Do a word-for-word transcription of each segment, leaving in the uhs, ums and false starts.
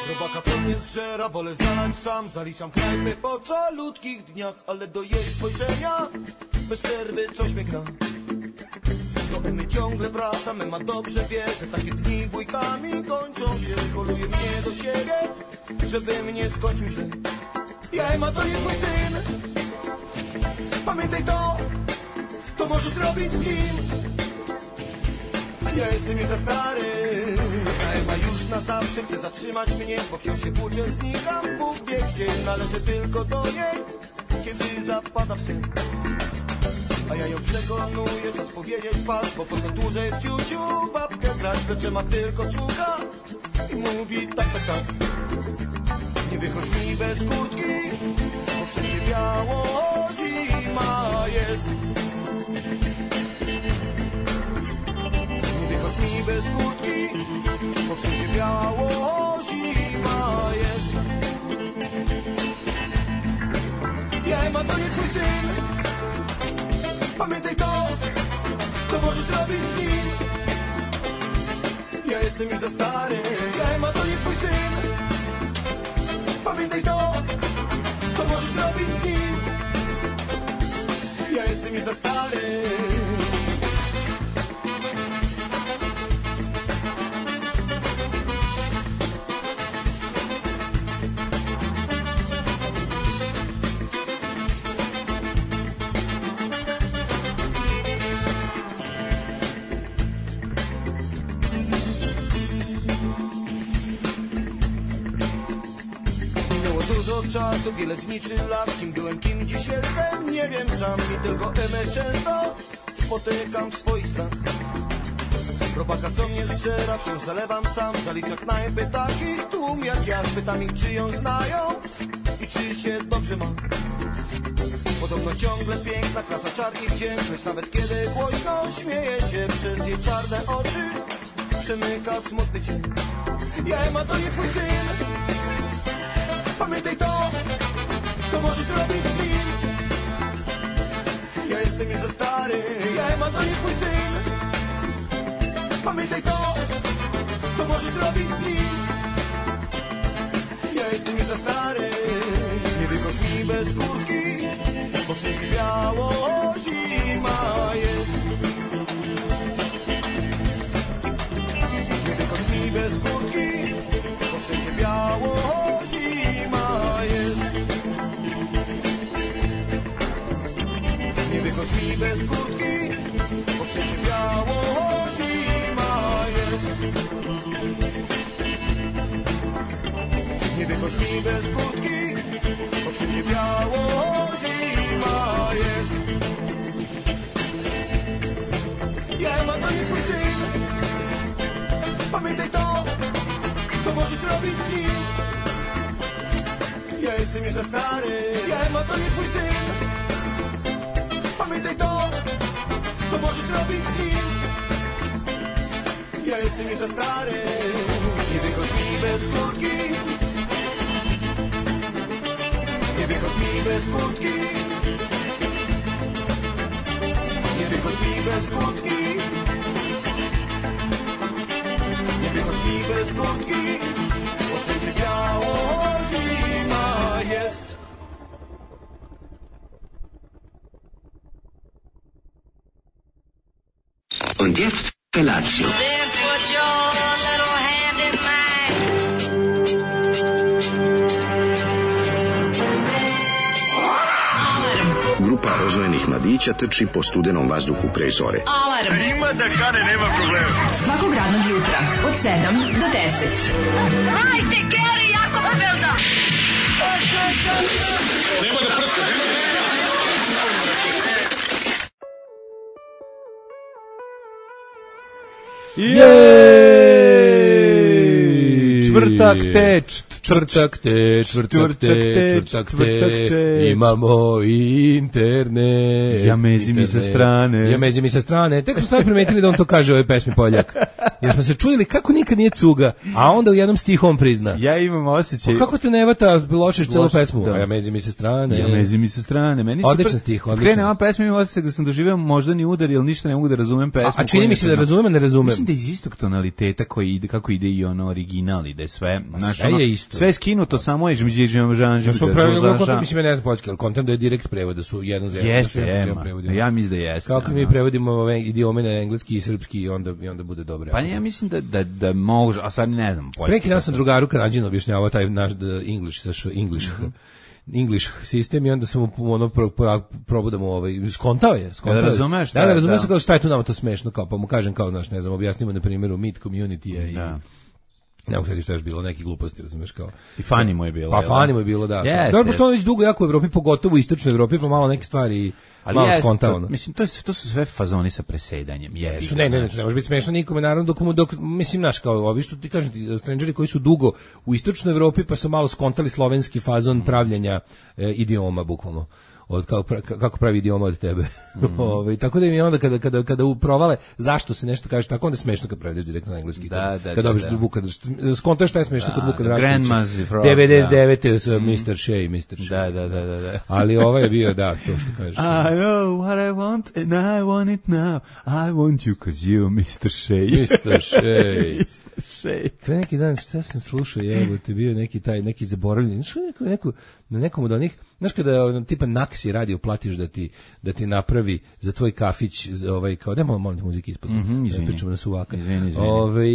Robaka co mnie zżera, wolę zalać sam. Zaliczam knajpy po calutkich dniach, ale do jej spojrzenia bez przerwy coś mnie gra. Do Emy ciągle wracam, Ema dobrze wie, że takie dni bójkami kończą się. Koluje mnie do siebie, żeby mnie skończył źle. Ja Ema to nie twój syn, pamiętaj to, to możesz robić z nim. Ja jestem już za stary, a Ema już na zawsze chce zatrzymać mnie, bo wciąż się płuczę, znikam, Bóg wie gdzie. Należę tylko do niej, kiedy zapada w sen. A ja ją przekonuję, czas powiedzieć pas, bo po co dłużej w ciuciu babkę grać, lecz ma tylko słucha i mówi tak, tak, tak. Nie wychodź mi bez kurtki, bo wszędzie biało, zima jest. Nie wychodź mi bez kurtki, bo wszędzie biało, zima jest. Ja Ema to nie twój syn, pamiętaj to, to możesz robić z nim. Ja jestem już za stary, ja Ema to nie twój syn. Pamiętaj to, to możesz robić z nim. Ja jestem już za stary. Czasu, wiele dni czy lat, kim byłem, kim dziś jestem, nie wiem sam. I tylko Emę często spotykam w swoich snach. Robaka co mnie zżera, wciąż zalewam sam. Zalicza knajpy takich tłum jak ja. Pytam ich czy ją znają i czy się dobrze ma. Podobno ciągle piękna, klasa, czar i wdzięk, lecz nawet kiedy głośno śmieje się, przez jej czarne oczy przemyka smutny cień. Ja Ema to nie twój syn, pamiętaj to, to możesz robić z nim. Ja jestem już za stary, ja Ema to nie twój syn. Pamiętaj to, to możesz robić z nim. Ja jestem już za stary. Nie wychodź mi bez kurtki, bo wszędzie biało, zima jest. Nie wychodź mi bez kurtki, bo wszędzie biało, zima jest. Nie wychodź mi bez kurtki, bo wszędzie biało, zima jest. Nie wychodź mi bez kurtki, bo wszędzie biało, zima jest. Ja Ema to nie twój syn, pamiętaj to, to możesz robić z nim. Ja jestem już za stary, ja Ema to nie twój syn. Pamiętaj to, to możesz robić z nim. Ja jestem już za stary. Nie wychodź mi bez kurtki, nie wychodź mi bez kurtki, nie wychodź mi bez kurtki, nie wychodź mi bez kurtki, bo wszędzie biało, zima jest. Und jetzt Felatio. Then put your little hand in mine. Grupa rozvojenih mladića trči po studenom vazduhu pre zore. Alarm. Ima da kane, nema problema. Svakog radnog jutra od sedam do deset. Hajde, Geri, jako se velda. Nema da prska, nema da prska. Jej! Čvrtak te, čvrtak te, čvrtak te, čvrtak te, imamo internet. Ja mezi mi sa strane. Ja mezi mi sa strane. Tek smo sad primetili da on to kaže u ovoj pesmi Poljak. Jer smo se čujeli kako nikad nije cuga, a onda u jednom stihu on prizna. Ja imam osjećaj. Pa kako te ne vata, lošeš celu pesmu? Da. Ja mezi mi sa strane. Ja mezi mi sa strane. Meni odličan stih, odličan. Krene ova pesma, imam osjećaj da sam doživeo moždani udar, jer ništa ne mogu da razumem pesmu. A, a čini mi se da razumem, a ne razumem. Mislim da iz istog tonaliteta koji ide, kako ide i ono original ide. je sve, znaš, sve ono, je isto. sve je skinuto, samo je žmđiđem žan, Da su pravilno kontam, mislim, ja ne znam poljski, ali kontam da je direkt prevod, da su jedan za jedan. Jeste, jema. Ja mislim da jeste. Kako mi prevodimo ove idiome na engleski i srpski i onda, i onda bude dobro. Pa ja mislim da, da, da može, a sad ne znam poljski. Neki dan sam drugaru Kanadžinu objašnjavao taj naš English, saš English. English sistem i onda sam mu ono pro, pro, probudamo ovaj skontao je, skontao. Da razumeš, da, da, razumeš da. Kao šta je tu nama to smešno, kao pa mu kažem kao naš, ne znam, objasnimo na primjeru Meet Community i da. Ne mogu šta je bilo, neki gluposti, razumeš kao. I fani mu je bilo. Pa fani mu je bilo, da. Yes, dobro, što on već dugo jako u Evropi, pogotovo u istočnoj Evropi, pa malo neke stvari ali malo skontao. Mislim, to, je, to su sve fazoni sa presedanjem. Jesu, ne, ne, ne, ne može biti smešno nikome, naravno, dok, mu, dok mislim, naš, kao ovi što ti kažem, ti, strangeri koji su dugo u istočnoj Evropi, pa su malo skontali slovenski fazon pravljenja e, idioma, bukvalno. Od kako, kako pravi idioma od tebe. Mm. Ove, tako da mi onda kada kada kada uprovale zašto se nešto kaže tako, onda je smešno kad prevedeš direktno na engleski. Da, da, kada da, da. Vuka skontaš šta je smešno da, kod Vuka Draškovića. devedeset devete sa mister Shea, mister Shea. Da, da, da, da, da. Ali ovaj je bio da, to što kažeš. I know what I want and I want it now. I want you cause you mister Shea. mister Shea. mister Shea. Pre neki dan šta sam slušao, jebote, bio neki taj neki zaboravljen, što neko neko na nekom od onih, znaš kada tipa Naksi radio platiš da ti da ti napravi za tvoj kafić, ovaj kao da malo molim muzike ispod. Mm -hmm, izvini. Pričamo na suvaka. Izvini, izvini. Ovaj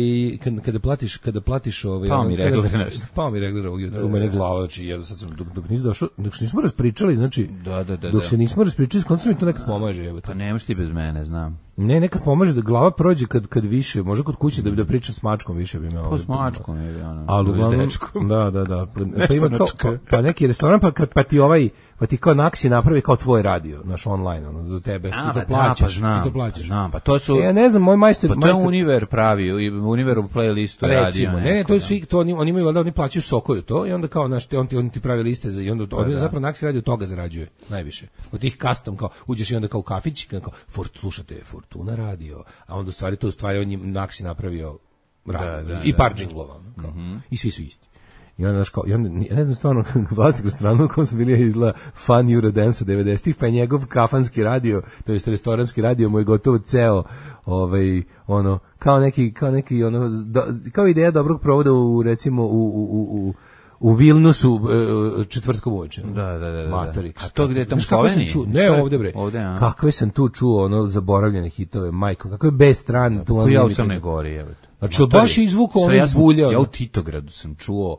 kada, kada platiš, kada platiš ovaj pa mi regler nešto. Pa mi regler ovog jutra u mene glava, znači ja sad sam dok, dok nisi došao, dok nismo raspričali, znači da, da, da, dok da. se nismo raspričali, kontra mi to nekad pomaže, jebote. Pa nemaš ti bez mene, znam. Ne, nekad pomaže da glava prođe kad kad više, može kod kuće da da pričam s mačkom više bi me. Pa s mačkom je ono. Ali uglavnom, da, da, da. Pa ima kao, pa, pa neki restoran pa kad pa ti ovaj pa ti kao Naksi napravi kao tvoj radio, naš online, ono, za tebe, a, ti to plaćaš, da, pa znam, ti to plaćaš. Znam, pa to su... E, ja ne znam, moj majstor... Pa to majstor, je Univer pravi, Univer u playlistu recimo, radio. Ne, ne, to je svi, to oni, oni imaju, valjda, oni plaćaju Sokoju to i onda kao, znaš, on ti, on ti pravi liste za, i onda, pa, zapravo Naksi radio toga zarađuje, najviše. Od tih custom, kao, uđeš i onda kao u kafić, kao, fort, slušate, Fortuna radio, a onda u stvari, to u stvari on je Naksi napravio radio, da, da, i par džinglova, kao, mm-hmm. i svi su isti. I onda, kao, i onda, ja ne znam stvarno, vlasnik restorana u kom su bili izgleda fan Eurodance devedesetih, pa je njegov kafanski radio, to jest restoranski radio, mu je gotovo ceo, ovaj, ono, kao neki, kao neki, ono, do, kao ideja dobrog provoda u, recimo, u, u, u, u Vilnusu četvrtkom uveče. Da, da, da. Matori. A to gde je tamo Sloveniji? Ne, ovde bre. Ovde, a. Kakve sam tu čuo, ono, zaboravljene hitove, majko, kakve bez stran. Tu ja u Crnoj Gori, evo. Znači, baš je izvukao ono izbuljao. Ja u Titogradu sam čuo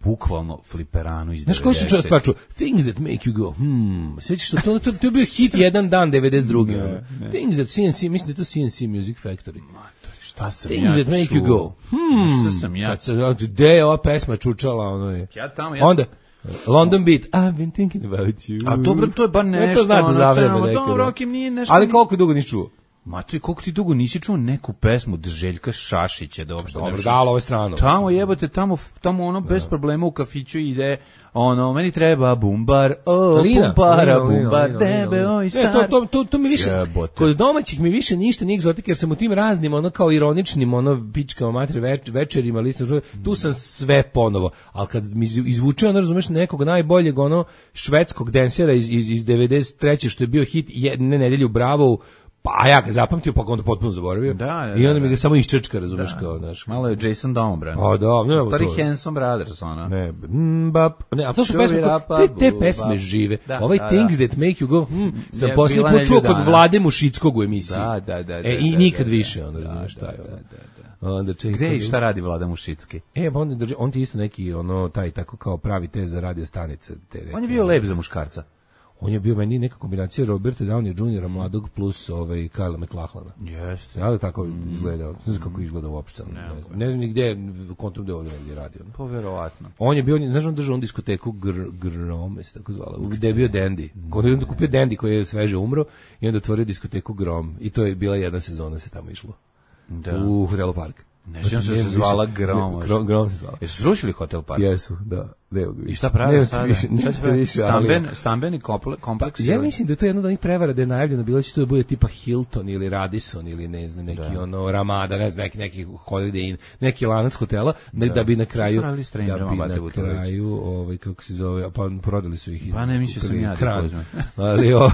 bukvalno fliperanu iz devedesetih. Znaš koji su stvar čuo? Things that make you go, hmm. Sjećaš što to, to, to je bio hit jedan dan devedeset druge. Ne, ne. Things that C N C, mislim da je to C N C Music Factory. Matori, šta sam Things ja that make čuo? You go, hmm. Šta sam ja? Gde je ova pesma čučala? Ono je. Ja tamo, ja onda, London Beat, I've been thinking about you. A dobro, to je bar nešto. Ne, to zna da zavrebe neke. Dobro, nije nešto. Ali koliko dugo nisi čuo? Matori, koliko ti dugo nisi čuo neku pesmu od Željka Šašića da uopšte dobro, dalo ove strano. Tamo jebote, tamo, tamo ono bez problema u kafiću ide, ono, meni treba bumbar, o, bumbara, bumbar, debe, oj, star. Ne, to, to, to, to mi više, jebote. Kod domaćih mi više ništa nije egzotik, jer sam u tim raznim, ono, kao ironičnim, ono, pičkama, matri, več, večerima, listom, tu sam sve ponovo, ali kad mi izvuče, ono, razumeš, nekog najboljeg, ono, švedskog densera iz, iz, iz devedeset treće što je bio hit jedne nedelje u Bravovu, pa ja ga zapamtio, pa ga onda potpuno zaboravio. Da, da, i onda da, mi ga samo iščečka, razumeš, da, kao, znaš. Malo je Jason Domobran. A da, ne, stari Hanson Brothers, ona. Ne, mbap, ne, a to su pesme, te, te pesme žive. Da, ovaj da, Things da. That make you go, hm, sam posljednji put čuo kod Vlade Mušickog u emisiji. Da, da, da. E, i nikad više, onda, razumeš, šta je, ono. Onda čekaj. Gde i šta radi Vlada Mušicki? E, pa on, drži, on ti isto neki, ono, taj, tako kao pravi te za radio stanice. Te neke, on je bio lep za muškarca. On je bio meni neka kombinacija Roberta Downey juniora mladog plus ovaj Kyle MacLachlana. Jeste. Ja da tako mm. izgleda, ne znam kako izgleda uopšte. Ne, ne znam, ne znam ni gde, kontom gde ovdje negdje radio. Pa verovatno. On je bio, znaš, on držao on diskoteku gr, Grom, se tako zvala, gde je bio Dandy. On je onda kupio Dandy koji je sveže umro i onda otvorio diskoteku Grom. I to je bila jedna sezona se tamo išlo. Da. U Hotelu Park. Ne znam se se zvala Grom. Grom, Grom se zvala. Jesu srušili Hotel Park? Jesu, da. I šta pravi sada? Više, više, Stamben, stambeni kompleks. Ja mislim da je to jedno od onih prevara da je najavljeno bilo će to da bude tipa Hilton ili Radisson ili ne znam neki da. ono Ramada, ne znam neki neki Holiday Inn, neki lanac hotela da, da bi na kraju da bi na kraju ovaj kako se zove pa prodali su ih. Pa ne mislim sam ja da ali ovaj,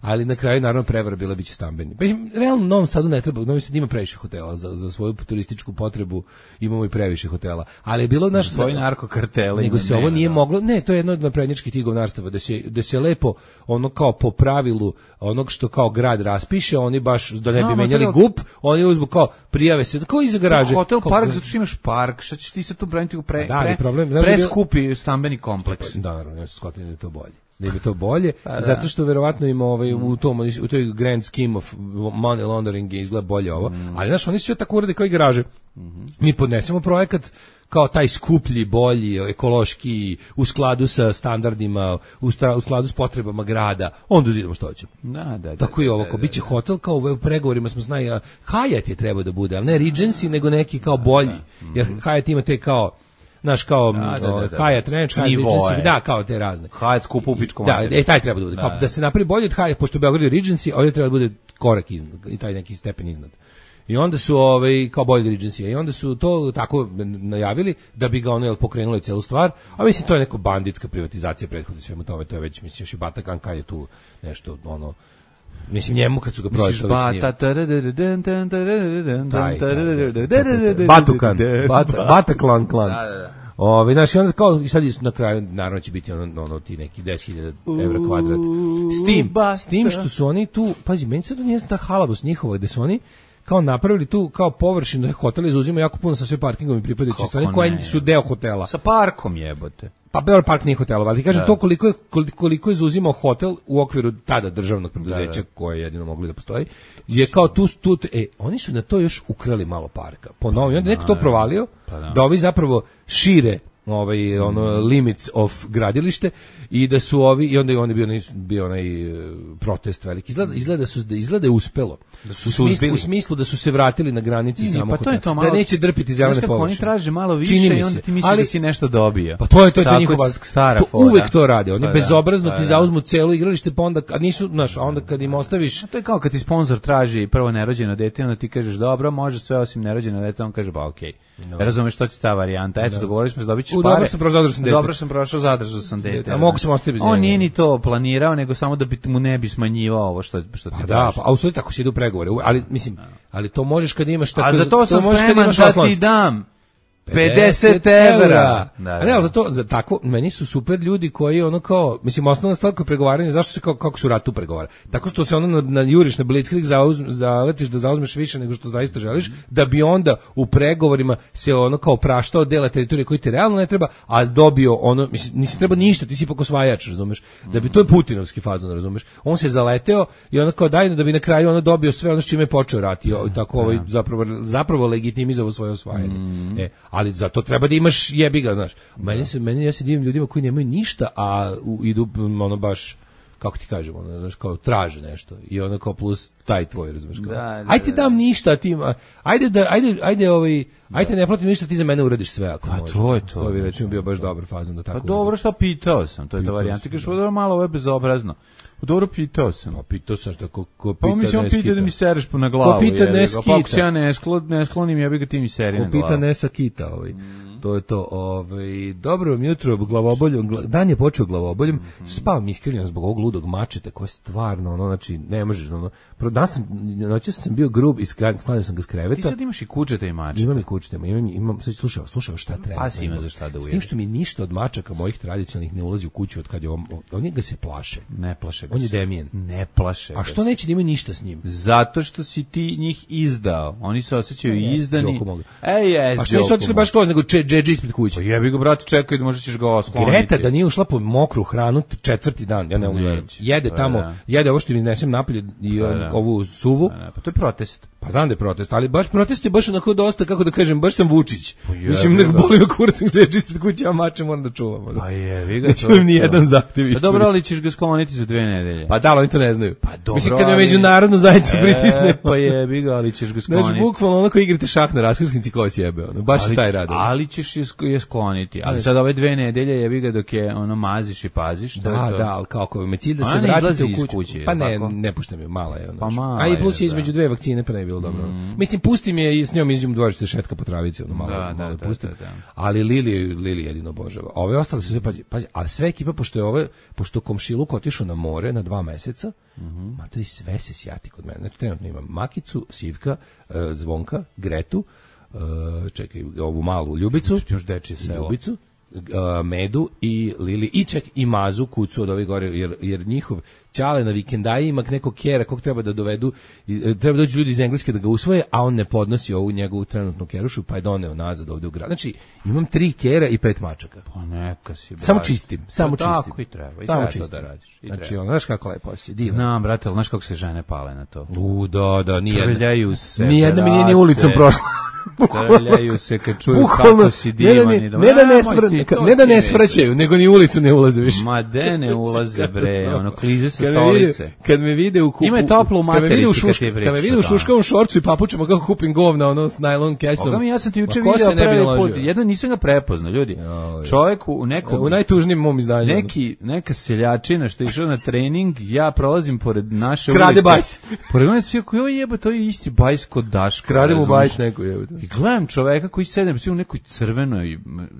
ali na kraju naravno prevara bila biće stambeni. Pa realno Novom Sadu ne treba, Novi Sad ima previše hotela za za svoju turističku potrebu, imamo i previše hotela. Ali je bilo naš svoj narkokarteli. Nego se ovo nije da. moglo, ne, to je jedno od naprednjačkih tih govnarstava, da se, da se lepo, ono kao po pravilu, onog što kao grad raspiše, oni baš, da ne bi menjali G U P, oni uzmu kao, prijave se, kao iza garaže. Hotel kao, park, zato što imaš park, šta ćeš ti se tu braniti u pre, da, pre, problem, pre skupi stambeni kompleks. Da, naravno, ja sam shvatio da je to bolje. Da je to bolje, pa, zato što verovatno ima ovaj, u, tom, u toj grand scheme of money laundering je izgleda bolje ovo, mm. ali znaš, oni sve tako urade kao i garaže. Mm-hmm. Mi podnesemo projekat kao taj skuplji, bolji, ekološki, u skladu sa standardima, u, stra, u skladu s potrebama grada, onda vidimo što hoćemo. Da, da, da, tako je ovo, da, da, biće hotel, kao u pregovorima smo znali, Hyatt je trebao da bude, ali ne Regency, nego neki kao bolji, jer Hyatt ima te kao naš kao da, da, da, da. Hyatt Ranch, Hyatt Regency, da, kao te razne. Hyatt skupo u pičkom da, e, taj treba da bude. Da, kao, da se napravi bolje od Hyatt, pošto Beograd je Regency, ovdje treba da bude korak iznad, i taj neki stepen iznad. I onda su ovaj kao bolje Regency, i onda su to tako najavili da bi ga ono jel pokrenuli celu stvar, a mislim to je neka banditska privatizacija prethodno svemu tome, to je već mislim još i Bata Kanka je tu nešto ono mislim njemu kad su ga prodali Batukan, Bataklan klan. Ove, znaš, onda kao, i sad na kraju, naravno će biti ono, ono ti neki deset hiljada evra kvadrat. S tim, s tim što su oni tu, pazi, meni sad nije ta halabos njihova, gde su oni kao napravili tu kao površinu da hotel izuzima jako puno sa sve parkingom i pripadajuće strane koje su deo hotela. Sa parkom jebote. Pa Beograd park nije hotel, ali kažem da. to koliko je koliko je izuzimao hotel u okviru tada državnog preduzeća da, da. koje je jedino mogli da postoji. Je kao tu tu e oni su na to još ukrali malo parka. Po novom, onda neko to provalio pa da. da ovi zapravo šire ovaj ono limits of gradilište i da su ovi i onda je onda bio onaj bio onaj protest veliki. Izgleda izgleda su da izgleda je uspelo. Da su u, smislu, u smislu da su se vratili na granici samo pa to je to malo, da neće drpiti zelene površine. Oni traže malo više i onda ti misliš da si nešto dobio. Pa to je to je njihova stara to fora. Uvek to rade. Oni pa bezobrazno da, ti pa zauzmu celo igralište pa onda a nisu, znaš, a onda kad im ostaviš. A to je kao kad ti sponzor traži prvo nerođeno dete, onda ti kažeš dobro, može sve osim nerođeno dete, on kaže ba okej. No. Razumeš što ti ta varijanta? Eto, no. dogovorili smo se dobićeš pare. Dobro sam prošao zadržao sam dete. Dobro sam prošao zadržao sam dete. A mogu sam ostaviti bez njega. On nije ni to planirao, nego samo da bi mu ne bi smanjivao ovo što što ti pa da, pa a u stvari tako se ide u pregovore. Ali mislim, ali to možeš kad imaš tako. A za to sam spreman da ti dam pedeset evra. Da, da. A ne, ali za to, za tako, meni su super ljudi koji ono kao, mislim, osnovna stvar kod pregovaranja, zašto se, kao, kako su ratu pregovara? Tako što se ono na, na juriš, na blitzkrieg zaletiš da zauzmeš više nego što zaista želiš, da bi onda u pregovorima se ono kao praštao dela teritorije koji ti realno ne treba, a dobio ono, mislim, nisi treba ništa, ti si ipak osvajač, razumeš? Da bi, to je Putinovski fazon, razumeš? On se zaleteo i ono kao daj da bi na kraju ono dobio sve ono s čime je počeo rat i tako ovaj, zapravo, zapravo legitimizovao svoje osvajanje. Mm. E, ali za to treba da imaš jebi ga, znaš. Meni se meni ja se divim ljudima koji nemaju ništa, a u, idu ono baš kako ti kažemo, ono, znaš, kao traže nešto i ono kao plus taj tvoj, razumeš kao. Da, da, ajde ti dam ništa, ti ajde da ajde ajde ovaj ajde ne platim ništa, ti za mene uradiš sve ako možeš. A to je to. To bi recimo bio baš dobar fazon da tako. Pa dobro, što pitao sam, to je ta varijanta, kažeš da malo ovo je bezobrazno. Dobro pitao sam. No, pitao sam što ko, ko pita pa mi se on pita da mi sereš po na glavu. Ko pita ne skita. Pa ako se ja ne, sklon, ne sklonim, ja bih ga ti mi seri na glavu. Ko pita ne sakita. Ovaj. Mm. To je to. Ovaj. Dobro jutro, glavoboljom. Dan je počeo glavoboljom. Mm. Spavam iskreno zbog ovog ludog mačeta koji je stvarno, ono, znači, ne možeš. Ono. Danas sam, noćas sam bio grub i sklanio sam ga s kreveta. Ti sad imaš i kučeta i mačeta. Imam i kučeta. Imam, imam, sad slušao, slušao šta treba. Pa si ima za šta da ujede. S tim što mi ništa od mačaka mojih tradicionalnih ne ulazi u kuću od kad je on, oni ga se plaše. Ne plaše ga. On je Demijen. Ne plaše. A što neće da imaju ništa s njim? Zato što si ti njih izdao. Oni se osjećaju e, izdani. Ej, jes, a što nisu otišli baš skroz, nego džedži ispred kuće? Pa jebi ga, brate, čekaj, da možda ćeš ga oskloniti. Greta da nije ušla po mokru hranu četvrti dan, ja ne mogu gledati. Jede tamo, jede ovo što im iznesem napolje i pa, da. ovu suvu. Pa, da. Pa to je protest. Pa znam da je protest, ali baš protest je baš onako dosta, kako da kažem, baš sam Vučić. Pa je, Mislim, nek boli me kurac, gdje ispred kuće, a mače moram da čuvam. Pa je, vi ga Neću to. im ni jedan zahtev Pa ispred. dobro, ali ćeš ga skloniti za dve nedelje. Pa da, ali oni to ne znaju. Pa dobro, Mislim, kad me ali- međunarodnu zajednicu pritisne. E, pa je, vi ga, ali ćeš ga Znaš, skloniti. bukvalno onako igrate šah na raskrsnici ko sjebe, ono, baš ali, je taj rad. ono. ali ćeš je, sk- je skloniti. Ali sad ove dve nedelje jebi ga dok je ono maziš i paziš. to je Da, to. da, ali kao ako me cilj da Ona se ne vratite izlazi u iz kuću. kuće, Pa ne, tako? ne puštam je, mala je. Ono, Pa znaš. mala A i plus je, je između da. dve vakcine, pa ne bi bilo dobro. Mislim, pustim je i s njom izađem u dvorište šetka po travici, ono malo, Da, malo da, da, pustim. da, da. Ali Lili, Lili jedino obožava. A ove ostale su sve, pazi, pazi, ali sve ekipa, pošto je ove, pošto komšiluk otišao na more na dva meseca, ma to i sve se sjati kod mene. Znači, trenutno imam Makicu, Sivka, e, Zvonka, Gretu, e, čekaj, ovu malu Ljubicu, Još dečije selo. Ljubicu, uh, Medu i Lili i ček i Mazu kucu od ovih gore, jer, jer njihov Ćale na vikendaji ima nekog kjera kog treba da dovedu, i, treba doći ljudi iz Engleske da ga usvoje, a on ne podnosi ovu njegovu trenutnu kerušu, pa je doneo nazad ovde u grad. Znači, imam tri kjera i pet mačaka. Pa neka si. Samo baš. čistim, samo Pa čistim. Tako i treba. I Samo treba to čistim. da radiš. I Znači, treba. ono, znaš kako lepo osjeća, divno. Znam, brate, ali znaš kako se žene pale na to? U, da, da, nijedna. Trljaju se, Nijedna mi nije ni brate. ulicom prošla. Trljaju se kad čuju Bukvalno, kako si ne divan. da, i ne, da- ne da ne, Nemoj svr, ti, to ne da ti ne neće. svraćaju, nego ni u ulicu ne ulaze više. Ma de ne ulaze bre, ono klize sa Kad me vide- stolice. Kad me vide u kupu, Ima je toplo u kad me vide u materici kad šuška- ti pričaš kad me vide u o tome. šuškavom šorcu i papučama kako kupim govna, ono s najlon kesom. Boga mi, ja sam ti juče Ma ko se video ne bi prvi naložio? put, jedan nisam ga prepoznao, ljudi. Joj. Čovjek u nekom U najtužnijem mom izdanju. neki neka seljačina što je išao na trening, ja prolazim pored naše Krade ulice. bajs. Pored ulice, ja koji jebe, to je isti bajs kod Daška. Krade mu razumeš? bajs neko je. I gledam čoveka koji sede u nekoj crvenoj,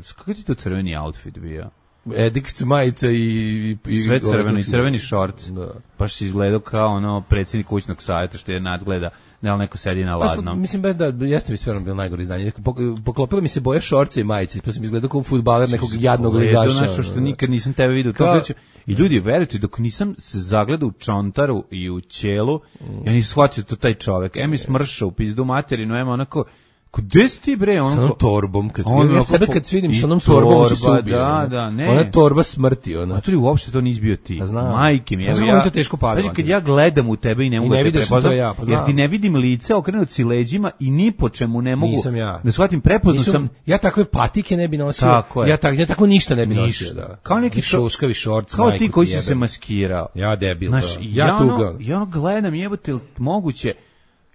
kako ti to crveni outfit bio? Edikt majica i, i, i Sve crveno i crveni šorc. Da. Baš si izgledao kao ono predsjednik kućnog savjeta što je nadgleda, ne, ali neko sedi na Pa, ladnom. mislim baš da jeste mi stvarno bilo najgore izdanje. Pok- Poklopilo mi se boje šorce i majice, pa sam izgledao kao fudbaler nekog jadnog Gledao ligaša. nešto što nikad nisam tebe vidio. Kao- Kao... I ljudi, verujte, dok nisam se zagledao u čontaru i u ćelu, ja nisam shvatio to taj čovek. Em je smršao u pizdu materinu, em onako, ko gde si ti bre? Sa Ono, onom ko- torbom, kad On vidim, ja onako sebe po- kad vidim i sa onom torbom ću se torba, ubije. da, ono. da, ne. Ona je torba smrti, ona. A to je uopšte to nisi bio ti. Pa znam. Majke mi, Pa evo znam, ja. oni to teško pade, Znači, kad Mati. ja gledam u tebe i ne mogu ne da te vidiš da sam to prepoznam, ja, pa jer znam. ti ne vidim lice, okrenut si leđima i ni po čemu ne mogu Nisam ja. da shvatim, prepoznao Nisam- sam. ja takve patike ne bi nosio. Tako je. Ja, tak, ja tako ništa ne bi Ništa. nosio. Da. Kao neki I šo- šuškavi šorc. Kao majku ti koji ti si jebem. se maskirao. Ja debil, Znaš, da. ja, Ja ono, tuga. ja ono gledam, jebote, jel moguće.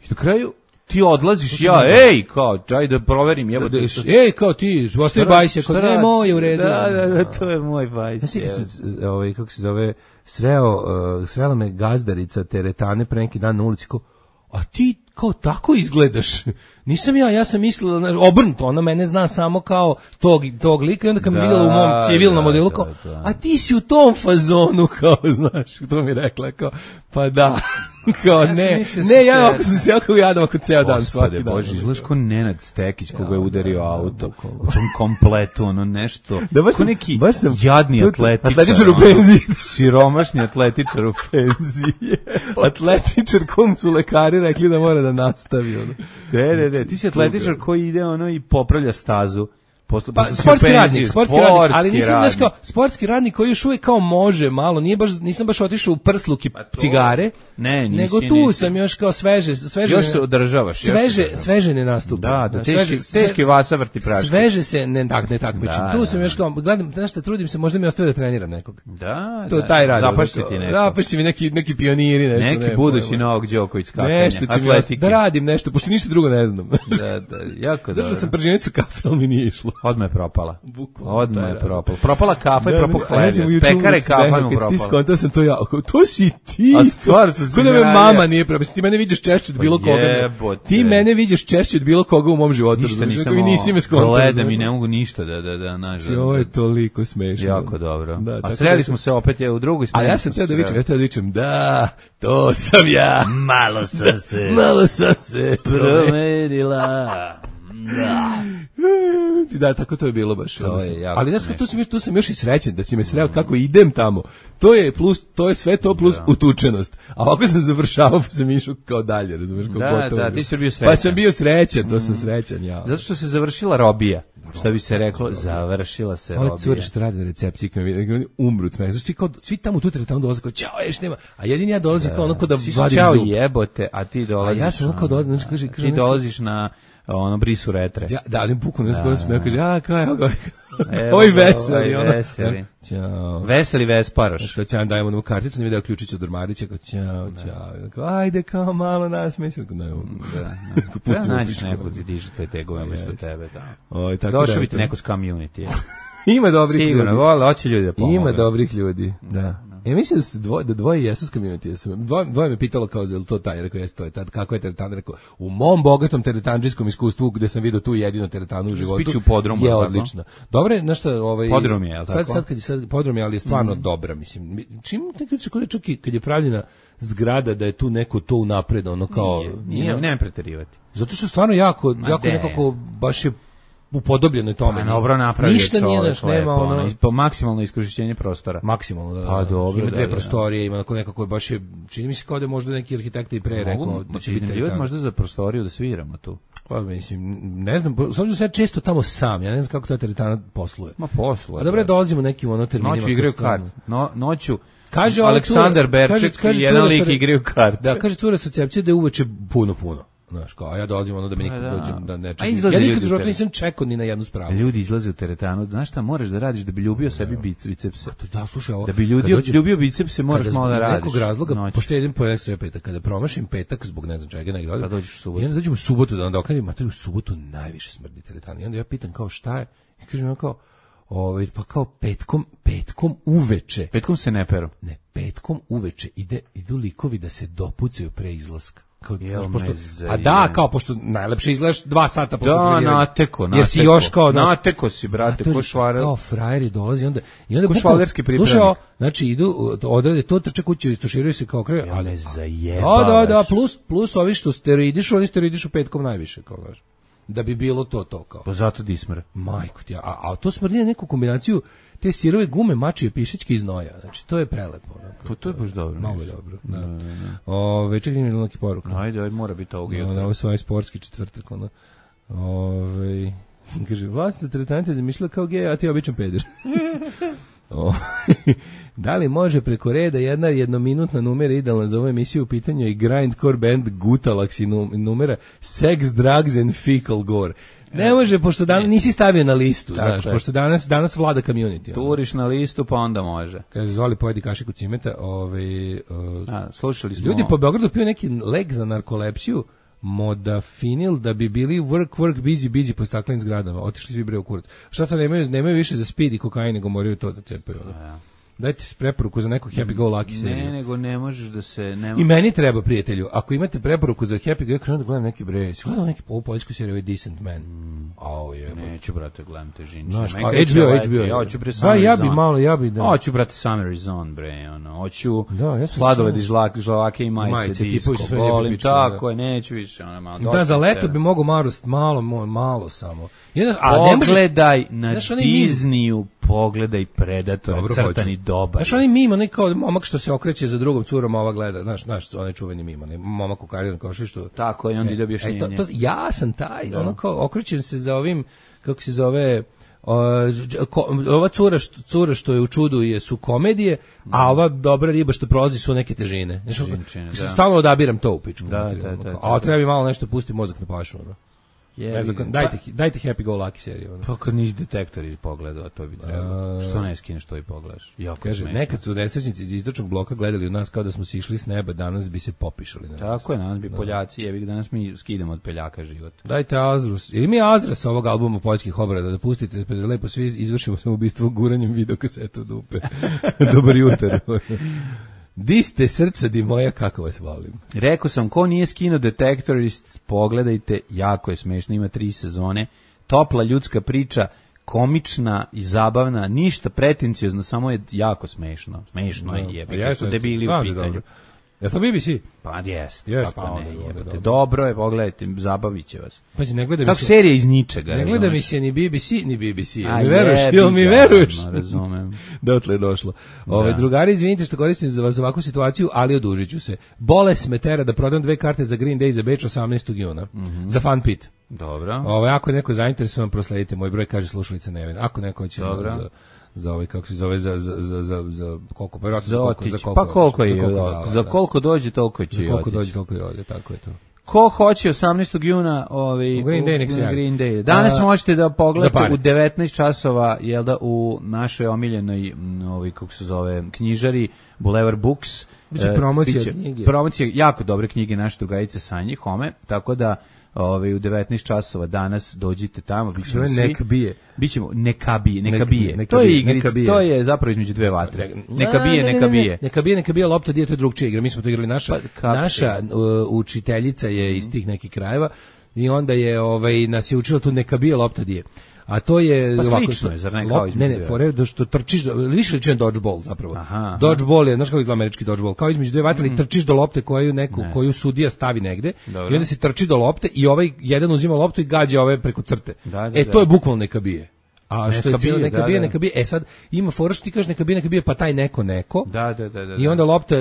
I na kraju ti odlaziš, ja, ej, kao, čaj da proverim, jebote. Da, Ej, kao ti, ostavi bajs, ako ne, moj je u redu. Da, da, da, to je moj bajs. Znaš ti kad jebote. se, ovaj, kako se zove, sreo, uh, srela me gazdarica teretane pre neki dan na ulici, kao, a ti kao tako izgledaš. Nisam ja, ja sam mislila, znaš, obrnuto, ona mene zna samo kao tog, tog lika i onda kad me Da, vidjela u mom civilnom da, modelu, da, kao, da. a ti si u tom fazonu, kao, znaš, to mi je rekla, kao, pa da, kao, Ja sam ne, mislio ne, ja se- ako sam se jako jadan oko ceo dan, svaki Gospode dan. Bože, izgledaš ko Nenad Stekić koga je udario da, da, auto. bukvalno. U tom kompletu, ono nešto. Da, baš ko sam- neki baš sam- jadni tu- atletičar. atletičar u ono. penziji. Siromašni atletičar u penziji. Atletičar kom su lekari rekli da mora da nastavi, ono. Ne, ne, ne, ti si atletičar koji ide ono i popravlja stazu. Posle, Pa, posle si u sportski penziji. radnik, sportski radnik, ali nisam radnik. znaš kao, sportski radnik koji još uvijek kao može malo, nije baš, nisam baš otišao u prsluk i to- cigare, Ne, nisi, nego tu nisi. sam još kao sveže, sveže, Još se održavaš. još se sveže, održavaš. sveže ne nastupa. Da, da, Znaš, teški, sveže- teški vasa vrti praške. Sveže se ne tak ne takmičim. Da, Tu da, sam još kao gledam, znaš šta, trudim se, možda mi ostave da treniram nekog. Da, To da. je taj rad. Zapašće ono, ti kao, neko. Zapašće mi neki neki pioniri nešto. Neki ne, budući pojma. Novak Đoković skakanja. Nešto će mi atletike. da radim nešto, pošto ništa drugo ne znam. Da, da, jako dobro. Držao sam prženicu kafe, ali mi nije išlo. Odmah je propala. Bukvalno Odmah taj je rad. propala. Propala kafa i Da, propao ne, a ja sam hleb. juče Pekare ulici kafa rekao, mu kad ti propala. skontao sam to ja, kao, to si ti. A stvarno sam se Ko da me iznenadio. mama nije propala. Ti mene vidiš češće od bilo Pa koga. jebote. Ti mene vidiš češće od bilo koga u mom životu. Ništa razumeš? nisam Rekao, i nisi me skontao. gledam i ne mogu ništa da, da, da, naš. Znači, ovo je toliko smešno. Jako dobro. Da, A tako sreli da smo se opet je u drugoj A smeni. ja sam smo teo se da vičem, sreli. ja teo da vičem, da, to sam ja. Malo sam se Malo sam se promenila. Ti da, tako to je bilo baš. To je jako Ali znaš, smešno. tu sam još tu sam još i srećan da si me sreo kako idem tamo. To je plus, to je sve to plus utučenost. A ovako sam završavao pa sam išao kao dalje, razumeš, kao Da, gotovo. da, ti si bio Pa srećan. sam bio srećan, to sam srećan ja. Zato što se završila robija. Šta bi se reklo, završila se Ove robija. cure što rade na recepciji, kad mi vide, oni umru od smeha. Znači, svi, kao, svi tamo u tu teretanu dolaze kao, ćao, ješ nema. A jedini ja dolazim kao onako da Svi su vadim čao zub. jebote, a ti dolaziš. A ja sam onako dolazim, znači, kaže, kaže, ti dolaziš na ono brisu retre. Ja, da, ali buku ne skoro smeha, kaže, a, kao, evo ga, Evo ovi ga, veseli, ovaj ono. veseli. Ćao. Veseli Vesparoš. Znači, kad će vam dajemo novu karticu, ne video ključić od ormarića, kao, ćao, ćao. Kao, ajde, kao, malo nas, mislim, ne, Da, pustimo da. Nađeš pičku. neko ti diže te tegove umesto tebe. Da. Oj, tako Došao da, bi ti eto. neko s community. Ima dobrih Sigurno, ljudi. vole, hoće ljudi da pomogu. Ima dobrih ljudi, da. Ja mislim da, su dvoje, da dvoje jesu s community. Dvoje, dvoje me pitalo kao, je li to taj? Rekao, jeste to je tad. Kako je teretan? Rekao, u mom bogatom teretanđijskom iskustvu, gde sam vidio tu jedinu teretanu u životu, Spiči u podrumu, je tako? odlično. Dobro je, znaš šta, ovaj... Podrum je, jel sad, tako? sad, kad je sad podrum je, ali je stvarno mm. dobra, mislim. Čim neki se kod čak i kad je pravljena zgrada, da je tu neko to unapred, ono kao... Nije, nije, nema preterivati. Zato što je stvarno jako, Ma jako de. nekako, baš je upodobljeno je tome. Pa dobro napravio Ništa nije, čovek znaš, nema lepo, ono... po maksimalno iskorišćenje prostora. Maksimalno, da. Pa da. dobro, Ima dve da, da. prostorije, ima nekako je baš je, čini mi se kao da je možda neki arhitekta i pre rekao Mogu, da će će biti iznajmljivati teretana. možda za prostoriju da sviramo tu. Pa mislim, ne znam, s obzirom da sam ja često tamo sam, ja ne znam kako ta teretana posluje. Ma poslu. A dobro, dolazimo nekim ono terminima. Noću igraju kad stvarno- kart. No, noću Kaže ova Aleksandar cura- Berček kaže- kaže i jedan cura sa lik re- igraju karte. Da, kaže cura sa recepcije da je uveče puno, puno. Znaš, kao, a ja dolazim ono da mi nikad da. dođem, da ne A čekam. izlaze Ja nikad ljudi u u životu teren. nisam čekao ni na jednu spravu. Ljudi izlaze u teretanu. Znaš šta moraš da radiš da bi ljubio sebi bic- bicepse? Da, slušaj, ovo, Da bi ljudi kad dođem- ljubio bicepse moraš kada malo da iz radiš. nekog razloga, noću. pošto jedem po ekstra petak, kada promašim petak zbog ne znam čega, negdje odem, Pa dođeš u subotu. I onda dođem u subotu, da onda okrenim, materiju u subotu najviše smrdi teretana. I onda ja pitam kao šta je, i kažem ono kao, ovaj, pa kao petkom, petkom uveče, Petkom se ne peru. ne, petkom uveče ide, idu likovi da se dopucaju pre izlaska. Kao, Jel znaš, pošto, me a zajebano. da, kao, pošto najlepše izgledaš dva sata posle Da, treniranja. nateko, nateko. Jer si još kao, znaš, nateko si, brate, a to je ko švarer. Kao frajeri dolazi, onda, i onda Ko bukvalno- švalerski pripravnik. Slušaj, ovo, znači idu, odrade to, trče kuće, istuširaju se kao kraj, Jel ali me zajebavaš. Da, da, da, plus, plus ovi što steroidišu, oni steroidišu petkom najviše, kao znaš. Da bi bilo to, to, kao. Pa zato dismr. Majko ti, ja, a, a to smrdi na neku kombinaciju te sirove gume, mačije, pišečke i znoja. Znači, to je prelepo. Onako. Pa to je baš dobro. Mnogo je dobro, da. Ove, čekaj, ima neki poruka. Ajde, ajde, mora biti ovog No, jutra. na ovo svoj sportski četvrtak, ono. Ove, kaže, vlasnica teretante zamišljala kao gej, a ti običan peder. O, da li može preko reda jedna jednominutna numera idealna za ovu emisiju u pitanju i grindcore band Gutalax i num- numera Sex, Drugs and Fecal Gore? Ne može, pošto danas nisi stavio na listu, Tako znaš, je. pošto danas, danas vlada community. ono. Turiš na listu, pa onda može. Kaže, zvoli pojedi kašiku cimeta, ovaj, uh, A, slušali smo... ljudi po Beogradu piju neki lek za narkolepsiju, modafinil, da bi bili work, work, busy, busy po staklenim zgradama. Otišli svi bre u kurac. Šta to nemaju, nemaju više za speed i kokain, nego moraju to da cepaju. ono. Dajte preporuku za neku Happy Go Lucky seriju. Ne, nego ne možeš da se... Ne I meni treba, prijatelju, ako imate preporuku za Happy Go, ja krenuo da gledam neki bre, si gledao neki ovu poljsku seriju, ovaj Decent Man. Au, je. Neću, brate, gledam te žinče. Znaš, a Meni H B O, kreće H B O. lepo. Ja hoću bre Da, Summer ja is bi on. malo, ja bi da. Hoću, brate, Summer is on, bre, ono. Hoću Da, ja sam sladoled samo- i žlak, žlavake i majice, Majice, disko. tipovi su sve lijepe Volim, pičke, tako da. je, neću više, ono, malo. Da, dosta za leto tebe. bi mogo malo, malo, mo- malo samo. Jedan, a ne može, Pogledaj na Znaš, onaj meme- Disneyu, pogledaj Predator, Dobro, crtani hoću. dobar. Znaš, onaj mimo, onaj kao momak što se okreće za drugom curom, a ova gleda, znaš, znaš, onaj čuveni mimo, onaj momak u karijernom košištu. Tako je, onda ide E, objašnjenje. to, to, ja sam taj, ono kao, okrećem se za ovim, kako se zove, o, ko, ova cura što, cura što je u čudu je su komedije, a ova dobra riba što prolazi su neke težine. Znaš, ono, Težinčine, se da. stalno odabiram to u pičku. Da, materiju, da, ono da, kao, da, a treba mi malo nešto pusti mozak na pašu. Ono. Jebi Ne znam, ga. dajte, dajte Happy Go Lucky seriju. Ono. Pa kad nisi detektor iz pogleda, to bi trebalo. Što ne skineš to i pogledaš? Jako Kaže, smešno. nekad su nesrećnici iz istočnog bloka gledali od nas kao da smo sišli s neba, danas bi se popišali. Na nas. Tako je, danas bi Poljaci, jebi ga, danas mi skidamo od Peljaka život. Dajte Azrus. Ili mi Azra sa ovog albuma poljskih obrada da pustite, pa da lepo svi izvršimo samoubistvo guranjem videokaseta u dupe. Dobar jutar. Di ste srca, di moja, kako vas volim. Rekao sam, ko nije skinuo Detektorist, pogledajte, jako je smešno, ima tri sezone, topla ljudska priča, komična i zabavna, ništa pretenciozno, samo je jako smešno. Smešno je, jebi ga, su debili u pitanju. Je to B B C? Pa jest, Jest, kako pa ne, onda, jebote. dobro. Dobro je, pogledajte, zabavit će vas. Pazi, ne gleda mi Kako se... serija iz ničega. Ne gleda mi razumeš? se ni B B C, ni B B C. Jel A mi veruješ? jebi Jel mi ga, veruješ? ono, razumem. Dotle je došlo. Ove, Da. drugari, izvinite što koristim za vas za ovakvu situaciju, ali odužit ću se. Boles me tera da prodam dve karte za Green Day za Beč osamnaestog juna. Mhm. Za Fun Pit. Dobro. Ovo, ako je neko zainteresovan, prosledite moj broj, kaže slušalica Nevena. Ako neko hoće za, za ovaj, kako se zove, za, za, za, za, za koliko, pa za koliko, za koliko, pa koliko je, za koliko, za koliko dođe, toliko će i otići. Koliko dođe, toliko i ode, tako je to. Ko hoće osamnaestog juna ovaj, u Green Day, nek se javi. Green Day. Danas a, možete da pogledate u devetnaest časova, jel da, u našoj omiljenoj, ovaj, kako se zove, knjižari, Boulevard Books. Biće promocija uh, knjige. Promocija jako dobre knjige naše drugarice Sanje Home, tako da ovaj, u devetnaest časova danas dođite tamo. Bićemo svi. Nek bije. Bićemo, neka bije, neka nek, bije. Neka to je bije, igrica, to je zapravo između dve vatre. Neka bije, ne, ne, neka ne, bije. Neka bije, neka bije, neka bije, lopta dije, to je drugčija igra. Mi smo to igrali, naša, pa, naša uh, učiteljica je iz tih nekih krajeva i onda je, ovaj, nas je učila tu neka bije, lopta dije. A to je pa ovako, slično je, zar ne kao između? Ne, ne, fore da što trčiš, više liči na dodgeball zapravo. Aha, dodgeball je, znaš kako izgleda američki dodgeball, kao između dve vatre, mm. trčiš do lopte koju neku, ne. koju sudija stavi negde. Dobro. I onda se trči do lopte i ovaj jedan uzima loptu i gađa ove preko crte. Da, da, e, to je bukvalno neka bije. A što je cijelo, neka bije, neka bije. E sad, ima fora što ti kažeš neka bije, neka bije, pa taj neko neko. Da, da, da, da. I onda lopta,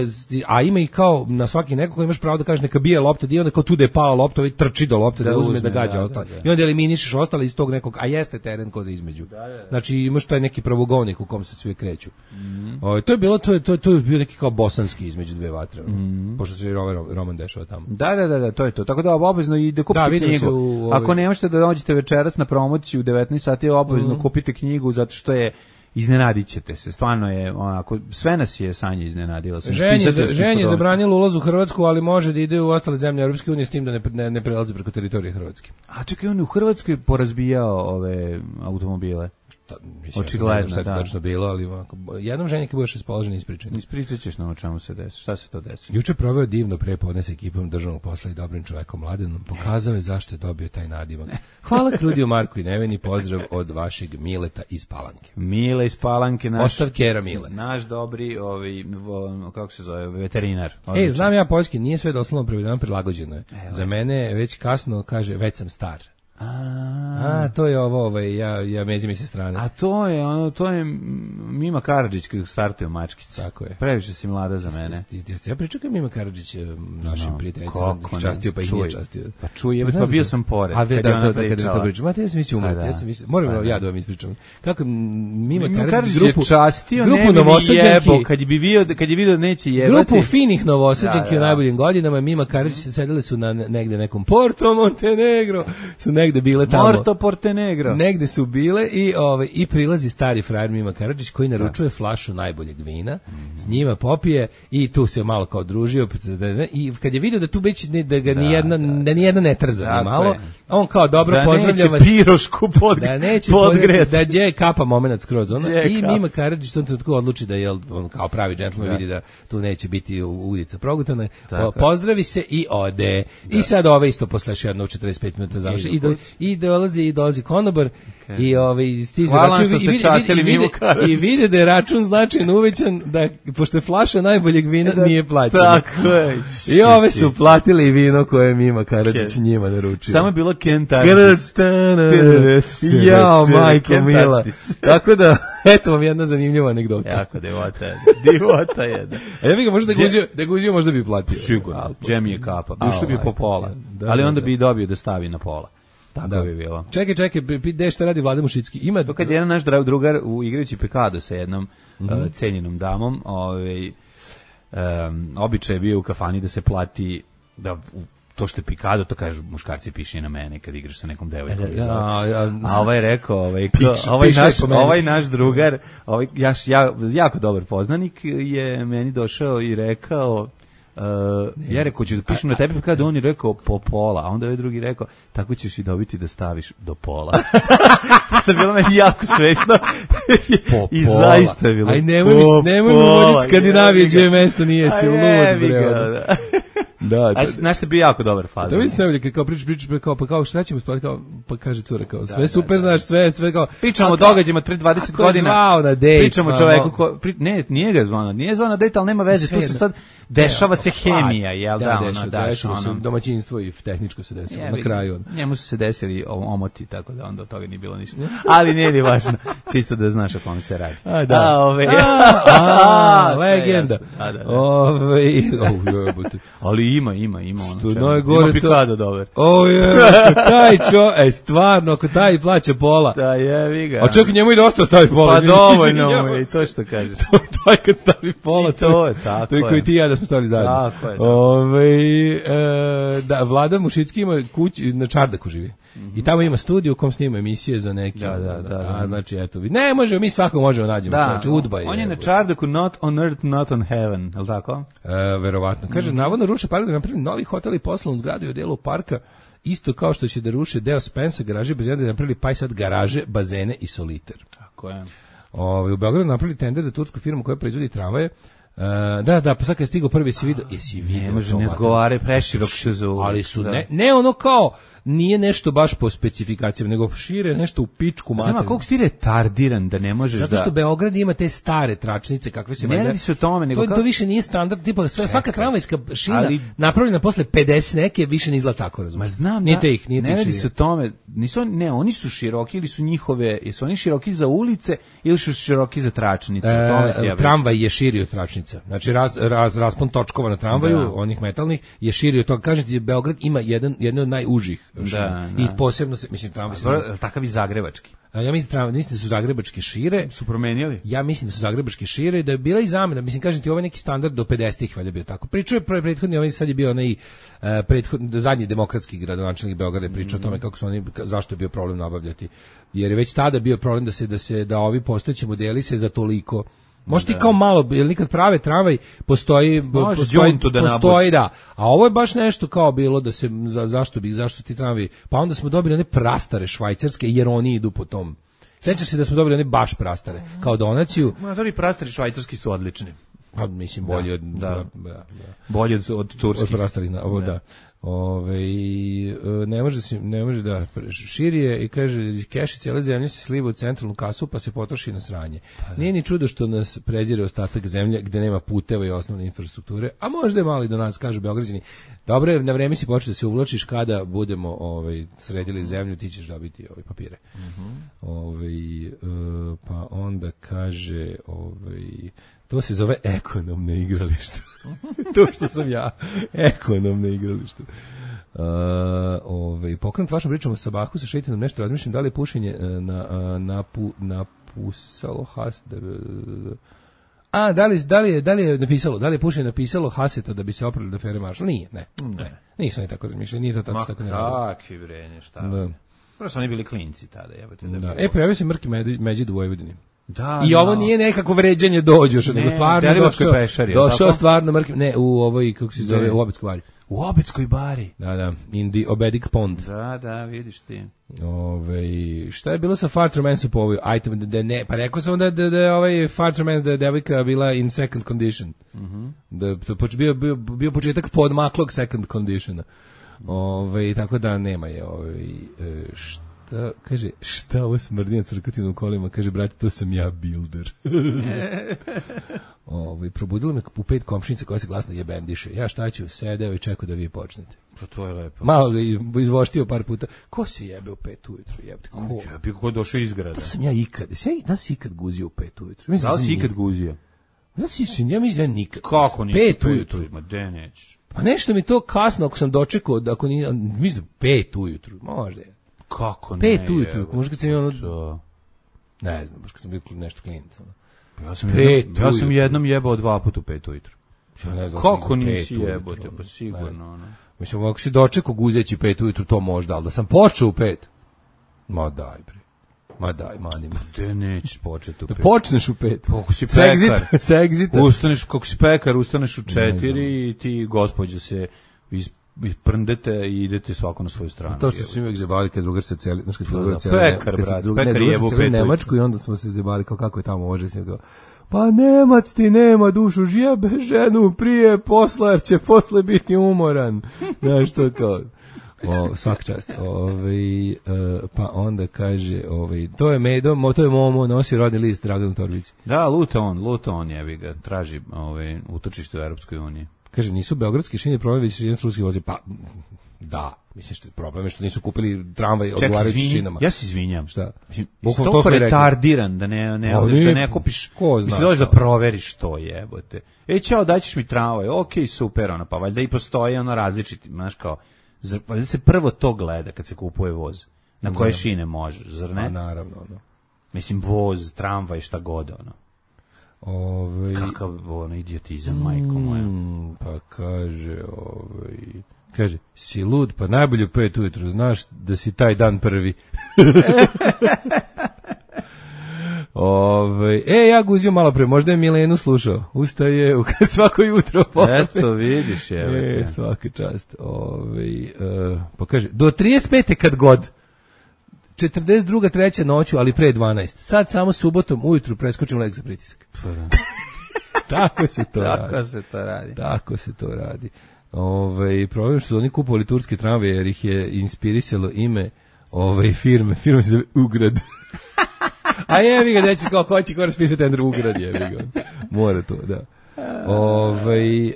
a ima i kao na svaki neko koji imaš pravo da kažeš neka bije lopta, i onda kao tu da je pala lopta, ovaj trči do lopte da, da uzme, uzme, da gađa ostale. I onda eliminišeš ostale iz tog nekog, a jeste teren ko za između. Da, da, da. Znači imaš taj neki pravogovnik u kom se svi kreću. Mm. O, to je bilo, to je, to je, to je bio neki kao bosanski između dve vatre. Mm. Pošto se i roman dešava tamo. Da, da, da, da, to je to. Tako da obavezno i da kupite da, knjigu. U, ovaj... Ako ne možete da dođete večeras na promociju u devetnaest sati, obavezno mm. kupite knjigu zato što je iznenadit ćete se. Stvarno je onako, sve nas je Sanja iznenadila. Ženje, ženje zabranilo ulaz u Hrvatsku, ali može da ide u ostale zemlje Europske unije s tim da ne, ne, ne prelazi preko teritorije Hrvatske. A čekaj, on je u Hrvatskoj porazbijao ove automobile. Ta, mislim, očigledno, ja šta je to tačno bilo, ali ovako, jednom ženje kad budeš raspoložen ispričati. Ispričat ćeš nam o čemu se desi, šta se to desi. Juče proveo divno prepodne s ekipom državnog posla i dobrim čovekom Mladenom, pokazao je zašto je dobio taj nadimak. Hvala Krudiju, Marku i Neveni, pozdrav od vašeg Mileta iz Palanke. Mile iz Palanke, naš, Ostav Kera Mile. Naš dobri, ovi, kako se zove, veterinar. Ej, znam ja poljski, nije sve doslovno prevedeno, prilagođeno je. Evo. Za mene već kasno kaže, već sam star. A, a to je ovo, ovaj, ja ja mezi mi se strane. A to je ono, to je Mima Karadžić kad startuje mačkica. Tako je. Previše si mlada za mene. Ti, ti, ti, ja pričam Mima Karadžić našim prijateljicama, častio pa ih nije častio. Pa čuje, pa bio sam pored. A ve da, da, kad je to pričam. Ma te ja sam mislio umreti, ja sam mislio, moram ja da vam ispričam. Kako Mima Karadžić grupu častio, grupu Novosađanki, kad bi video, kad je video neće jebati. Grupu finih Novosađanki u najboljim godinama, Mima Karadžić se sedele su na negde nekom Porto Montenegro, su negde bile tamo. Morto Portenegro. Negde su bile i ovaj i prilazi stari frajer Mima Karadžić koji naručuje flašu najboljeg vina, mm. s njima popije i tu se malo kao družio i kad je video da tu već ne, da ga da, ni jedna da, da ni jedna ne trza ni malo, je. On kao dobro da pozdravlja vas. Pirošku pod, da neće podgret. Da je kapa momenat skroz ona i Mima Karadžić to tako odluči da je on kao pravi džentlmen vidi da tu neće biti udica progutana. Pozdravi se i ode. Da. I sad ove isto posle još jedno četrdeset pet minuta završi i do, i dolazi i dolazi konobar okay. i ovaj stiže račun i vidi, vidi, i vidi da je račun značajno uvećan da pošto je flaša najboljeg vina da, nije plaćena. Tako je. I ove su platili vino koje Mima Karadžić njima naručio. Samo je bilo Kentartis. Jao, majko mila. Tako da eto vam jedna zanimljiva anegdota. Jako devota je. Divota je. A ja bih ga možda da guzio, da guzio možda bi platio. Sigurno. Džem je kapa. Ušto bi po pola. Ali onda bi dobio da stavi na pola. Tako da bi bilo. Čekaj, čekaj, gde šta radi Vlada Mušicki? Ima to kad je jedan naš drugar u igrajući Pekado sa jednom mm -hmm. uh, cenjenom damom, ovaj um, običaj je bio u kafani da se plati da to što je Pikado, to kažu muškarci piše na mene kad igraš sa nekom devojkom. Ja, ja, a ovaj rekao, ovaj, piš, ovaj, naš, ovaj naš drugar, ovaj, jaš, ja, jako dobar poznanik je meni došao i rekao Uh, ja rekao ću da pišem na tebi kada on je rekao po pola, a onda je drugi rekao tako ćeš i dobiti da staviš do pola. To je bilo meni jako smešno. I zaista je bilo. Aj nemoj mi, nemoj mi voditi Skandinavije, gdje mesto nije si lud, bre. Da, a znaš što bi jako dobar fazon. Da vidiš najbolje kao pričaš pričaš kao pa kao šta ćemo spavati kao pa kaže cura kao sve da, super da, znaš sve sve kao pričamo o događajima pre dvadeset godina. Zvao na dejt. Pričamo čoveku ko pri, ne nije ga zvao, nije zvao na dejt, al nema veze, tu se sad dešava se hemija, jel da, ono da ono domaćinstvo i tehničko se desilo na kraju. Njemu su se desili omoti tako da onda od toga nije bilo ništa. Ali nije ni važno, čisto da znaš o kom se radi. A da, ove legenda. Ove, ali ima, ima, ima ono. Što čemu. najgore Ima to- pikado dobar. O je, taj čo, e, stvarno, ako taj plaća pola. Da, jevi ga. A čak njemu i dosta stavi pola. Pa izvini, dovoljno izvinjavam mu je, i se. to što kažeš. To je taj kad stavi pola. I to je, tako To je je. koji ti i ja da smo stavili zajedno. Tako je, da. Ove, e, da, Vlada Mušicki ima kuću, na Čardaku živi. I tamo ima studiju u kom snima emisije za neki. Da, da, da, da. A, znači, eto, vi- ne možemo, mi svakog možemo nađemo. Da, Znači, Udba je. on je na Čardaku, not on earth, not on heaven, je li tako? E, verovatno. Kaže, Mhm. navodno ruše park da napravi novi hotel i poslovnu zgradu u delu parka, isto kao što će da ruše deo Spensa, garaže, bazene, da napravili pa i sad garaže, bazene i soliter. Tako je. Ove, u Beogradu napravili tender za tursku firmu koja proizvodi tramvaje. E, da, da, pa sad kad je stigao prvi si vidio, jesi vidio? Ne može, to, ne mater? odgovare, preširok se za ulicu, Ali su, da. ne, ne ono kao, nije nešto baš po specifikacijama, nego šire nešto u pičku Znam, materiju. a koliko si ti retardiran da ne možeš Zato da... što Beograd ima te stare tračnice kakve se Ne valjda- radi se o tome, nego to, kao- to više nije standard, tipa sve, svaka tramvajska šina ali- napravljena posle pedeset neke više ne izgleda tako, razumiješ. Ma znam nije da, te ih, nije ne te ih radi širina. se o tome, nisu, oni- ne, oni su široki ili su njihove, jesu oni široki za ulice ili su široki za tračnice, o tome ti ja E, pričam. tramvaj je širi od tračnica. Znači raz, raz, raspon točkova na tramvaju, Da. onih metalnih, je širi od toga. Kažete ti, Beograd ima jedan, jedno od najužih šina. da. I posebno se, mislim, tramvaj se... Dobro, takav i zagrebački. A ja mislim, tramvaj, mislim da su zagrebačke šire, Su promenili? ja mislim da su zagrebačke šire i da je bila i zamena. Mislim, kažem ti, ovo je neki standard do pedesetih valjda bio tako. Pričao je pre- prethodni, ovaj sad je bio onaj uh, prethodni, zadnji demokratski gradonačelnik Beograda je pričao o tome kako su oni, ka- zašto je bio problem nabavljati. Jer je već tada bio problem da se, da se, da ovi postojeći modeli se za toliko. Možda ti kao malo, jer nikad prave tramvaj, postoji, Može postoji, đuntu da postoji nabuči. da. A ovo je baš nešto kao bilo da se, za, zašto bi, zašto ti tramvaj, pa onda smo dobili one prastare švajcarske, jer oni idu po tom. Sjećaš se da smo dobili one baš prastare, kao donaciju, Motori prastari švajcarski su odlični. pa mislim bolje od da. da, da, da. Bolje od, od Od turskih. prastarih, na- ovo da. Ove, i, e, ne može se, ne može da širi je i kaže keš i cijela zemlja se sliva u centralnu kasu pa se potroši na sranje. Nije ni čudo što nas prezire ostatak zemlje gde nema puteva i osnovne infrastrukture, a možda je malo i do nas, kažu Beograđani. Dobro je, na vreme si počeo da se uvlačiš kada budemo ovaj, sredili zemlju, ti ćeš dobiti ove papire. Ovaj, e, pa onda kaže ovaj, to se zove ekonomno igralište. To što sam ja. Ekonomno igralište. Uh, ovaj, pokrenut vašom pričom o Sabahu sa Šeitinom nešto razmišljam da li je pušenje uh, na, uh, napu, napusalo has, da, a, da li, da, li je, da li je napisalo, da li je pušenje napisalo Haseta da bi se oprali do Fere Maršal? Nije, ne, ne. Nisu oni tako razmišljali, nije to tako, Ma tako ne radi. kakvi vrenje, šta? Da. Prvo su oni bili klinci tada, jebate. Da, Da. bilo- E, pojavio se Mrki Med- Međid u Vojvodini. Da, I da. ovo nije nekako vređanje dođoš, nego Ne, stvarno Deliblatskoj došao, pešari, je li došao tako? stvarno Mrki, ne, u ovoj, kako se zove, Ne. u Obetskoj bari. U Obetskoj bari. Da, da, in the Obedic Pond. Da, da, vidiš ti. Ove, šta je bilo sa Fartermansu po ovoj item, da, da ne, pa rekao sam da, da, da je ovaj Fartermans, da je devojka bila in second condition. Mhm. Da to poč- bio, bio, bio početak podmaklog second conditiona. Ove, tako da nema je ovaj, e, šta, kaže, šta ovo smrdi na crkatinom kolima, kaže, brate, to sam ja builder. Ovaj, probudilo me u pet komšinica koja se glasno jebendiše. Ja šta ću, sedeo i čekao da vi počnete. Pa to je lepo. Malo ga izvoštio par puta. Ko se jebe u pet ujutru, jebate? Ko? Ja bih ko došao iz grada. Da sam ja ikad, da sam ja, da si ikad guzio u pet ujutru. Mislim Da li sam si ikad nikad. guzio? Da si, ja mislim da ja nikad. Kako nisi? Pet ujutru. Ma de nećeš. Pa nešto mi to kasno ako sam dočekao, da ako ni, mislim da pet ujutru, možda je. Kako ne? Pet ujutru, jebote, možda kad sam imao- to. Ne znam, baš kad sam bio nešto klinac. ono. Ja sam, Pet jednom, ja sam ujutru. jednom jebao dva puta u pet ujutru. Ja ne znam, Kako pet nisi ujutru, jebote? ono, Pa ne sigurno, znam. ono. Mislim, ako si dočekao guzeći pet ujutru, to možda, ali da sam počeo u pet. Ma daj, bre. Ma daj, mani me. De nećeš početi u Da pet. počneš u pet. Kako si Sa pekar. exit- sa exita. Ustaneš, kako si pekar, ustaneš u Ne znam. četiri i ti, gospođa, se iz, isprndete i idete svako na svoju stranu. To što su uvijek zebali kad drugar se celi, znaš kad smo Da, drugar da, celi, pekar, kad se brate, drug- pekar ne, drugar jebe u se celi u pet Nemačku i onda smo se zebali kao kako je tamo može se kao pa Nemac ti nema dušu, žijebe ženu prije posla jer će posle biti umoran. Znaš to kao o, svaka čast. Ovaj e, pa onda kaže, ovaj to je Medo, mo- to je Momo, nosi rodni list Dragan Torbici. Da, luta on, luta on jebi ga, traži ovaj, utočište u Europskoj uniji. Kaže, nisu beogradski šine problem, već šine ruski vozi. Pa, Da, mislim što problem je što nisu kupili tramvaj odgovarajući šinama. Ja se izvinjam. Šta? Mislim, Bukvalno toliko to smo i rekli. retardiran da ne ne odeš, da ne kupiš. Ko zna mislim šta? da proveriš to, jebote. Ej, ćao, daćeš mi tramvaj. Okej, super, ona, pa valjda i postoji ono različiti, znaš kao, zar, valjda se prvo to gleda kad se kupuje voz. Na koje Da. šine možeš, zar ne? A naravno, ono. Mislim, voz, tramvaj, šta god, ono. Ovaj Kakav, ono, idiotizam, majko moja. Mm, pa kaže, ovaj, kaže, si lud, pa najbolje u pet ujutru, znaš da si taj dan prvi. Ovaj, e, ja guzio malo pre, možda je Milenu slušao. Ustaje u svako jutro. Eto, vidiš, evo E, te. svaka čast. Ovaj, uh, pa kaže, do trideset pete kad god. četrdeset druga treća noću, ali pre dvanaest. Sad samo subotom ujutru preskočim lek za pritisak. Tako se to radi. Tako se to radi. Tako se to radi. Ovaj problem što su oni kupovali turske tramvaje jer ih je inspirisalo ime ove firme. Firma se zove Ugrad. A jevi ga, neće kao ko će ko raspisati tender Ugrad, jevi ga. Mora to, da. Ovaj e,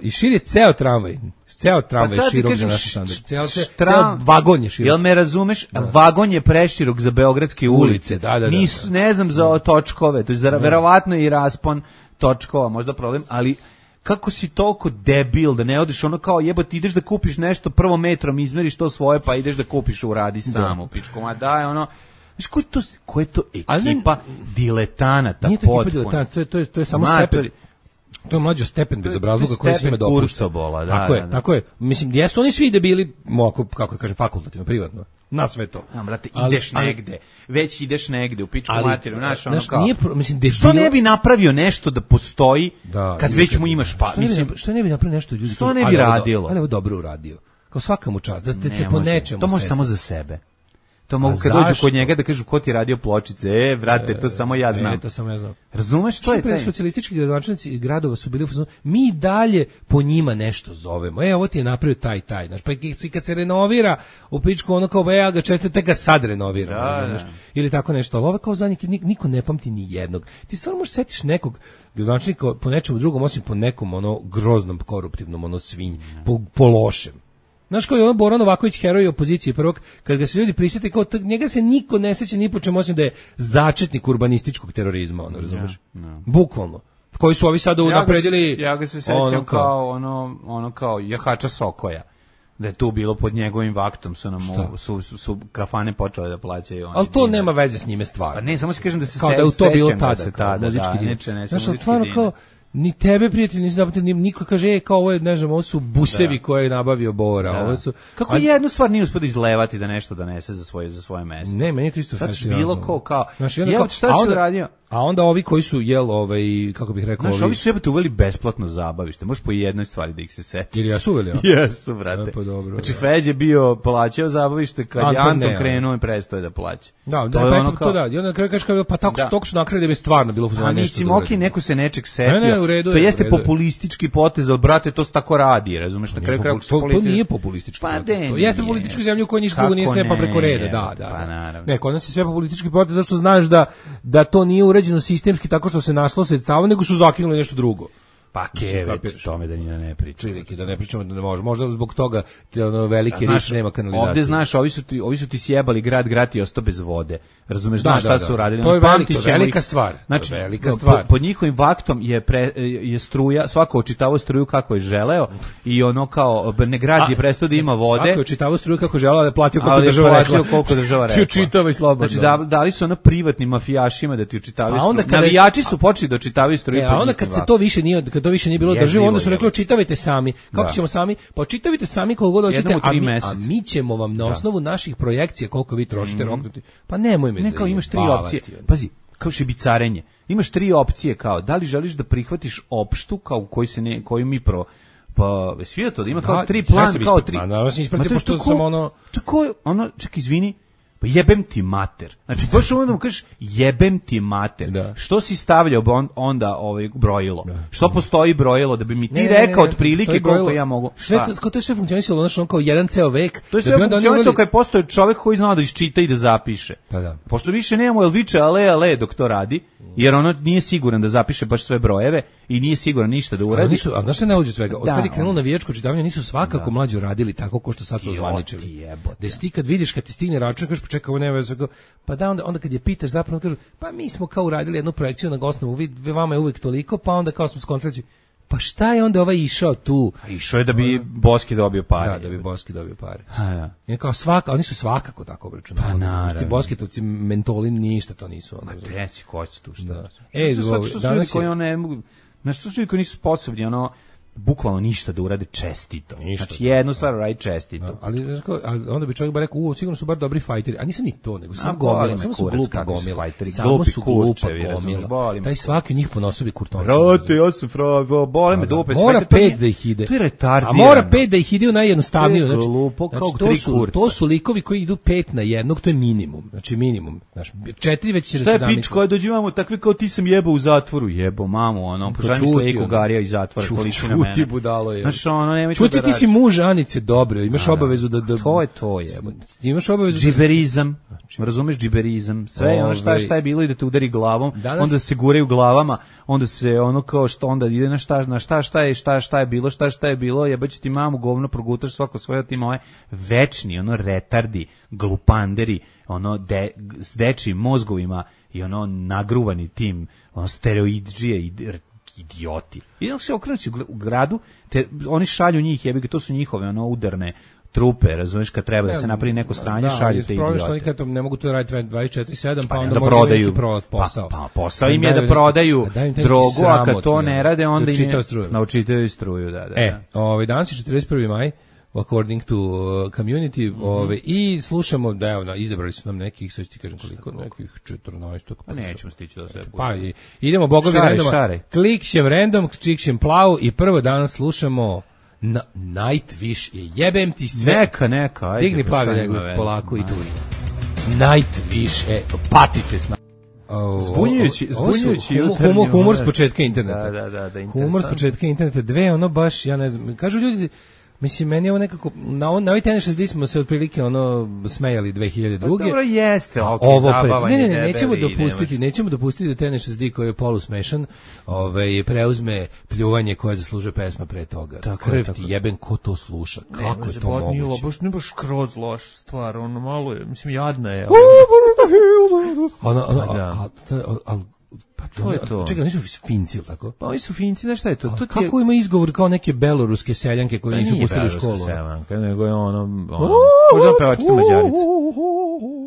i šir je ceo tramvaj. Ceo tramvaj Pa je da ti širok kažem, za naš š- standard. š- Ceo, ceo, štram- ceo vagon je širok. Jel me razumeš? Vagon je preširok za beogradske ulice. Ulice, da, da, da. Nisu, ne znam za točkove, to je za, verovatno i raspon točkova, možda problem, ali kako si toliko debil da ne odeš ono kao jebote, ideš da kupiš nešto, prvo metrom izmeriš to svoje, pa ideš da kupiš uradi samo, pičko, ma daj ono. Znaš, ko je to, ko je to Ali ne- ekipa diletanata Nije to ekipa potpuno? diletanata, to je, to je, to je samo Matori. stepen. To je mlađo stepen bezobrazluka To je koji se stepen njima dopušta. kurcobola, da, tako da, je, da. tako je. Mislim, jesu oni svi debili, moko, kako da kažem, fakultativno, privatno. Na sve to. Ja, brate, Ali- ideš ali- negde, već ideš negde u pičku Ali, materiju, znaš, ono znaš, kao. nije pro- mislim, debil- što ne bi napravio nešto da postoji Da, kad ili već kad- mu imaš pa, što ne bi mislim, napra- što ne bi napravio nešto ljudi što kažu, ne bi ali ovo do- radilo? ali ovo dobro uradio. Kao svaka mu čast, da, da se ne po može. nečemu To može seti. samo za sebe. To mogu A kad dođu zašto? kod njega da kažu ko ti je radio pločice, e, brate, to samo ja znam. E, to samo ja znam. Razumeš, to Što je pre taj. socijalistički gradonačelnici gradova su bili u fazonu, mi dalje po njima nešto zovemo. E, ovo ti je napravio taj taj, znaš, pa i kad se renovira u pičku ono kao, e, ja ga često tek ga sad renoviram, Da, razumeš? da. Ili tako nešto, ali ovo kao zadnji, nik- niko ne pamti ni jednog. Ti stvarno možeš setiš nekog gradonačelnika po nečemu drugom, osim po nekom ono groznom, koruptivnom, ono svinj, po, po lošem. Znaš koji je ono Boran Novaković, heroj opozicije prvog, kad ga se ljudi prisjete, kao t- njega se niko ne seća ni po čemu osim da je začetnik urbanističkog terorizma, ono, razumeš? Bukvalno. Koji su ovi sada Ja ga se- unapredili... Ja ga se sećam ono kao ono, ono kao jahača Sokoja. Da je tu bilo pod njegovim vaktom su nam Šta? u- su, su, su kafane počele da plaćaju. oni Ali to dinar. nema veze s njime stvarno. Pa ne, samo se kažem da se kao se- da je u to bilo sećam da tada, se kao tada, muzički da, dinar. neče, ne, Znaš, samo ali stvarno muzički kao, dinar. ni tebe prijatelji nisi zapamtili, ni niko kaže, e, kao ovo je, ne znam, ovo su busevi Da. koje je nabavio Bora, Da. ovo su... Kako a- jednu stvar nije uspio da izlevati da nešto donese za svoje za svoje mesto. Ne, meni je to isto Sad fascinantno. bilo ko kao, Znaš, i onda jebote, kao- šta a si onda- uradio? A onda ovi koji su, jel, ovaj, kako bih rekao, Znaš, ovi su jebote uveli besplatno zabavište. Možeš po jednoj stvari da ih se seti. Jer ja su uveli, a? Jesu, brate. E, pa dobro, Znači, da. Feđe bio plaćao zabavište kad je Anton Anton ne, krenuo i prestao je da plaća. Da, To da, je pa ono eto, kao- to da. I onda na kraju kažeš kao, pa tako, Da. toko su nakrali da bi stvarno bilo A mislim, okej, neko se nečeg setio. Ne, ne, u redu to je, jeste u redu je. populistički potez, ali brate, to se tako radi, razumeš, na kraju kraja ako se to, to politika- nije populistički Pa potez. de, To jeste nije. političku zemlju u kojoj ništa Kako drugo nije stepa ne, preko reda, da, jebote, da. pa da. naravno. Ne, kod nas je sve populistički potez zato što znaš da, da to nije uređeno sistemski tako što se našlo sredstava, nego su zakinuli nešto drugo. Pa Mislim, kevet, kapiraš? tome da ni da ne priča. Prilike, da ne pričamo da ne može. Možda zbog toga ti ono veliki Znaš, riš nema kanalizacije. ovde znaš, ovi su ti, ovi su ti sjebali grad, grad i ostao bez vode. Razumeš, Da, znaš da, šta da. su radili? To je Ono, velika- pamtit ćemo velika ih. stvar. To je Znači, velika po- stvar. pod njihovim vaktom je, pre, je struja, svako očitavao struju kako je želeo i ono kao, ne grad je prestao da ima vode. Svako je čitavao struju kako želeo, ali je platio koliko ali je država platio rekla. koliko država Ti rekla. učitavaj slobodno. Znači, da, dali su ono privatnim mafijašima da ti učitavaju A onda struju. kada je- Navijači su počeli da učitavaju struju. E, pod a onda njihovim kad se vaktom. to više nije, kad to više nije bilo Jezivo drživo, onda su je. rekli očitavajte sami. Kako Da. ćemo sami? Pa očitavajte sami koliko god hoćete, Jednom u a tri mi, a meseca. mi ćemo vam na osnovu naših projekcija koliko vi trošite roknuti. Pa nemoj me Ne, kao imaš tri zajebavati, opcije. ono. Pazi, kao šibicarenje. Imaš tri opcije kao da li želiš da prihvatiš opštu kao u kojoj se ne koju mi pro pa svi to da ima kao Da, tri sve plan sam kao ispratio. tri. Ma, naravno sam ispratio, Ma to je pošto tako- sam ono- tako je, ono čekaj izvini. Pa jebem ti mater. Znači, baš ono da mu kažeš jebem ti mater. Da. Što si stavljao on, onda ovaj brojilo? Što postoji brojilo da bi mi ti Ne, ne, ne, rekao ne, otprilike to je koliko brojilo. ja mogu? Sve Šta? to, to je sve funkcionisalo, znači on kao jedan ceo vek. To je da sve bi onda oni funkcionisalo uveli- kad postoji čovjek koji zna da iščita i da zapiše. Pa da. Pošto više nemamo, jel viče ale, ale dok to radi, Jer ono nije siguran da zapiše baš sve brojeve i nije siguran ništa da uradi. Ali nisu, a znaš šta ne uđe svega? Od Da, kada je krenulo on- navijačko čitavanje, nisu svakako Da. mlađi radili tako ko što sad su Joti, ozvaničili. jebote. Da si ti kad vidiš, kad ti stigne račun, kažeš, pa čekaj, ovo nema veze, kao, pa da, onda, onda kad je pitaš zapravo, kažu, pa mi smo kao uradili jednu projekciju na Gosnovu, vi, vi- vama je uvijek toliko, pa onda kao smo skontrali, pa šta je onda ovaj išao tu? A išao je da bi Boski dobio pare. Da, da bi Boski dobio pare. A, da. I kao svaka, oni su svakako tako obračunavali. Pa naravno. Ti Bosketovci, mentoli, ništa to nisu. Ono, Ma treći, ko će tu šta? Da. E, E, što, ovo, što su danas ljudi je- koji ono ne mogu, znaš, što su ljudi koji nisu sposobni, ono, bukvalno ništa da urade čestito. Ništa. Znači, jednu stvar uradi čestito. Da, ali, znaš kao, ali onda bi čovjek ba rekao, u, sigurno su bar dobri fajteri, a nisu ni to, nego su A, samo boli gomila, me samo su kurac glupa kakvi su gomila, fajteri, samo glupi su glupa kurčevi, razumeš, gomila. boli me Taj kurac. svaki od njih ponosobi kurtonče. Brate, ja sam fravo, bole me dupe. sve, Mora to pet nije- da ih ide. To je retardirano. A mora pet da ih ide u najjednostavniju. To je Znači, glupo kao znači, to, tri su, kurca. to su likovi koji idu pet na jednog, to je minimum. Znači minimum. Znači, četiri već će da Šta se je zamisli. pič koja dođivamo takve kao ti sam jebao u zatvoru, jebo mamu, ono, poželim čuti, sleku ono. Garija iz zatvora, Ču- poliči na mene. čuti, budalo je. Znaš, ono, nemoj to Čuti, da ti si radiš. muž Anice, dobro, imaš obavezu da... da To je to, jebo. Imaš obavezu da... Džiberizam, razumeš džiberizam, sve je ono šta, Ovaj- šta je bilo i da te udari glavom, Danas- onda se guraju glavama, onda se ono kao što onda ide na šta, na šta, šta je, šta, šta je bilo, šta, šta je bilo, jebaću ti mamu, govno, progutaš svako svoje, ti moje večni, ono retardi, glupanderi, ono de, s dečijim mozgovima i ono nagruvani tim, ono steroidžije i idioti. I onda se okrenući u gl- u gradu, te oni šalju njih, jebi ga, to su njihove ono udarne trupe, razumeš, kad treba da se napravi neko sranje, šalju te problem što oni idiote. kad to ne mogu to raditi dvadeset četiri sedam, pa, Pa onda da moraju prodaju neki pro, posao. Pa, pa posao im je da prodaju drogu, a kad to ne rade, onda im je naučitaju struju, da, da. E, da. ovaj, danas je četrdeset prvi maj, according to uh, community, Mhm. ovaj, i slušamo, da evo, na, izabrali su nam nekih, sad ću ti kažem koliko, nekih četrnaest. Pa nećemo stići do sve. Pa i, idemo bogovi Šaraj, randoma. šaraj. Klikšem random, klikšem plavu i prvo danas slušamo na, Nightwish je jebem ti sve. Neka, neka, ajde. Digni pa plavi šta nego ima veze? polako i Ma. tu. Nightwish, e, patite s nama. O, Zbunjujući, o, ovo su zbunjujući humor, jutarnji humor, humor s moment. početka interneta. Da, da, da, da, Humor s interesantno. početka interneta, dve, ono baš, ja ne znam, kažu ljudi, mislim, meni je ovo nekako, na, on, na ovaj tenis šezdeset smo se otprilike ono smejali dve hiljade druge. Pa dobro jeste, ok, Ovo pre, zabavanje, ne, ne, ne, nećemo debeli, dopustiti, nemaš- nećemo dopustiti da T N šezdeset koji je polusmešan, ovaj preuzme pljuvanje koje zaslužuje pesma pre toga. Tako je, Krv tako ti je. jeben, ko to sluša? Kako je to moguće? Baš ne baš kroz loš stvar, ono malo je, mislim, jadna je. Ono, ono, Pa da. a, a, a, a, Pa to je to. Čekaj, nisu Finci, ili tako? Pa oni su Finci, znaš šta je to? To ti je... Kako ima izgovor kao neke beloruske seljanke koje Pa nisu nije pustili u beloruska školu? sevanka, nego je ono, ono možda pevačica Mađarica.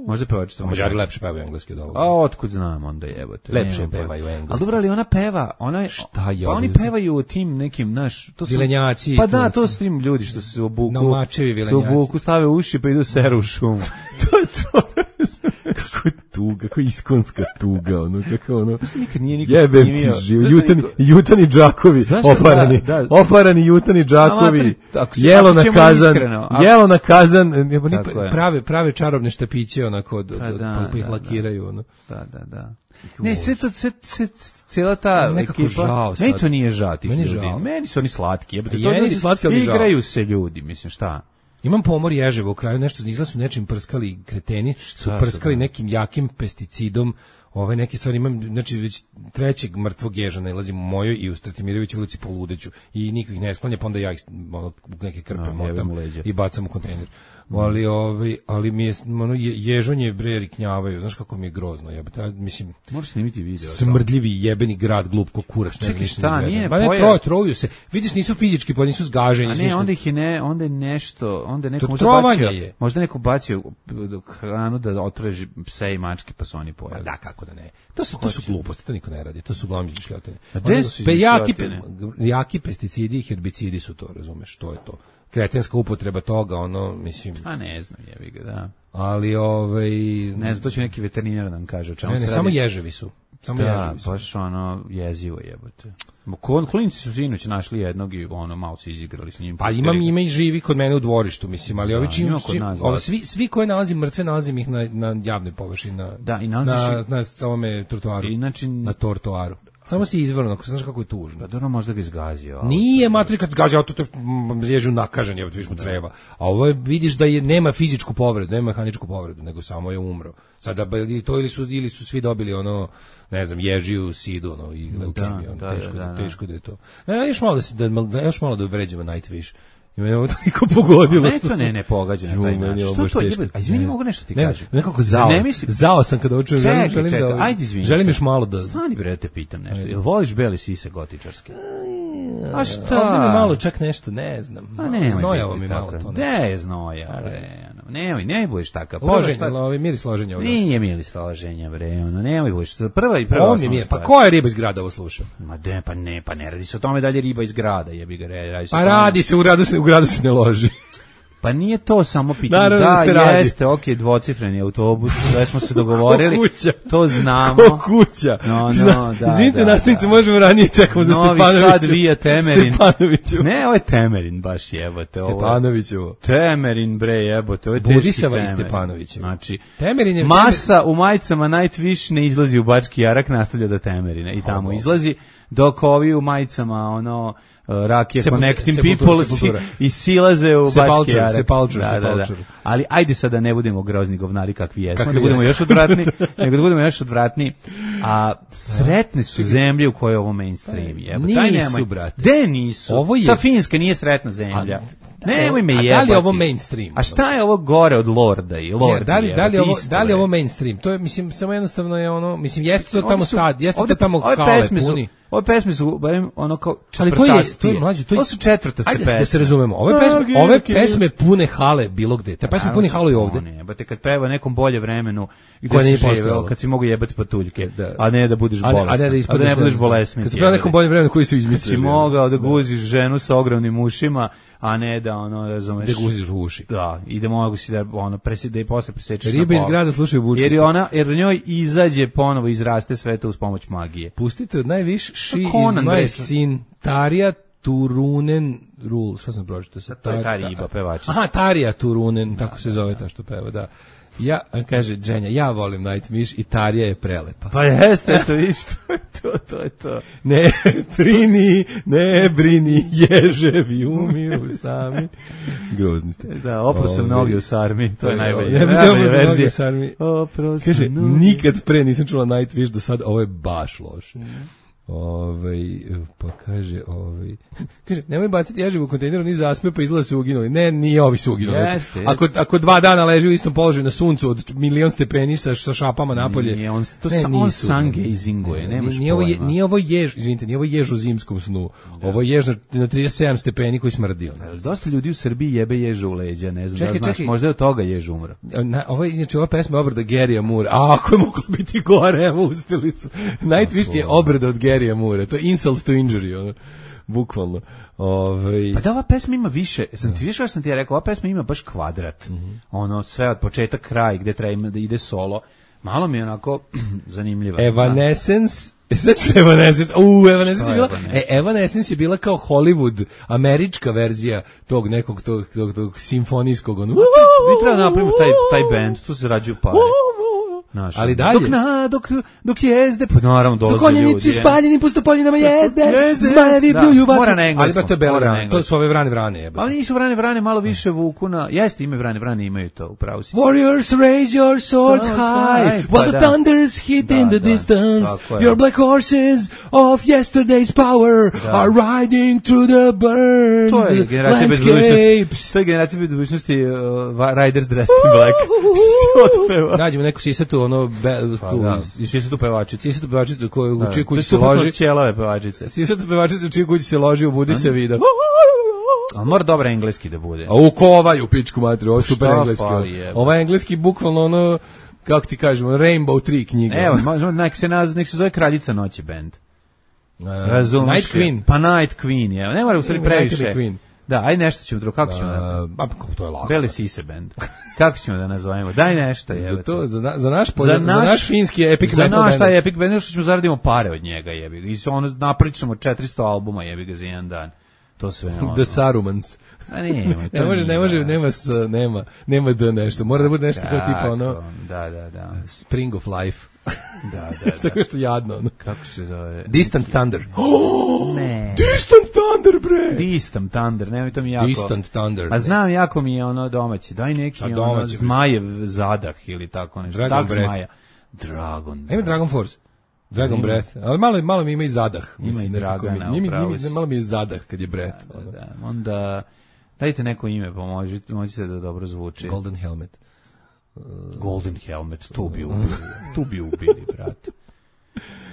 Možda pevačica Mađari Mađarica. lepše pevaju engleski od ovoga. A otkud znam onda jebote. Lepše Nemam pojma. pevaju engleski. Ali dobro, ali ona peva, ona je, Šta je pa ovo? oni pevaju o tim nekim, naš, to su Vilenjaci i Pa to. da, to su tim ljudi što se obuku. Naumačevi se vilenjaci. obuku, stave uši pa idu seru u šumu. To je to. Kako tuga, kako iskonska tuga, ono, kako ono... Nikad nije niko Jebem ti snimio. živ, Zašto jutani, niko- jutani džakovi, Zašto? oparani, Da, da. oparani jutani džakovi, Amater, ako se- jelo ako na ćemo kazan, iskreno, ako- jelo na kazan, jebo, ni- Tako je. prave, prave čarobne štapiće, onako, od, Pa od, da, pa ih da, lakiraju, ono. Da, da, da. Ne, sve to, sve, sve, cijela ta Nekako ekipa, žao sad. meni to nije žao tih Meni ljudi. žao. Meni su oni slatki. Jebate, I to meni ljudi, su slatki, ali žao. igraju se ljudi, mislim, šta? Imam pomor ježeva u kraju, nešto izgleda su nečim prskali kreteni, su su, prskali da? nekim jakim pesticidom, ove neke stvari imam, znači već trećeg mrtvog ježa nalazim u mojoj i u Stratimirovićevoj ulici poludeću i niko ih ne sklanja, pa onda ja ih ono, u neke krpe A, motam jebem u leđa. i bacam u kontejner. Ali, ovaj, ali mi je, ono, je, ježonje bre riknjavaju, znaš kako mi je grozno, jebote, ja, mislim, Moraš snimiti video. smrdljivi jebeni grad, glup ko kurac, ne znam Čekaj, ništa šta, ne izgleda. nije Ma ne, pojav- troje, troju se, vidiš, nisu fizički, pa nisu zgaženi, A nisu ne, ništa. onda ih je ne, onda je nešto, onda je neko To možda trovanje bacio, je. možda neko bacio hranu da otrže pse i mačke, pa su oni Pa pojeli. da, kako da ne. To su, to su gluposti, to niko ne radi, to su uglavnom izmišljotine. A gde Oni- su pe- jaki, izmišljotine? pe- jaki pesticidi i herbicidi su to, razumeš, to je to. Kretenska upotreba toga, ono, mislim, A ne znam, jebi ga, da. ali ovaj... Ne znam, to će neki veterinar da nam kaže o čemu ne, se ne, radi. samo ježevi su. Samo Da, ježevi su. baš ono jezivo jebote. Kon klinci su sinoć našli jednog i ono malo se izigrali s njim. Pa imam ima i živi kod mene u dvorištu, mislim, ali ovi čim, ima kod čim nas, ovi da. svi svi koje nalazim mrtve nalazim ih na na javnoj površini, na Da, i nalaziš na ih- na samome trotoaru. Inače, na tortoaru. Samo si izvorno, ako znaš kako je tužno. Pa dobro, možda ga izgazio. Nije matri kad zgazi auto, to ježu nakažen, je viš mu treba. A ovo je, vidiš da je nema fizičku povredu, nema mehaničku povredu, nego samo je umro. Sada ili to ili su ili su svi dobili ono, ne znam, ježiju, sidu, ono i leukemiju, da, teško, da, da, teško da je to. Ne, još malo da se da još malo da vređamo Nightwish. I mene ovo toliko pogodilo. Ne, to ne, ne pogađa na taj način. Što to je? A izvini, mogu nešto ti kažem. Nekako zao. Zao sam kada učujem. Čekaj, želim čekaj, da... Ajde, izvini. Želim još malo da... Stani, bre, te pitam nešto. Jel voliš bele sise gotičarske? A šta? Ovdje mi malo čak nešto, ne znam. A ne, znojavo mi malo to. Ne je znoja, bre. Nemoj, ne budeš takav. Loženje, lovi, miris loženja. Nije miris loženja, bre. Ono, nemoj budeš. Prva i prva osnovna stvar. Pa koja je riba iz grada ovo sluša? Ma de, pa ne, pa ne radi se o tome da li je riba iz grada, jebi ga, radi se. Pa radi se, u gradu se, u gradu se ne loži. Pa nije to samo pitanje. Da, da jeste, ok, dvocifreni autobus, sve smo se dogovorili. Kuća. To znamo. Ko kuća. No, no, da, izvinite, da, nastavnice, da. možemo ranije, čekamo za Stepanoviću. Novi Sad vija Temerin. Stepanoviću. Ne, ovo je Temerin, baš jebote. Stepanoviću. Temerin, bre, jebote, ovo je teški Budisava Temerin. i Stepanoviću. Znači, Temerin je... masa u majicama Nightwish ne izlazi u Bački Jarak, nastavlja do Temerina i tamo izlazi, dok ovi u majicama, ono... Rakija Connecting People si, i silaze u Bački Jarak. Sepulture, da, da, da. Ali ajde sada ne budemo grozni govnari kakvi jesmo, da budemo još odvratni, nego da budemo još odvratni. A sretne su zemlje u kojoj je ovo mainstream. Jebo, nisu, brate. De nisu. Ovo je... Sa Finska nije sretna zemlja. Nemoj me jebati. A da li je ovo mainstream? A šta je ovo gore od Lorda i Lorda? Da li, da li, ovo, da li je ovo mainstream? To je, mislim, samo jednostavno je ono, mislim, jeste to tamo stad, jeste to tamo kale puni. Ove pesme su, barem, ono kao četvrtastije. Ali to je, to je mlađe, to je... Ovo su četvrtaste pesme. Ajde da se razumemo, ove pesme, ove pesme pune hale bilo gde. Te pesme pune hale i ovde. Ne, ba te kad peva nekom bolje vremenu, gde si živeo, kad si mogu jebati patuljke, a ne da budeš bolestan. A ne da, ne budeš bolesnik. Kad si peva nekom bolje vremenu koji su izmislili. Kad si mogao da guziš ženu sa ogromnim ušima, a ne da ono, razumeš. Da guziš u uši. Da, i da mogu si da ono presjede da i posle presečeš. Ribe iz grada slušaju bučku. Jer ona, jer njoj izađe ponovo izraste sve to uz pomoć magije. Pustite od najviš She is my sin Tarja Turunen Rule. Šta sam pročitao sa to je ta riba pevačica. Aha, Tarja Turunen, tako se zove ta što peva, da. Ja, kaže Dženja, ja volim Nightwish i Tarja je prelepa. Pa jeste, to viš, to je to, to je to. Ne brini, ne brini, ježevi umiru sami. Grozni ste. Da, opro sam noge u sarmi, to je najbolje. Ja bih opro noge u sarmi. Opro sam kaže, nikad pre nisam čula Nightwish do sad, ovo je baš loše. Ovaj pa kaže ovaj kaže nemoj baciti ježivu u kontejneru ni zasme pa izgleda su uginuli. Ne, nije ovi su uginuli. Jeste, ako ako dva dana leži u istom položaju na suncu od milion stepeni sa šapama napolje. Nije on to ne, on sange izinguje, nemaš nije ovo je, nije ovo jež, izvinite, nije ovo jež u zimskom snu. Da. Ovo je jež na, na trideset sedam stepeni koji smrdi on. Dosta ljudi u Srbiji jebe ježu u leđa, ne znam čekaj, da znaš, čekaj. Možda je od toga jež umro. Na, ovo je inače ova pesma obrada Garyja Moore. A ako je moglo biti gore, evo uspeli su. Nightwish je obrada od Garyja Moore, to je insult to injury, ono, bukvalno. Ove... Pa da, ova pesma ima više, sam ti više sam ti ja rekao, ova pesma ima baš kvadrat, mm-hmm. ono, sve od početak kraj, gde treba da ide solo, malo mi je onako zanimljiva. Evanescence, znači Evanescence, uuu, Evanescence je bila, e, Evanescence je bila kao Hollywood, američka verzija tog nekog, tog, tog, tog simfonijskog, ono, mi treba napravimo taj, taj band, tu se zarađuju pare. Naš, ali dalje. Dok, na, dok, dok jezde, pa naravno dolaze ljudi. Dok konjenici spaljeni pustopoljinama jezde, jezde zmajevi bljuju vatru. Mora na engleskom. Ali ba to je bela vrane, to su ove vrane vrane. Jebate. Ali nisu vrane vrane, malo više vuku na... Jeste, ime vrane vrane imaju to, upravo si. Warriors raise your swords high, while the thunders hit in the distance. Your black horses of yesterday's power are riding through the burned to je generacija bez budućnosti. To je generacija bez budućnosti Riders Dressed in Black. Otpeva. Nađemo neku sisatu ono be, pa, tu da. I svi su tu pevačice. Svi su tu pevačice koje u čiju kući se loži. Ćelave pevačice. Svi su tu pevačice u čiju kući se loži, ubudi se vida. A mora dobro engleski da bude. A u kovaju pičku matri, ovo je super engleski. Ovo je engleski bukvalno ono, kako ti kažemo, Rainbow tri knjiga. Evo, možemo, nek se, naz, nek se zove Kraljica noći band. Uh, Razumeš? Night Queen. Pa Night Queen, je. Ne mora u stvari previše. Da, aj nešto ćemo drugo, kako ćemo da... Pa, to je lako. Bele sise band. Kako ćemo da nazovemo? Daj nešto, je. Za to, za, za naš polje, za naš, za naš finski epic za metal. Za naš taj epic band, što ćemo zaradimo pare od njega, jebi ga. I se ono napričamo četiristo albuma, jebi ga, za jedan dan. To sve ono. The Sarumans. A nema, ne može, ne može, nema, nema, nema da nešto. Mora da bude nešto kao tipa ono. Da, da, da. Spring of Life. Da, da, da. Tako što jadno. Ono. Kako se zove? Distant Thunder. Ne. Distant Thunder, bre! Distant Thunder, nemoj to mi jako... Distant Thunder. A znam, jako mi je ono domaći. Daj neki ono domaći, zmajev zadah ili tako nešto. Dragon Tak Breath. zmaja. Dragon. A ima Dragon Force. Dragon Ima. Breath. Ali malo, malo mi ima i zadah. Ima Mislim, i nekako mi- Dragana, njimi- upravo njimi- si. Malo mi je zadah kad je Breath. Da, ono. da. Onda dajte neko ime, pomožite, možete da dobro zvuči. Golden Helmet. Golden Helmet, tu bi ubili. Tu bi ubili, brate.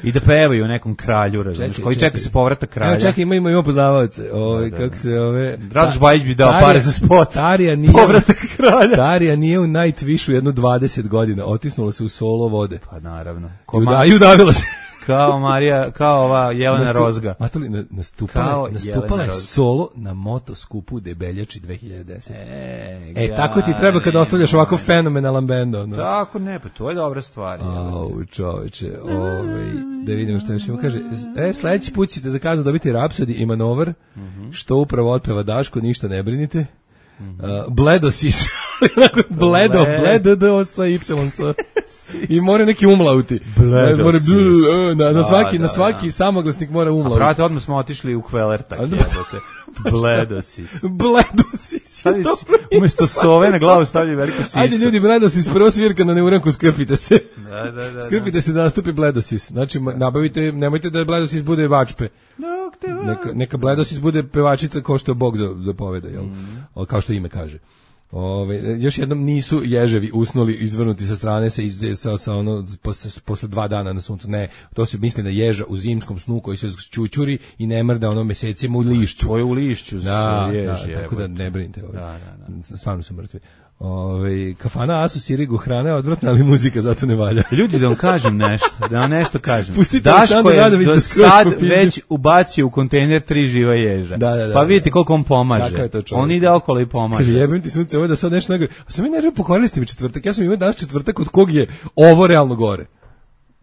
I da pevaju o nekom kralju, razumiješ, Čekaj, koji čeka čekaj. se povratak kralja. Evo čekaj, ima, ima, ima poznavaoce. Ove, Da, da, kako da. se ove... Radoš Bajić bi dao Tarija- pare za spot. Tarija nije, Povratak kralja. Tarija nije u Nightwishu jedno dvadeset godina. Otisnula se u solo vode. Pa naravno. I, Ko uda, ma- I udavila se. kao Marija, kao ova Jelena Nastup- Rozga. Matuli, na, nastupala, Kao je- nastupala Jelena je Rozga. solo na motoskupu u Debeljači dve hiljade desete. E, E, tako ti treba kad ostavljaš ovako fenomenalan bend. Ono. Tako ne, pa to je dobra stvar. Au, čoveče, ovaj, da vidimo šta još ima. Kaže, e, sledeći put ćete za kaznu dobiti Rhapsody i Manover, što upravo otpeva Daško, ništa ne brinite. Uh, Bledosis, bledo, bledo, do, sa y, sa. I mora neki umlauti. Bledosis. Mora bl- na, na Da, svaki, da, na svaki da. samoglasnik mora A umlauti. brate, odmah smo otišli u Kvelertak, A da- jebote. Bledosis. Bledosis. Stavi si, umesto sove na glavu stavlja veliku sisu. Ajde ljudi, Bledosis, prvo svirka na neuranku, skrpite se. Da, da, da. da. Skrpite se da nastupi Bledosis. Znači, ma- nabavite, nemojte da Bledosis bude vačpe. Dok te Neka, neka Bledosis bude pevačica kao što Bog za- zapoveda, jel? O, kao što ime kaže. Ove, još jednom nisu ježevi usnuli izvrnuti sa strane sa, iz, sa, sa ono, posle, posle dva dana na suncu. Ne, to se misli na ježa u zimskom snu koji se čučuri i ne mrda ono mesecima u lišću. To je u lišću. Da, jež, da, tako da jebote. ne brinite. Ove. Da, da, da. Stvarno su mrtvi. Ove, kafana Asu Sirigu, hrana je odvratna, ali muzika zato ne valja. Ljudi, da vam kažem nešto, da vam nešto kažem. Pustite Daško Aleksandra je Radović do da skroz sad popizdi. već ubacio u kontejner tri živa ježa. Da, da, da, pa vidite da. koliko on pomaže. Kakav je to čovjek? On ide okolo i pomaže. Kaže, jebim ti sunce, ovo da sad nešto najgore. A sam mi nervio, pokvarili ste mi četvrtak. Ja sam imao danas četvrtak od kog je ovo realno gore.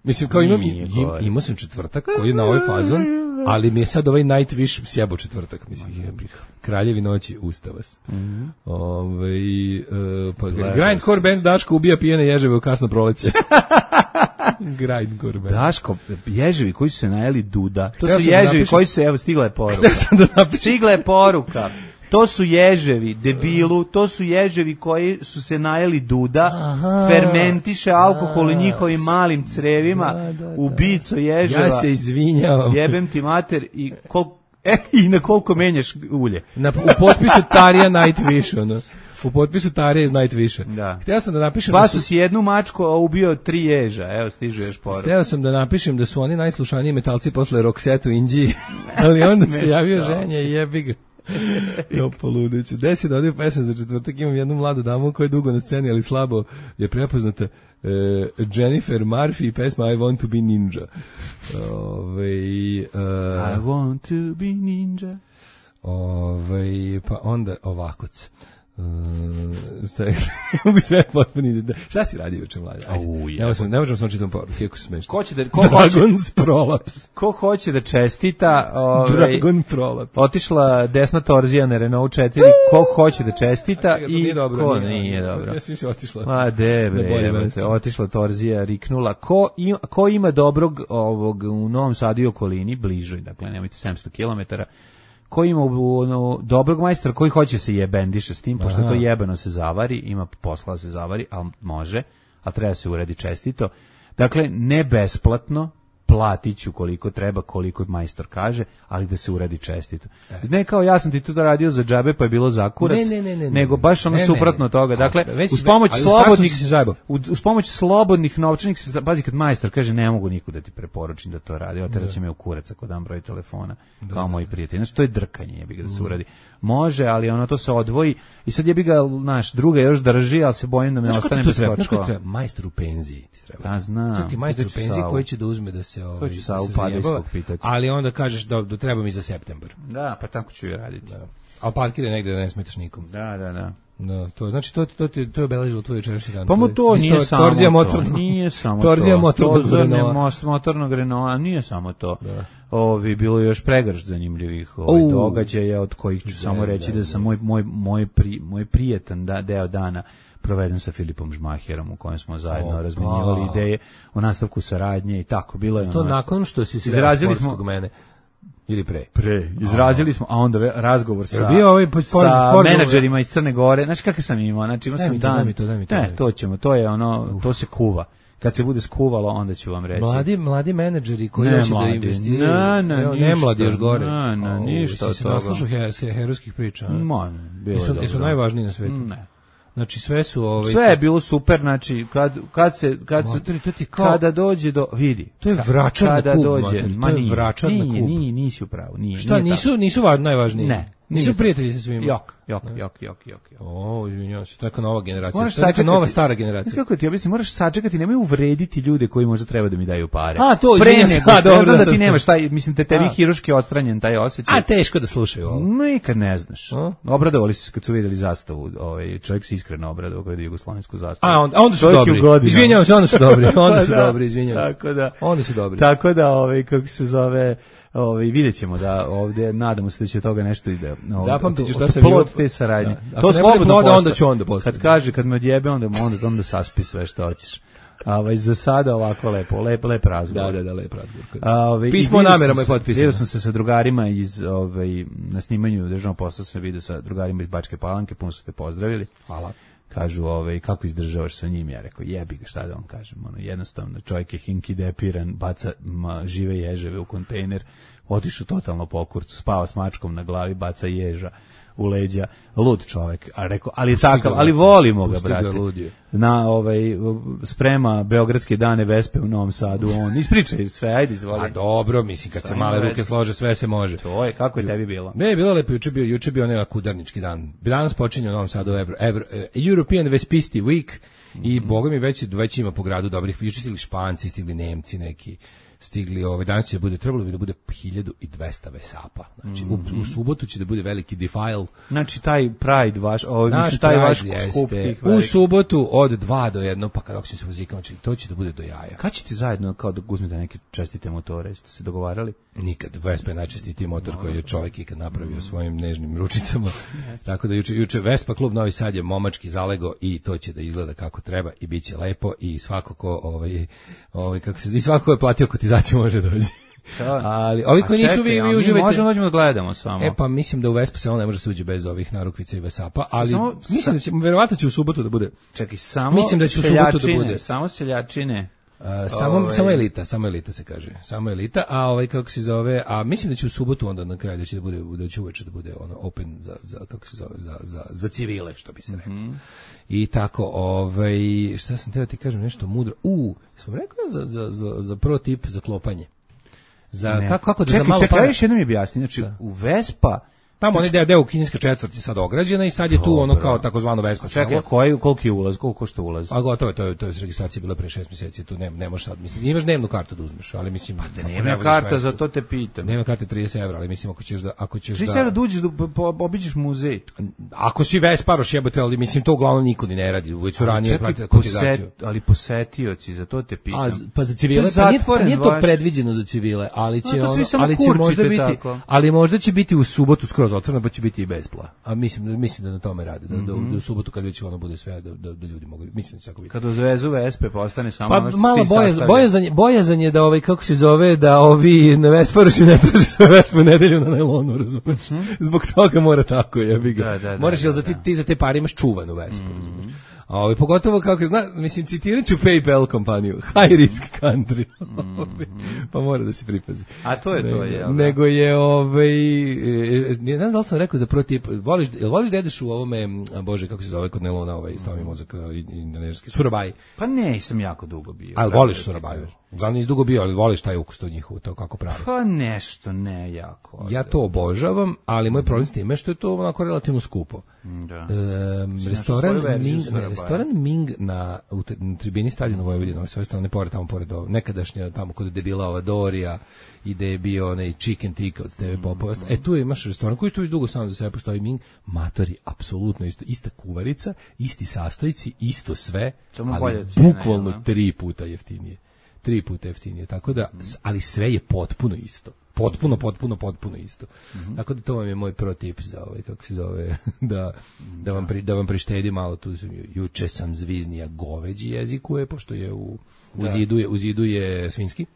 Mislim, kao imam, Nije im, gore. imao sam četvrtak koji je na ovaj fazon, ali mi je sad ovaj Nightwish sjebo četvrtak. Mislim, jebih. Kraljevi noći, usta vas. Mhm. Ovaj, e, pa, grindcore band Daško ubija pijene ježeve u kasno proleće. Grindcore band. Daško, ježevi koji su se najeli duda. To Hteo su sam da ježevi napišem- koji su se, evo, stigla je poruka. Hteo sam da napišem. Stigla je poruka. To su ježevi, debilu, to su ježevi koji su se najeli duda, fermentiše alkohol u njihovim malim crevima, Da, da, da. ubico ježeva. Ja se izvinjavam. Jebem ti mater i kol, e, i na koliko menjaš ulje. Na, u potpisu Tarija Nightwish, ono. U potpisu Tarija iz Nightwisha. Da. Hteo sam da napišem da Spasu su, si jednu mačku, a ubio tri ježa. Evo, stižu još poruka. hteo sam da napišem da su oni najslušaniji metalci posle Roxette u Indiji, ali onda se javio ženja i jebi ga. Jo, poludeću. Desi da odio pesam za četvrtak, imam jednu mladu damu koja je dugo na sceni, ali slabo je prepoznata. E, Jennifer Murphy i pesma I Want to be Ninja. Ove, e, I want to be ninja. Ove, pa onda ovakoc. Uh, šta je, mogu sve potpuno da, šta si radio juče, mlađe? Ajde, Au, ne možemo, ne možemo samo čitam poruku, kako se smešno. Ko će da, ko hoće, Dragon's Prolaps. ko hoće da čestita, ovaj, Dragon Prolaps. otišla desna torzija na Renault četiri, ko hoće da čestita Čekaj, to i nije dobro, ko nije, nije dobro. Ja sam mislim otišla. Ma de Na bolje bre, mesto. evo te, otišla torzija, riknula. Ko ima, ko ima dobrog ovog u Novom Sadu i okolini, bližoj, dakle nemojte sedamsto kilometara, ko ima ono, dobrog majstora koji hoće se jebendiše s tim, pošto Aha. to jebeno se zavari, ima posla da se zavari, ali može, a treba se uredi čestito. Dakle, ne besplatno, platit ću koliko treba, koliko majstor kaže, ali da se uredi čestito. Ne kao ja sam ti to radio za džabe pa je bilo za kurac, Ne, ne, ne, ne, nego ne. baš ono Ne, ne. suprotno od toga. Dakle, A, već uz si- pomoć ali u startu slobodnih si se zajebao. uz, uz pomoć slobodnih novčanih, se- pazi kad majstor kaže ne mogu niku da ti preporučim da to radi, oteraće me u kurac ako dam broj telefona, kao moji prijatelji. Znači, to je drkanje, jebi ga da se uradi. Može, ali ono to se odvoji i sad jebi ga, naš, druga još drži, ali se bojim da me ne Znaš ko ti ostane to bez treba? Znaš ko točkova. ti treba? Majstor u penziji ti treba. Pa znam. Šta ti majstor u Pitaću penziji Savu. koji će da uzme da se ovaj ću da Savu se Padejskog zajebava, pitati. ali onda kažeš da, da treba mi za septembar. Da, pa tako ću i raditi. Da. A parkira negde da ne smetaš nikom. Da, da, da. Da, to znači to to ti to je obeležilo tvoj jučerašnji dan. Pa mu to je nije isto samo torzija to. motornog. Nije samo Torzija to. motornog To zrne Renaulta. most motornog Renaulta, nije samo to. Da. Ovi, bilo je još pregršt zanimljivih ovaj, Au. događaja, od kojih ću Da, samo reći da, da sam moj, moj, moj, pri, moj prijetan da, deo dana proveden sa Filipom Žmaherom u kojem smo zajedno Opa. razmenjivali ideje o nastavku saradnje i tako bilo je. To ono, nakon što si se izrazili sportskog smo mene ili pre. Pre, izrazili smo, a onda ve- razgovor sa, bio ovaj po- sa sporazum- menadžerima iz Crne Gore. Znaš kakav sam imao? Znači, imao Daj sam mi to, dan. daj mi to, daj mi to, ne, daj mi to ćemo, to je ono, to se kuva. Kad se bude skuvalo, onda ću vam reći. Mladi, mladi menadžeri koji Ne hoće da mladi, investiraju. ne, ne, Evo, ništa, mladi još gore. ne, ne, O, ništa si od se toga. naslušao he- herojskih priča. a? Ma, bilo je Jesu, dobro. jesu najvažniji na svetu. Ne. Znači sve su ovaj Sve je bilo super, znači kad kad se kad se Matori, to ti kao- kada dođe do vidi. To je ka- vračar na kada kub, dođe, matori, to ma je nije, vračar na nije, kub. Nije, nisi u pravu, nije. Šta, nije nisu tako. nisu važni najvažniji. Ne. Nisu nije prijatelji sa svima. Jok, jok, jok, jok, jok, jok. O, izvinjavam se, to je neka nova generacija. Moraš To je neka sačekati- nova stara Znaš generacija. kako ti objasnim, moraš sačekati, nemoj uvrediti ljude koji možda treba da mi daju pare. A, to, Pre izvinjam se, nego a, što- ja dobro, znam da da, ti da. nemaš taj, mislim te tebi A. hiruški odstranjen taj osjećaj. A teško da slušaju ovo. Nikad ne znaš. A? Obradovali su se kad su vidjeli zastavu, ovaj čovjek se iskreno obradovao kad je jugoslovensku zastavu. A, onda, onda su Čovjek je u dobri. godinama. Izvinjavam se, onda su dobri. Onda su Da, dobri, izvinjavam se. Tako da. Onda su dobri. Tako da, ovaj kako se zove, ovaj videćemo da ovdje nadamo se da će od toga nešto ide. No, Zapamtit ću to- šta to sam plod bio- te saradnje. Da. Ako To ne bude slobodno ploda, posta- onda ću onda postati. Kad kaže kad me odjebe onda onda onda saspi sve što hoćeš. A ovaj za sada ovako lepo, lep lep razgovor. Da, da, da, lep razgovor. A, ovaj, Pismo i o vidio namerama sam je se- potpisano. Vidio sam se sa drugarima iz ovaj na snimanju državnog posla sam vidio sa drugarima iz Bačke Palanke, puno su te pozdravili. Hvala. Kažu, ovaj, kako izdržavaš sa njim? Ja rekao, jebi ga, šta da vam kažem. Ono, jednostavno, čovjek je hinki depiran, baca ma, žive ježeve u kontejner, otišao totalno po kurcu, spava s mačkom na glavi, baca ježa u leđa, lud čovjek. A rekao, ali je Pusti ga, takav, ali brate. volimo ga, Pusti ga, brate. lud je. Na ovaj sprema Beogradske dane Vespe u Novom Sadu, on ispričaj sve, ajde izvoli. A dobro, mislim, kad se Stvarno male veze. ruke slože, sve se može. To je, kako je tebi bilo? Ne, bilo lepo, juče bio, juče bio onaj kudarnički dan. Danas počinje u Novom Sadu Evro, Evro, eh, European Vespisti Week i boga mi već, već ima po gradu dobrih, juče stigli Španci, stigli Nemci neki, stigli, ovaj, danas će da bude, trebalo bi da bude hiljadu dvesta vesapa. Znači, u, u subotu će da bude veliki defile. Znači, taj Pride vaš, ovaj, Naš mislim, taj Pride vaš jeste skup tih u velikih. subotu od dva do jedno, pa kako će se muzikama, znači, to će da bude do jaja. Kad ćete zajedno kao da uzmete neke čestite motore, jeste se dogovarali? Nikad. Vespa je najčestitiji motor koji je čovjek ikad napravio svojim nežnim ručicama. Tako da juče, juče Vespa klub Novi Sad je momački zalego i to će da izgleda kako treba i bit će lepo i svako ko, ovaj, ovaj, kako se, i svako ko je platio kotizaciju može doći. Ali ovi koji nisu, vi, vi uživajte. Možemo dođemo da gledamo samo. E pa mislim da u Vespa se on ne može se uđe bez ovih narukvica i Vesapa, ali Samo- mislim da će, verovatno će u subotu da bude. Čekaj, samo Mislim da će u subotu da seljačine, bude. Samo seljačine. Uh, samo, Ovaj. samo elita, samo elita se kaže. Samo elita, a ovaj kako se zove, a mislim da će u subotu onda na kraju da će da bude da će uveče da bude ono open za za kako se zove za za za civile, što bi se reklo. Mm-hmm. I tako, ovaj šta sam teo ti kažem nešto mudro. U, sam rekao za za za za pro tip za klopanje. Za Ne. kako kako da čekaj, za malo čekaj, para- ja još jednom mi objasni. Znači, u Vespa, Tamo onaj deo, deo kineska četvrt je sad ograđena i sad je tu ono kao takozvano Vespa čekaj, selo. koji, koliki je ulaz, koliko košta ulaz? A gotovo je, to je, to je registracija bila pre šest mjeseci, tu ne, ne možeš sad, mislim, imaš dnevnu kartu da uzmeš, ali mislim... Pa Da nema karta, za to te pitam. Nema karte trideset evra, ali mislim ako ćeš da... Ako ćeš trideset da, evra da uđeš, da po- po- obiđeš muzej. ako si Vesparoš jebote, ali mislim to uglavnom niko ni ne radi, već su ranije Čekaj, platili kotizaciju. poset- ali posetioci, za to te pitam. A, z- pa za civile, To je pa nije, pa zatvoren nije to vaš- predviđeno za civile, ali će, A, to svi ono, samo ali će kurčite možda biti, tako. ali možda će biti u subotu skroz otvoreno, pa će biti i bespla. A mislim, mislim da na tome rade, da, da, da u subotu kad već ono bude sve, da, da, da ljudi mogu, mislim da će tako biti. Kad uzvezu Vespe, postane samo Pa ono što malo ti boje, sastavlja. bojazan, je- bojazan je da ovaj kako se zove da ovi na Vesparoši ne traže svoje Vespe u nedelju na najlonu, razumeš? Zbog toga mora tako, jebi ga. Da, da, da, Moraš jel za da, ti, da. ti za te pare imaš čuvanu Vespu, razumeš? A ovaj pogotovo kako zna, mislim citirat ću PayPal kompaniju, high risk country. Pa mora da se pripazi. A to je to, Nego- jel da? Nego je ovaj e, ne znam da li sam rekao za prvi tip, voliš jel voliš da jedeš u ovome, a bože kako se zove kod Nelona ovaj stavi mozak i indoneski surabaj. Pa ne, sam jako dugo bio. Ali Pravo voliš da ti surabaju. kažem. Znam nisi dugo bio, ali voliš taj ukus to njihovo, to kako pravi. Pa nešto, ne jako. Ja to obožavam, ali moj problem s time je što je to onako relativno skupo. Da. Ehm, svoju restoran verziju Ming, ne, Surabaja. restoran Ming na, u te- na tribini Stadiona Vojvodina, sve strane pored, tamo pored ovo, nekadašnja tamo kod je debila ova Dorija i gde je bio onaj chicken tikka od Steve Popova. E tu imaš restoran koji tu već dugo samo za sebe postoji Ming, matori, apsolutno isto, ista kuvarica, isti sastojci, isto sve, Samo ali bolja cijena, bukvalno jel da? tri puta jeftinije. Tri puta jeftinije, tako da, s- ali sve je potpuno isto. potpuno, potpuno, potpuno isto. Mm-hmm. Tako da to vam je moj pro tip za ovaj, kako se zove, da, da, vam, pri, da vam prištedi malo tu. Juče sam zviznija goveđi jezikuje, pošto je u, u, zidu, je, u zidu je svinjski.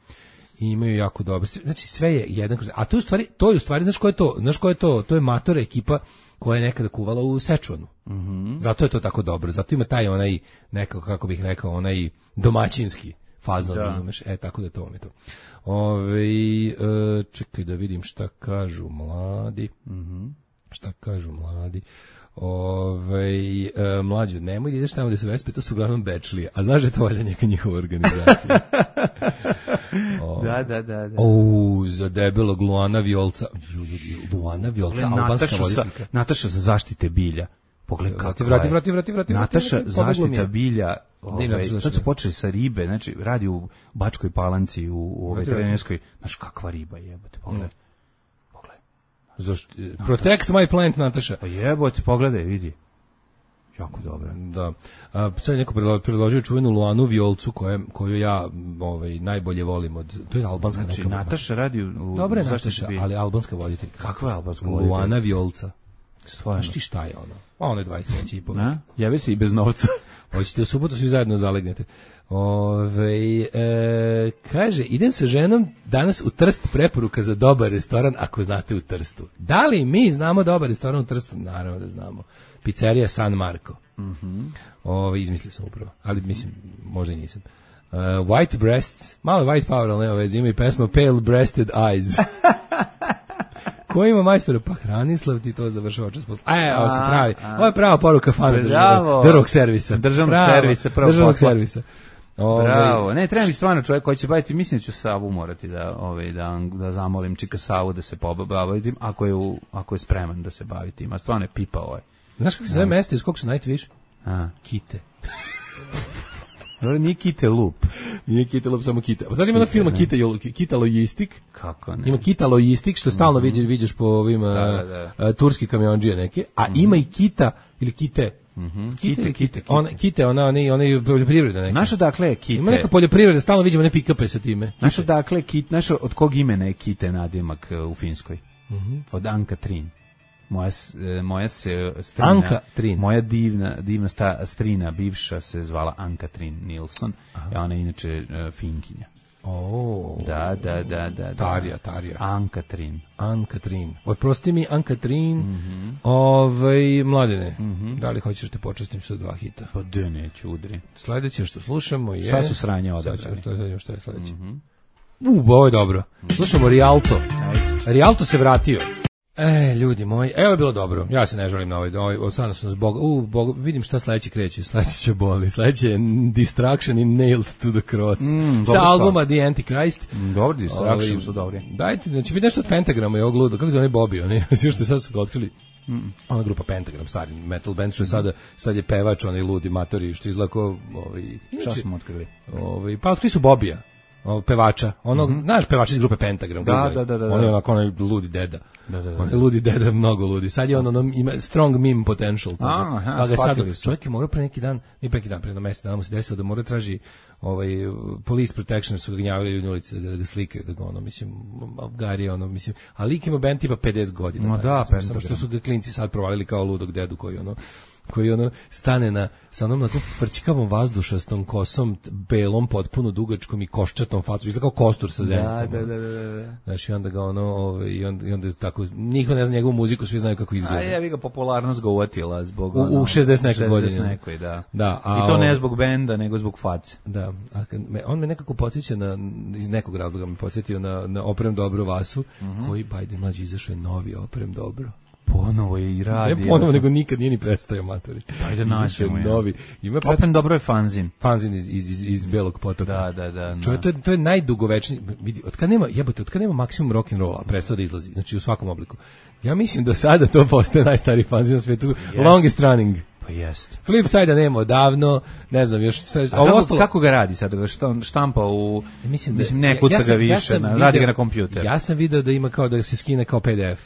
I imaju jako dobro. Znači sve je jedan kroz... A to je u stvari, to je u stvari, znaš ko je to? Znaš ko je to? To je matora ekipa koja je nekada kuvala u Sečuanu. Mm-hmm. Zato je to tako dobro. Zato ima taj onaj, nekako, kako bih rekao, onaj domaćinski fazon, da. Razumeš? E, tako da to vam je to. Ove, e, čekaj da vidim šta kažu mladi. Mm-hmm. Šta kažu mladi. Ove, e, mlađu, nemoj da ideš tamo da se vespe, to su uglavnom bečlije. A znaš da je to valjda neka njihova organizacija. O, da, da, da. da. O, za debelog Luana Violca. Luana Violca, albanska voditeljka. Nataša za zaštite bilja. Pogledaj kako vrati, vrati, vrati, vrati. Nataša vrati, zaštita bilja. Ovaj, sad su počeli sa ribe, znači radi u Bačkoj Palanci, u, u ovoj trenerskoj. Znaš kakva riba jebote, pogledaj. Pogledaj. Zašto? Protect my plant, Nataša. Pa jebote, pogledaj, vidi. Jako dobro. Da. A, sad je neko predložio čuvenu Luanu Violcu koje, koju ja ovaj, najbolje volim. Od, to je albanska znači, neka. Nataša radi u, u Dobre je Nataša, ali albanska voditeljka. Kakva je albanska voditeljka? Luana Violca. Stvarno. Znaš ti šta je ono? A ono je dvadeset treći i pol. Javi se i bez novca. Hoćete u subotu svi zajedno zalegnete. Ove, e, kaže, idem sa ženom danas u Trst, preporuka za dobar restoran ako znate u Trstu. Da li mi znamo dobar restoran u Trstu? Naravno da znamo. Pizzerija San Marco. Mm-hmm. Ove, izmislio sam upravo, ali mislim, možda i nisam. Uh, white breasts, malo white power, ali nema veze, ima i pesma Pale Breasted Eyes. Ko ima majstora? Pa Hranislav ti to završava čas posla. E, ovo se pravi. Ovo je prava poruka fana državnog, državnog servisa. Državnog servisa, pravo državnog servisa. Ove, bravo. Ne, treba mi stvarno čovjek koji će baviti, mislim da ću Savu morati da, ove, da, da zamolim čika Savu da se pobavi tim, ako je, u, ako je spreman da se bavi tim. A stvarno je pipa ovaj. Znaš kako se zove mesto iz kog su najviše? A. Kite. Nije Kite Lup. Nije Kite Lup, samo Kita. Znaš ima na filma Kita, Kita Logistik? Kako ne? Ima Kita Logistik, što stalno mm-hmm. vidiš, vidiš po ovim da, da, da. Uh, turski kamionđije neke, a mm-hmm. ima i Kita, ili Kite. Mm-hmm. Kite, kite, kite, kite. Ona, kite, ona, ona, ona je poljoprivreda neka. Naša dakle je Kite. Ima neka poljoprivreda, stalno vidimo ne pikape sa time. Naša dakle Kite, naša od kog imena je Kite nadimak u Finskoj? Mm-hmm. Od Anka Trin. Moja, moja se strina, Anka Trin. Moja divna, divna sta, strina bivša se zvala Anka Trin Nilsson, a ona je inače uh, Finkinja. Oh. Da, da, da, da. Tarija, Tarija. Anka Trin. Anka Trin. Oprosti mi, Anka Trin. Mm-hmm. Ovaj, Mladene, mm-hmm. da li hoćeš te počastim sa dva hita? Pa de neću, udri. Sledeće što slušamo je... Šta su sranja odabrali? Šta, šta je sledeće? Mm-hmm. U, ovo je dobro. Slušamo Rialto. Rialto se vratio. E, ljudi moji, evo je bilo dobro. Ja se ne želim na ovaj, ovaj sada su nas bog, u, bog, vidim šta sledeće kreće. Sledeće će boli. Sledeće je Distraction i Nailed to the Cross. Mm, sa albuma The Antichrist. Mm, dobro, Distraction su dobri. Dajte, znači vidi nešto od Pentagrama i ovog luda. Kako se zove Bobby, oni? Sve što sad su ga otkrili. Mm. Ona grupa Pentagram, stari metal band, što je sada, sad je pevač, onaj ludi matori, što izlako, ovaj, šta smo otkrili? Ovaj, pa otkrili su Bobija. O, pevača, onog, mm-hmm. znaš pevača iz grupe Pentagram, da, da, da, da, on je onako onaj ludi deda, da, da, da. on je ludi deda, mnogo ludi, sad je on ono, ima strong meme potential, pa, aha, pa ga sad, čovjek je morao pre neki dan, nije pre neki dan, pre na mesec dana mu se desilo da mora traži ovaj, police protection, su ga gnjavili u ulici da ga slikaju, da ga ono, mislim, Afgari ono, mislim, a lik ima band tipa pedeset godina, no, da, tako, samo što su ga klinci sad provalili kao ludog dedu koji ono, koji ono stane na sa onom na tom frčkavom vazdušastom kosom, belom, potpuno dugačkom i koščatom facom, izgleda kao kostur sa zenicama. Da, da, da, da. Znači, onda ga ono, ove, i, onda, i onda tako, niko ne zna njegovu muziku, svi znaju kako izgleda. A je, vi ga popularnost ga uvatila zbog... U, u šezdeset nekoj godini. Nekoj, da. Da, a, i to ne zbog benda, nego zbog face. Da, a me, on me nekako podsjeća na, iz nekog razloga me podsjetio na, na Oprem dobro Vasu, mm-hmm. koji, bajde mlađi, izašao je novi Oprem dobro. Ponovo je i radi. Ne ponovo, nego nikad nije ni prestajao matori. Ajde naćemo je. Novi. Ima pred... Open dobro je fanzin. Fanzin iz, iz, iz, iz Belog potoka. Da, da, da. Čovjek, to je, to je najdugovečniji, vidi, od kad nema, jebote, od kad nema maksimum rock'n'rolla, prestao da izlazi, znači u svakom obliku. Ja mislim da sada to postaje najstariji fanzin na svijetu, yes. Longest running. Pa jest. Flipside-a nema odavno, ne znam, još... Sad, a kako, ostalo... kako ga radi sad? Ga štampa u... Mislim, da, mislim ne kuca ja, ja ga više, ja na, video, radi ga na kompjuter. Ja sam video da ima kao da se skine kao P D F.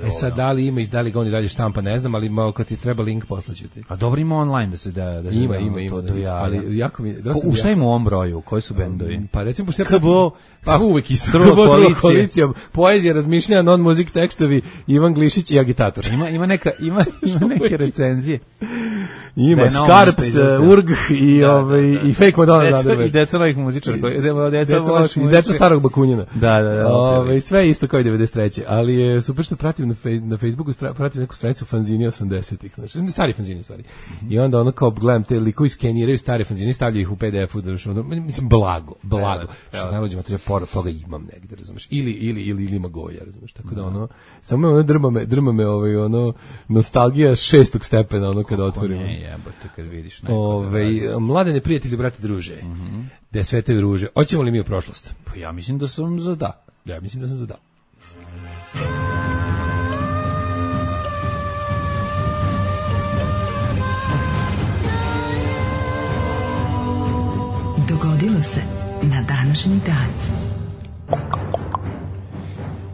E sad, da li ima i da li ga on i dalje štampa, ne znam, ali malo kad ti treba link poslaću ti. A dobro ima online da se da... da se ima, da, ima, ima, to, da, ali jako mi... Dosta Ko, u šta ima u ovom broju? Koji su bendovi? Pa recimo... Sve, K B O, pa uvek isto. Trula koalicija. koalicija. Poezija, razmišljanja, non-muzik tekstovi, Ivan Glišić i agitator. Ima, ima, neka, ima, ima neke recenzije. Ima Da, Skarps, uh, Urg i, da, ovaj, da, da. i Fake Madonna Deca, Zanderberg. I deca novih muzičara. Koji, deca, deca, Deca, i deca starog Bakunjina. Da, da, da. Ove, sve isto kao i devedeset treće Ali je super što pratim na, fej, na Facebooku, pratim neku stranicu fanzini osamdesetih Znači, stari fanzini u stvari. Mm-hmm. I onda ono kao gledam te likovi skeniraju stare fanzine, stavljaju ih u P D F-u, da ono, mislim, blago, blago. Evo, što najluđe materija, pored toga imam negde, razumeš? Ili, ili, ili, ili ima goja, razumeš? Tako da ono, samo ono drma me, drma me ovaj, ono, nostalgija šestog stepena, ono kada otvorimo. Ne, jebote, kad vidiš neko. Ove, mladene prijatelji, brate, druže, mm-hmm. da sve te druže. Hoćemo li mi u prošlost? Pa ja mislim da sam za da. Ja mislim da sam za da. Dogodilo se na današnji dan.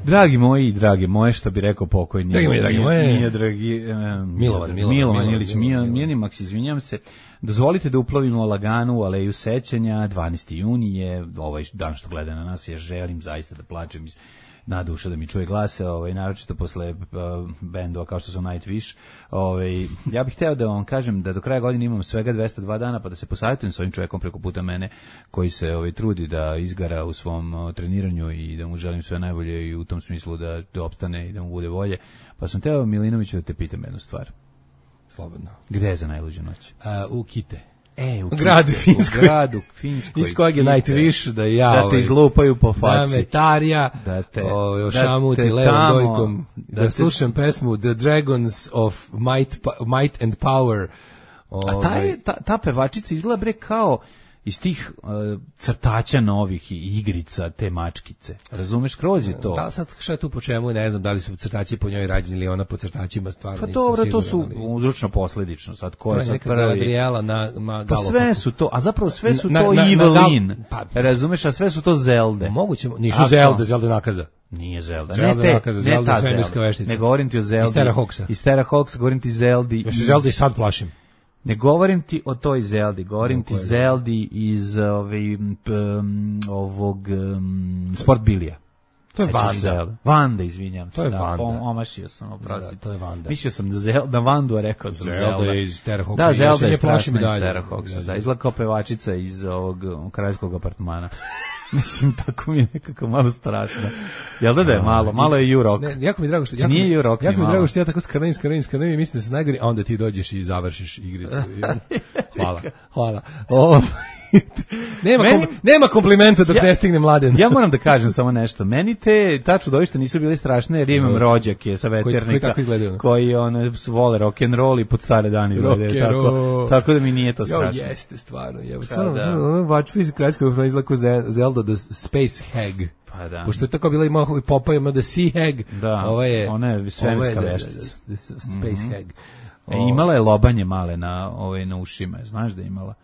Dragi moji, drage moje, što bi rekao pokojni. Dragi moji, dragi moje. Nije, dragi, um, Milovan, Milovan, Milovan Ilić, Milovan, Mijani Maks, izvinjam se. Dozvolite da uplovimo laganu u Aleju sećanja, dvanaesti juni je, ovaj dan što gleda na nas, ja želim zaista da plačem iz naduša da mi čuje glase, ovaj, naročito posle uh, bendova kao što su Nightwish. Ovaj, ja bih hteo da vam kažem da do kraja godine imam svega dvesta dva dana, pa da se posavjetujem s ovim čovjekom preko puta mene, koji se ovaj, trudi da izgara u svom uh, treniranju i da mu želim sve najbolje i u tom smislu da, da opstane i da mu bude bolje. Pa sam teo, Milinoviću, da te pitam jednu stvar. Slobodno. Gde je za najluđu noć? Uh, u Kite. E, u, u gradu Finskoj. U gradu Finskoj. Iz kojeg je Nightwish da ja... Da te izlupaju po faci. Da me tarja, da te, o, ošamuti da levom tamo, dojkom, da, da slušam te... pesmu The Dragons of Might, Might and Power. O, A ta, je, ta, ta pevačica izgleda bre kao iz tih uh, crtača novih i igrica, te mačkice. Razumeš, kroz je to. Da, sad šta je tu po čemu, ne znam da li su crtači po njoj rađeni ili ona po crtačima stvarno. Pa nisam dobro, siguran, to su ali... uzročno posledično. Sad ko je sad neka prvi? Galadriela na, na pa sve su to, a zapravo sve su na, to na, Evelyn. Na, pa, razumeš, a sve su to Zelde. Moguće, nisu a, Zelde, Zelde nakaza. Nije Zelda. Zelda ne te, nakaza, ne Zelda ta svemirska Zelda. veštica. Ne govorim ti o Zeldi. Iz Terahawksa. Iz Terahawksa, govorim ti Zeldi. Ja se Zelda i sad plašim. Ne govorim ti o toj Zeldi, govorim ti Zeldi iz ovaj, um, ovog um, Sport Bilija. To je Vanda. Vanda, izvinjam se. To je da, Vanda. Omašio sam, oprostite. Da, to je Vanda. Mislio sam da, Zel, da Vandu, a rekao sam Zelda. Zelda je iz Terahawksa. Da, Zelda je strašna iz Terahawksa. Da, da, izgleda kao pevačica iz ovog kraljevskog apartmana. Mislim, tako mi je nekako malo strašno. Jel da da je malo? Malo je U-Rock. Ne, jako mi je drago što... Jako, nije U-Rock jako mi je malo. drago što ja tako skrnim, skrnim, skrnim i mislim da se najgori, a onda ti dođeš i završiš igricu. Hvala, hvala. O, nema, Meni, kom, nema komplimenta dok ja, ne stigne Mladen. Ja moram da kažem samo nešto. Meni te ta čudovišta nisu bili strašne, jer imam rođake sa veternika koji, koji, koji one vole rock and roll i pod stare dane gledaju, tako, tako da mi nije to strašno. Jo, jeste stvarno. Ono vačpa iz kraljskog frona izlako Zelda the Space Hag. Pa da. Pošto je tako bila ima i Popa ima the Sea Hag. Da, ovo je, ona je svemirska veštica. The Space Hag. E, imala je lobanje male na ovaj na ušima, znaš da je imala.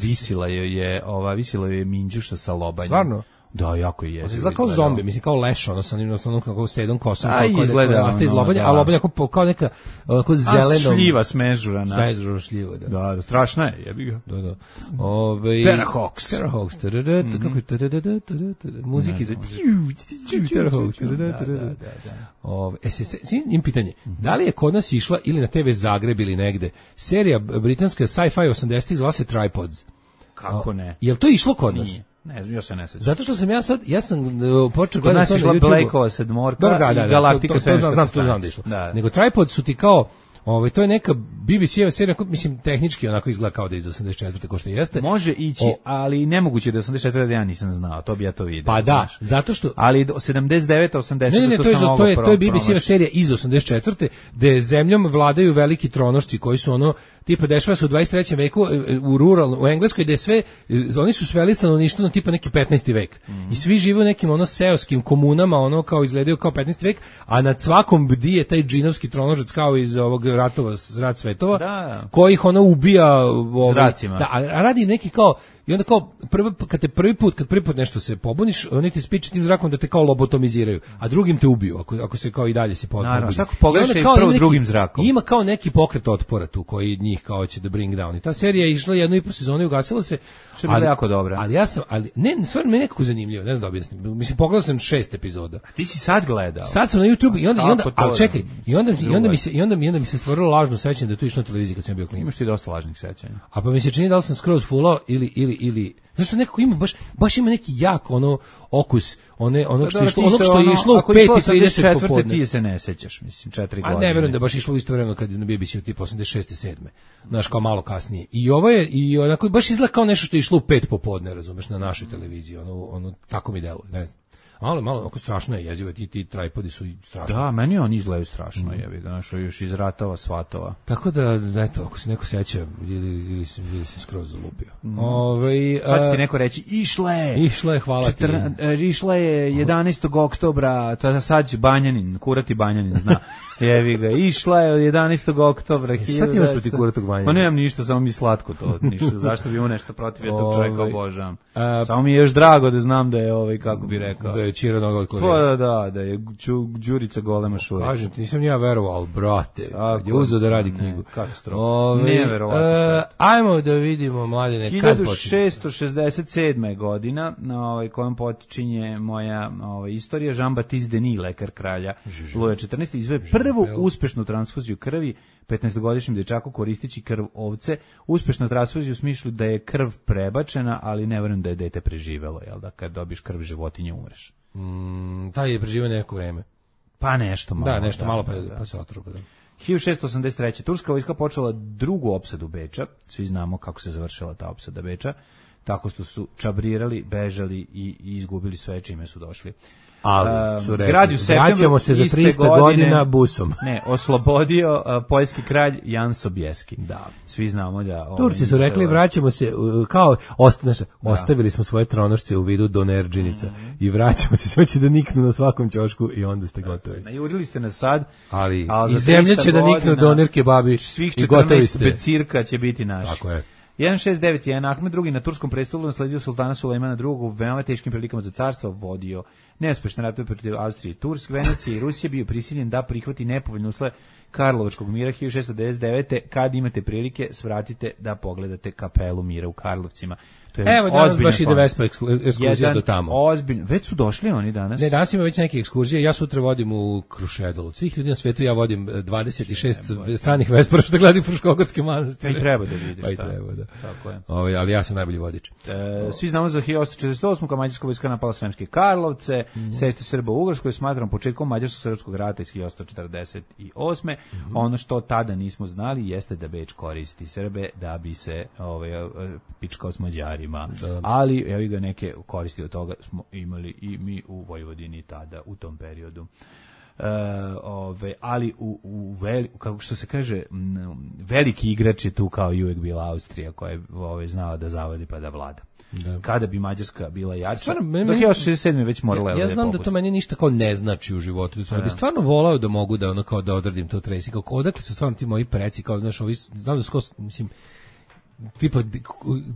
Visila je je ova visila je minđuša sa lobanjem. Stvarno? Da, jako je. Izgleda kao zombi, mislim kao leš, ono sa onim onom kako stedom kosom, kao izgleda nastaje iz lobanja, a lobanja kao kao neka kao zeleno šljiva smežurana. Smežurana šljiva, da. Da, strašna je, jebi ga. Da, da. Ovaj Terahawks. Terahawks. Kako je muziki da Terahawks. Ovaj es se im pitanje. Da li je kod nas išla ili na te ve Zagreb ili negde serija britanska sci-fi osamdesetih zvala se Tripods? Kako ne? Jel to išlo kod nas? Ne, ja se ne sećam. Zato što sam ja sad, ja sam uh, počeo gledati to na YouTubeu. YouTube. Blakeova sedmorka da, da, i da, Galaktika svemirska. Znam, to znam da išlo. Da. Nego Tripod su ti kao, ovaj, to je neka B B C-eva serija, mislim, tehnički onako izgleda kao da je iz osamdeset četvrte ko što jeste. Može ići, o, ali nemoguće da je osamdeset četvrte da ja nisam znao, to bi ja to vidio. Pa da, znaš. Zato što... Ali sedamdeset devete osamdesete ne, ne, ne, to, to, je, sam to, je, to je B B C-eva promaš. serija iz osamdeset četvrte gde zemljom vladaju veliki tronošci koji su ono, tipa dešava se u dvadeset trećem veku u ruralno, u Engleskoj gde sve, oni su sveli stanovništvo na tipa neki petnaesti vek. Mm-hmm. I svi žive u nekim ono seoskim komunama, ono kao izgledaju kao petnaesti vek, a nad svakom bdije taj džinovski tronožac kao iz ovog ratova, rat svetova, da. koji ih ono ubija ovaj, zracima. Da, a radi neki kao i onda kao prvi kad te prvi put kad prvi put nešto se pobuniš, oni ti spiče tim zrakom da te kao lobotomiziraju, a drugim te ubiju ako ako se kao i dalje se pobuniš. Naravno, tako pogledaš i prvo neki, drugim zrakom. Ima kao neki pokret otpora tu koji njih kao će da bring down. I ta serija je išla jednu i po sezonu i ugasila se. Što je bilo jako dobra. Ali ja sam, ali ne, stvarno mi je nekako zanimljivo, ne znam da objasnim. Mislim, pogledao sam šest epizoda. A ti si sad gledao? Sad sam na YouTube i onda, i onda ali čekaj, i onda, i onda mi se, i onda mi, i onda mi se stvorilo lažno sećanje da je to išlo na televiziji kad sam bio klinac. Imaš ti dosta lažnih sećanja. A pa mi se čini da li sam skroz fulao ili, ili, ili, zašto nekako ima, baš, baš ima neki jak ono okus, one, ono što je išlo, ono što je išlo u pet i trideset popodne. Ti se ne sećaš, mislim, četiri godine. A ne verujem da baš išlo u isto vreme kad je na B B C-u tipa osamdeset šeste sedme Znaš, kao malo kasnije. I ovo je, i onako, baš izgleda kao nešto što je išlo u pet popodne, razumeš, na našoj televiziji, ono, ono, tako mi deluje, ne znam. Malo, malo, oko strašno je jezivo, ti, ti tripodi su strašni. Da, meni oni izgledaju strašno, mm. jebi ga, našo još iz ratova, svatova. Tako da, eto, ako se neko seća, ili, ili, ili se skroz zalupio. Mm. Ove, Sad će ti neko reći, išla je! Išla je, hvala ti. Četrna, išla je jedanaestog oktobra, to sad će Banjanin, kurati Banjanin, zna. Jevi ga, išla je od jedanaestog oktobra. Sad ti imaš proti kuratog Banjanina? Pa nemam ništa, samo mi slatko to, ništa. Zašto bi imao nešto protiv, ja tog čovjeka obožavam. Samo mi je još drago da znam da je, ovaj, kako bi rekao. Da je Čira noga od klavira. Pa da, da, da je Đurica golema šurica. Kažem ti, nisam ja verovao, ali brate, kad je uzeo da radi knjigu. Katastrofa. Ne verovatno šta. Ajmo da vidimo, mladine, kad počinje. hiljadu šessto šezdeset sedma godina, na ovaj, kojom počinje moja ovaj, istorija, Jean-Baptiste Denis, lekar kralja Luja četrnaestog izveo prvu uspešnu transfuziju krvi petnaestogodišnjem dečaku koristeći krv ovce. Uspešna transfuzija u smislu da je krv prebačena, ali ne verujem da je dete preživelo, jel da kad dobiš krv životinje umreš. Mm, taj je preživio neko vreme. Pa nešto malo. Da, nešto da, malo pa, da. pa se otrpa. Da. hiljadu šessto osamdeset treće Turska vojska počela drugu opsadu Beča. Svi znamo kako se završila ta opsada Beča. Tako što su čabrirali, bežali i, i izgubili sve čime su došli. Ali su rekli, vraćamo se za trista godine, godina busom. Ne, oslobodio uh, poljski kralj Jan Sobieski. Da. Svi znamo da... Ovaj, Turci su rekli, vraćamo se, uh, kao, osta, znaš, da. Ostavili smo svoje tronošce u vidu donerđinica mm-hmm. i vraćamo se, sve će da niknu na svakom ćošku i onda ste gotovi. Najurili ste nas sad, ali, ali i zemlja će da niknu doner kebabi i gotovi ste. Becirka će biti naši. Tako je. hiljadu šeststo devedeset jedan Ahmed drugi na turskom prestolu nasledio sultana Sulejmana drugog u veoma teškim prilikama za carstvo, vodio neuspešne ratove protiv Austrije i Turske, Venecije i Rusije, bio prisiljen da prihvati nepovoljne uslove Karlovačkog mira hiljadu šessto devedeset devete Kad imate prilike, svratite da pogledate kapelu mira u Karlovcima. To je Evo, danas baš ide Vespa ekskurzija do tamo. Ozbiljno. Već su došli oni danas? Ne, danas ima već neke ekskurzije. Ja sutra vodim u Krušedol. Od svih ljudi na svijetu ja vodim dvadeset šest ne, stranih Vespara što gledaju Fruškogorske manastire. Pa i treba da vidiš. Pa i treba, da. Tako je. Ovi, ali ja sam najbolji vodič. E, svi znamo za hiljadu osamsto četrdeset osam kad mađarska vojska napala Sremske Karlovce, mm-hmm. sešće Srba u Ugarskoj, smatram početkom mađarsko-srpskog rata iz hiljadu osamsto četrdeset osme Mm-hmm. Ono što tada nismo znali jeste da Beč koristi Srbe da bi se ovaj, pičkao s Mađarima. Da. Ali evo ga neke koristi od toga smo imali i mi u Vojvodini tada u tom periodu. E, ove, ali u, u veli, kako što se kaže m, veliki igrač je tu kao i uvek bila Austrija koja je ove, znala da zavodi pa da vlada. Da. Kada bi Mađarska bila jača, stvarno, meni, dok je još šezdeset sedme već morala ja, ja znam da to meni ništa kao ne znači u životu. Stvarno, ja. bi stvarno volao da mogu da ono kao da odradim to Tracy, kao odakle su stvarno ti moji preci, kao znaš, ovi, znam da skos, mislim, tipa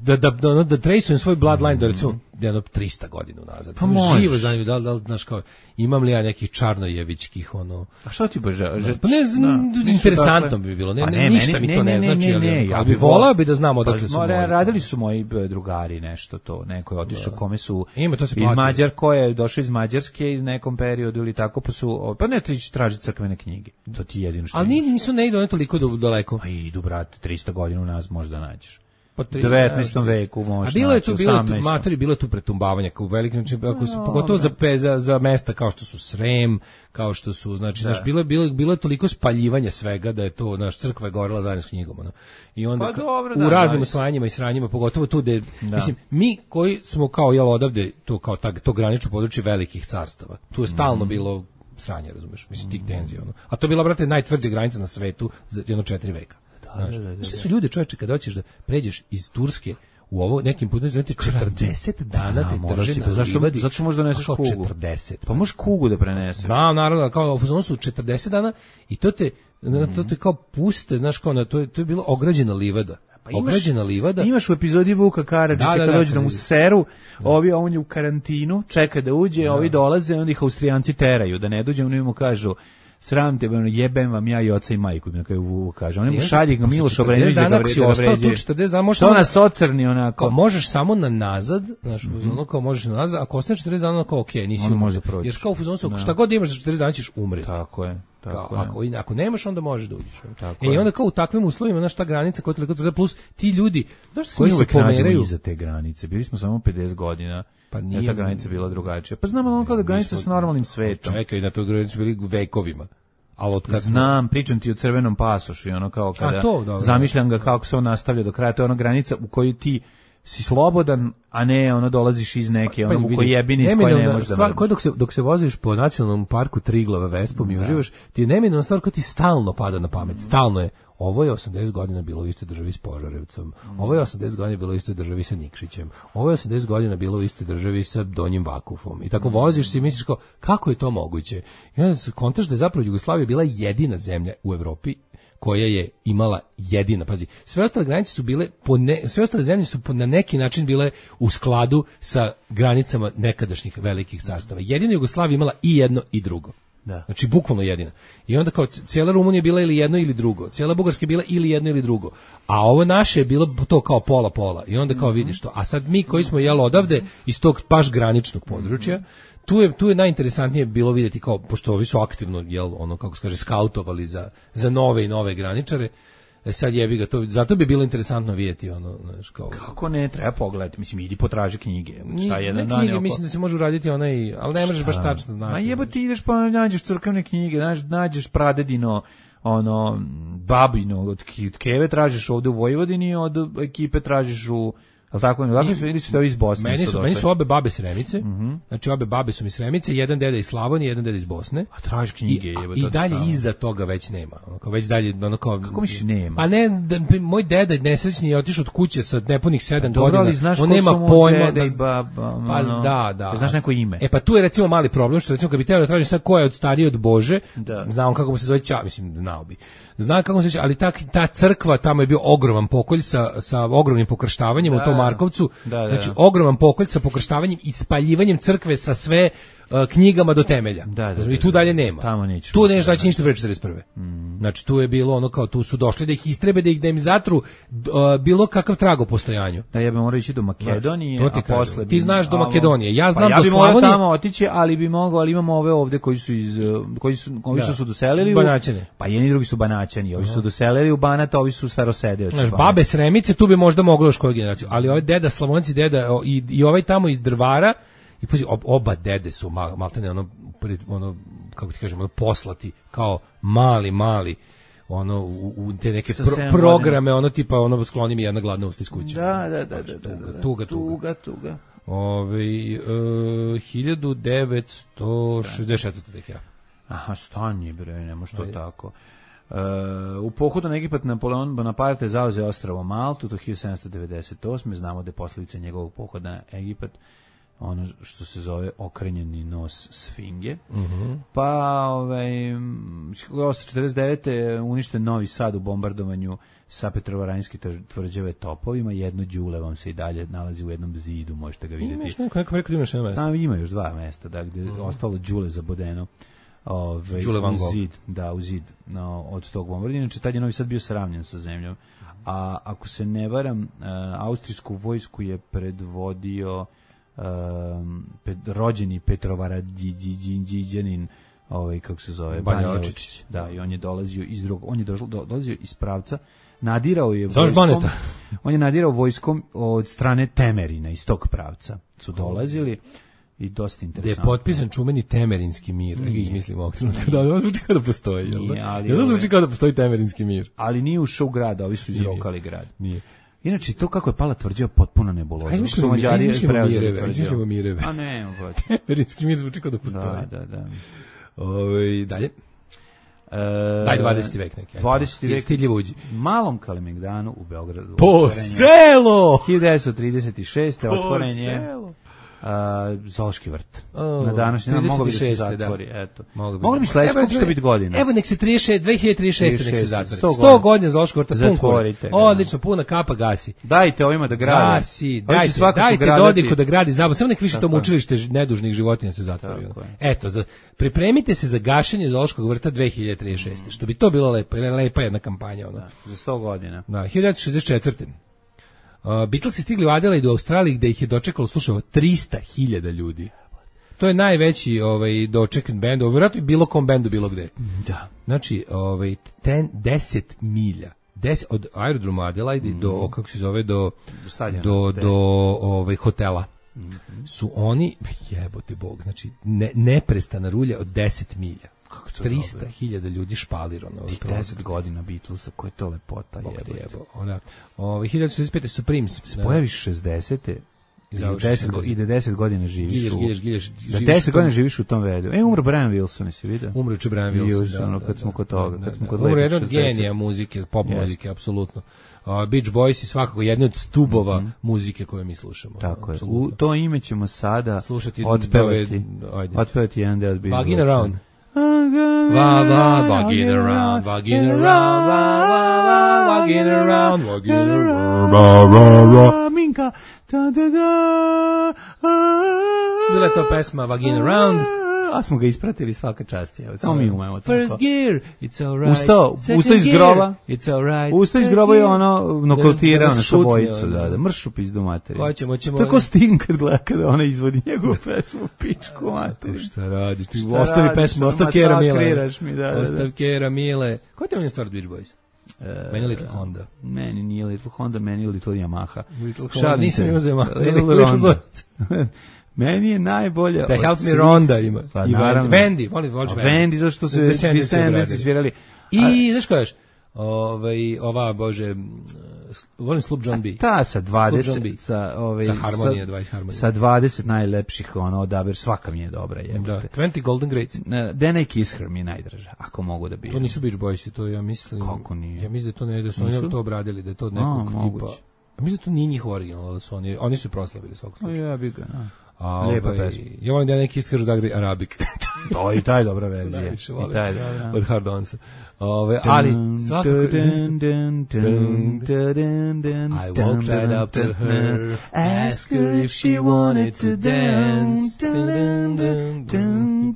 da da da da traceujem svoj bloodline mm-hmm. do recimo jedno trista godina nazad. Pa možeš. Živo zanimljivo, da li, da li, znaš kao, imam li ja nekih čarnojevičkih, ono... A što ti bože? Pa ne, da, interesantno bi bilo, ne, ne, ne ništa meni, mi to ne, ne, ne znači, ne, ne, ali, ali bi volao bi da znamo odakle pa, su moji. Radili su moji drugari nešto to, neko je otišao kome su Ima, to se iz Mađar, ko je došao iz Mađarske iz nekom periodu ili tako, pa su, pa ne trići traži crkvene knjige, to ti jedino što ali nisu ne idu one toliko daleko. Pa idu, brate, trista godina u nas možda nađeš. U devetnaestom veku možda. A bilo je tu, bilo je tu, matori, bilo je tu pretumbavanja kao u velikim, znači, ako su, pogotovo za, za, za mesta kao što su Srem, kao što su, znači, znaš, bilo je, bilo, bilo je toliko spaljivanja svega da je to, naš crkva je gorela zajedno s knjigom, ono. I onda, pa dobro, u da, raznim osvajanjima i sranjima, pogotovo tu gde, da. mislim, mi koji smo kao, jel, odavde, to kao ta, to granično područje velikih carstava, tu je stalno mm. bilo sranje, razumeš, mislim, tih tenzija, ono. A to je bila, brate, najtvrđa granica na svetu za jedno četiri veka. Znaš, da, da, da, što su ljudi, čoveče, kada hoćeš da pređeš iz Turske u ovo nekim putem, znači četrdeset dana te drže na livadi. Zato što možeš da doneseš kugu. četrdeset Pa možeš kugu da preneseš. Znam, naravno, kao u fazonu su četrdeset dana i to te, mm-hmm. to te kao puste, znaš, kao na, to, je, to je bilo ograđena livada. ograđena livada. Imaš u epizodi Vuka Karadžića Da, da, kad da, dođe da mu kad- seru, ovi on je u karantinu, čeka da uđe, ovi dolaze, onda ih Austrijanci teraju da ne dođe, oni mu kažu sram te, ono, jebem vam ja i oca i majku, na kraju Vuk kaže. Oni mu šalje ga Miloš Obrenović da ga dana ako si vre- da ga ostao tu vređe. četrdeset dana, možeš Što samo- nas ocrni onako? Kao, možeš samo na nazad, znaš, u fazonu kao možeš na nazad, ako ostaneš četrdeset dana, kao okej, nisi Onda umro. možda prođeš. Jer kao u fazonu su, šta god imaš za četrdeset dana ćeš umreti. Tako je, tako Kao, je. ako, i- ako nemaš, onda možeš da uđeš. Tako E, i je. onda kao u takvim uslovima, znaš, ta granica koja je toliko tvrda, plus ti ljudi Zašto se koji mi se uvek nađemo pomeraju, iza te granice? Bili smo samo pedeset godina. Pa Pa nije- nije ta granica bila drugačija. Pa znamo ono kao da granica sa normalnim svetom. čekaj, na toj granici bili vekovima. Ali od kad Znam, pričam ti o crvenom pasošu i ono kao kada A, to, dobro. zamišljam ga kako se on nastavlja do kraja, to je ona granica u kojoj ti si slobodan, a ne ono dolaziš iz neke, Pa, ono u vidi, kojoj jebini iz koje neminovna ne možeš da stvar, mrdaš. koja dok se dok se voziš po nacionalnom parku Triglava Vespom i uživaš, ti je neminovna stvar koja ti stalno pada na pamet. Stalno je. Ovo je osamdeset godina bilo u istoj državi s Požarevcom. Ovo je osamdeset godina bilo u istoj državi sa Nikšićem. Ovo je osamdeset godina bilo u istoj državi sa Donjim Vakufom. I tako voziš se i misliš kao, kako je to moguće? I onda se kontaš da je zapravo Jugoslavija bila jedina zemlja u Evropi koja je imala jedina, pazi, sve ostale granice su bile, po ne, sve ostale zemlje su po, na neki način bile u skladu sa granicama nekadašnjih velikih carstava. Jedina Jugoslavija imala i jedno i drugo. Da. Znači, bukvalno jedina. I onda kao, c- cijela Rumunija je bila ili jedno ili drugo. Cijela Bugarska je bila ili jedno ili drugo. A ovo naše je bilo to kao pola-pola. I onda kao vidiš to. A sad mi koji smo jel odavde iz tog baš graničnog područja, tu je, tu je najinteresantnije bilo vidjeti kao, pošto ovi su aktivno, jel, ono, kako se kaže, skautovali za, za nove i nove graničare, e sad jebi ga to, zato bi bilo interesantno vidjeti ono, znaš, kao... Kako ne, treba pogledati, mislim, idi potraži knjige. Šta Ni- jedan ne dan knjige, je oko- mislim da se može uraditi onaj, ali ne možeš baš tačno znati. Ma jebo ti ideš pa nađeš crkvene knjige, nađeš, nađeš pradedino, ono, babino, od Ki- od Keve tražiš ovde u Vojvodini, od ekipe tražiš u, ali tako, ne, tako su, ili su to iz Bosne. Meni isto su, došli? meni su obe babe Sremice, znači obe babe su mi Sremice, jedan deda iz Slavonije, jedan deda iz Bosne. A tražiš knjige, I, a- jebo, i to dalje stalno. iza toga već nema. Ono kao već dalje ono kao Kako misliš nema? Pa ne, da, moj deda nesrećni je otišao od kuće sa nepunih sedam Dobro, godina. ali znaš on ko nema su mu pojma deda i da- baba, Pa ono, da, da. znaš neko ime? E pa tu je recimo mali problem što recimo kad bi teo da tražim sad ko je od stariji od Bože, Da. znam kako mu se zove Ća, mislim znao bi. Znam kako mu se zove, ali ta ta crkva tamo je bio ogroman pokolj sa sa ogromnim pokrštavanjem u Da, tom da. Markovcu. Da, da, Znači da. ogroman pokolj sa pokrštavanjem i spaljivanjem crkve sa sve uh, knjigama do temelja. Da, da, I da, tu dalje da. nema. Tamo nećeš Tu moći, neće da, daći ništa pre četrdeset prve. Znači tu je bilo ono kao tu su došli da ih istrebe, da ih da im zatru d- uh, bilo kakav trag o postojanju. Da ja bih morao ići do Makedonije, To ti a kažem. posle Ti bi- znaš do a, Makedonije, ja znam pa ja do bi morao Slavonije. tamo otići, ali bi mogao, ali imamo ove ovde koji su iz uh, koji su ovi Da. što su doselili u Banaćane. Pa jedni i drugi su Banaćani, ovi su doselili u Banat, a ovi su starosedeoci. Znaš, Banata. babe Sremice, tu bi možda moglo još koju generaciju, ali ovaj deda Slavonci, deda o, i, i ovaj tamo iz Drvara, i pazi, ob- oba dede su mal, maltene ono, pred, ono, kako ti kažem, ono, poslati kao mali, mali, ono, u, u te neke Sa pro- sedam programe, ono, tipa, ono, skloni mi jedna gladna usta iz kuće. Da, da, da, da, da, da. Tuga, tuga. tuga, tuga. Ove, e, hiljadu devetsto šezdeset četvrte tek ja. Aha, stanje bre, ne može to Ajde. tako. Uh, u pohodu na Egipat Napoleon Bonaparte zauzeo ostrvo Maltu do hiljadu sedamsto devedeset osme. Znamo da je posljedica njegovog pohoda na Egipat ono što se zove okrenjeni nos sfinge. Mhm. Pa ovaj osamsto četrdeset devete uništen Novi Sad u bombardovanju sa Petrovaradinske tvrđave topovima. Jedno đule vam se i dalje nalazi u jednom zidu, možete ga vidjeti. Imaš neko, neko rekao da imaš jedno mesto. Tamo ima još dva mesta, da, gde je ostalo đule zabodeno. Ove, Đule Van u Gogh. zid, da, u zid no, od tog bombardovanja. Inače, tad je Novi Sad bio sravnjen sa zemljom. A ako se ne varam, uh, austrijsku vojsku je predvodio um, ped, rođeni Petrovaradđiđanin, ovaj, kako se zove, Banja Banja Lučić. Lučić. Da, i on je dolazio iz drugog, on je došao, do, dolazio iz pravca, nadirao je Zoveš vojskom, Baneta? on je nadirao vojskom od strane Temerina, iz tog pravca su dolazili i dosta Gde je interesantno. potpisan čumeni Temerinski mir. Da ga izmislimo ovog trenutka. Da, ovo zvuči kao da postoji, jel da? Nije, ali Jel da ove- zvuči kao da postoji Temerinski mir? Ali nije ušao u grad, ovi su izrokali grad. Nije. Inače, to kako je pala tvrđava potpuno nebuloza. Ajde, izmišljamo- Su Mađari ajde, izmišljamo preuzeli mireve, tvrđavu. izmišljamo mireve. A ne, ovaj. Temerinski mir zvuči kao da postoji. Da, da, da. Ove, dalje. E, Daj dvadeseti vek neki. ajde. dvadeseti vek. Stidljivo uđi. Malom Kalemegdanu u Beogradu. Po otvoren je selo! hiljadu devetsto trideset šeste. Po otvoren je selo! A, Zološki vrt. Oh, na današnji dan mogao bi da se trideset šeste, zatvori, da. eto. Mogao bi. Mogli bi sledeće, koliko će to biti godina? Evo nek se trideset šest, dve hiljade trideset šeste nek se zatvori. sto sto godina Zološkog vrta, pun kurac. Zatvorite ga, Odlično, puna kapa gasi. Dajte ovima da grade. Gasi, Ovi će dajte, svakako dajte gradati. Dodiku da gradi zabavno. Samo nek više to Tako je. mučilište nedužnih životinja se zatvori. Tako je. Eto, za, pripremite se za gašenje Zološkog vrta dve hiljade trideset šeste. Što bi to bilo lepo, lepa jedna kampanja. Ono. Da, za sto godina. Da, hiljadu devetsto šezdeset četvrte. Uh, Beatlesi stigli u Adelaide u Australiji gde ih je dočekalo, slušao, trista hiljada ljudi. To je najveći ovaj doček bend, vjerojatno bilo kom bendu bilo gde. Da. Znači, ovaj ten, deset milja. deset od aerodroma Adelaide mm. do kako se zove do do stadiona, do, de. do ovaj hotela. Mm-hmm. Su oni jebote bog, znači ne, neprestana rulja od deset milja. Kako to trista hiljada ljudi špalirano. deset godina Beatlesa, koja je to lepota, jebote. Jebo, ona. Ovaj hiljadu šezdeset pete Supremes se pojaviš šezdesete i deset go, ide deset godina živiš. Gilješ, u, gilješ, gilješ, da deset godina živiš u tom vedu. E, umro Brian Wilson, si vidio? Umro je Brian Wilson, da, ono, kad da, smo kod toga, da, kad smo da, kod umro lepih jedan od šezdesetih. genija muzike, pop Yes. muzike, apsolutno. Uh, Beach Boys i svakako jedni od stubova mm-hmm. muzike koje mi slušamo. Tako je. Apsolutno. U to ime ćemo sada slušati, otpevati. Ajde. Otpevati jedan deo od Beach Boysa. Vagin around. Va, va, vagin around, vagin around, va, va, va, vagin around, vagin around, ra, ra, ra. Minka. Da, da, da. Bila je to pesma Vagin around. A smo ga ispratili svaka čast. Evo, samo mi umemo tako. First gear, it's all right. Ustao, Second ustao iz gear, groba. It's all right. Ustao iz groba je ono nokautirao na šutnje, šabojicu, ono. da, da, mršu pizdu materiju. Hoćemo, ćemo. To je ko Sting kad gleda kada ona izvodi njegovu pesmu, pičku materiju. Šta radiš? Ti Šta ostavi radiš? pesmu, ostav Kera Mile. Masakriraš mi, da, da, da. Ostav Kera Mile. Ko te mi je stvar Beach Boys? E, Meni Little Honda. Meni nije Little Honda, meni je Little Yamaha. Little Honda. Šalim Nisam se. imao za Yamaha. Little Little Ronda. Ronda. Meni je najbolje. Da od Help Me svih- Ronda ima. Pa I naravno. Vendi, volim, voliš A Vendi. Vendi, zašto su Descendants Descendants obradili. svirali. I, znaš ko još? Ovaj, ova, bože, m, volim Sloop John B. Ta sa Sloop John B. dvadeset sa ovaj Sa Harmonije, dvadeset Harmonije. sa dvadeset najlepših ono odabir, svaka mi je dobra, Da, jebote. dvadeset Golden Great. Ne, Then I Kiss Her mi je najdraža, ako mogu da bi. To nisu Beach Boysi, to ja mislim. Kako nije? Ja mislim da to ne, da su Nisu? oni to obradili, da je to A, nekog tipa. moguće. Ja mislim da to nije njihov original, da su oni, oni su proslavili svakog O, slučaja. ja bi ga, da. A, Lijepa ovaj, pesma. ja volim da je neki iskar zagri Arabik. To i taj dobra verzija. Najviše I volim. taj da. Od Hard Onsa. Ove, ali svakako Dun, dun, dun, dun, dun, dun, I walked right up to dun, her, asked her if she wanted to dance. Dun, dun, dun,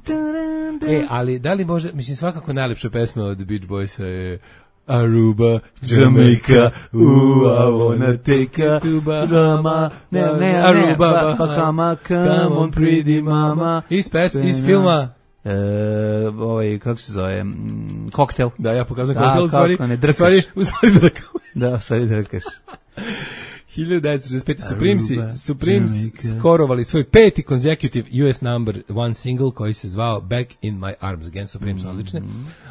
dun. E, ali da li može, mislim svakako najlepša pesma od Beach Boysa je Aruba, Jamaica, ooh, I wanna take a tuba, Rama, ne, ne, ne, Aruba, Bahama, come on pretty mama. Iz pes, iz filma. E, ovaj, kako se zove, mm, koktel. Da, ja pokazujem Da, kako u stvari, kako ne, u drkaš. stvari, u stvari drkam. Da, stvari drkaš. hiljadu devetsto šezdeset pete Supremesi, Aruba, Supremes Jamaica. skorovali svoj peti consecutive U S number one single koji se zvao Back in My Arms Again, Supremes odlične.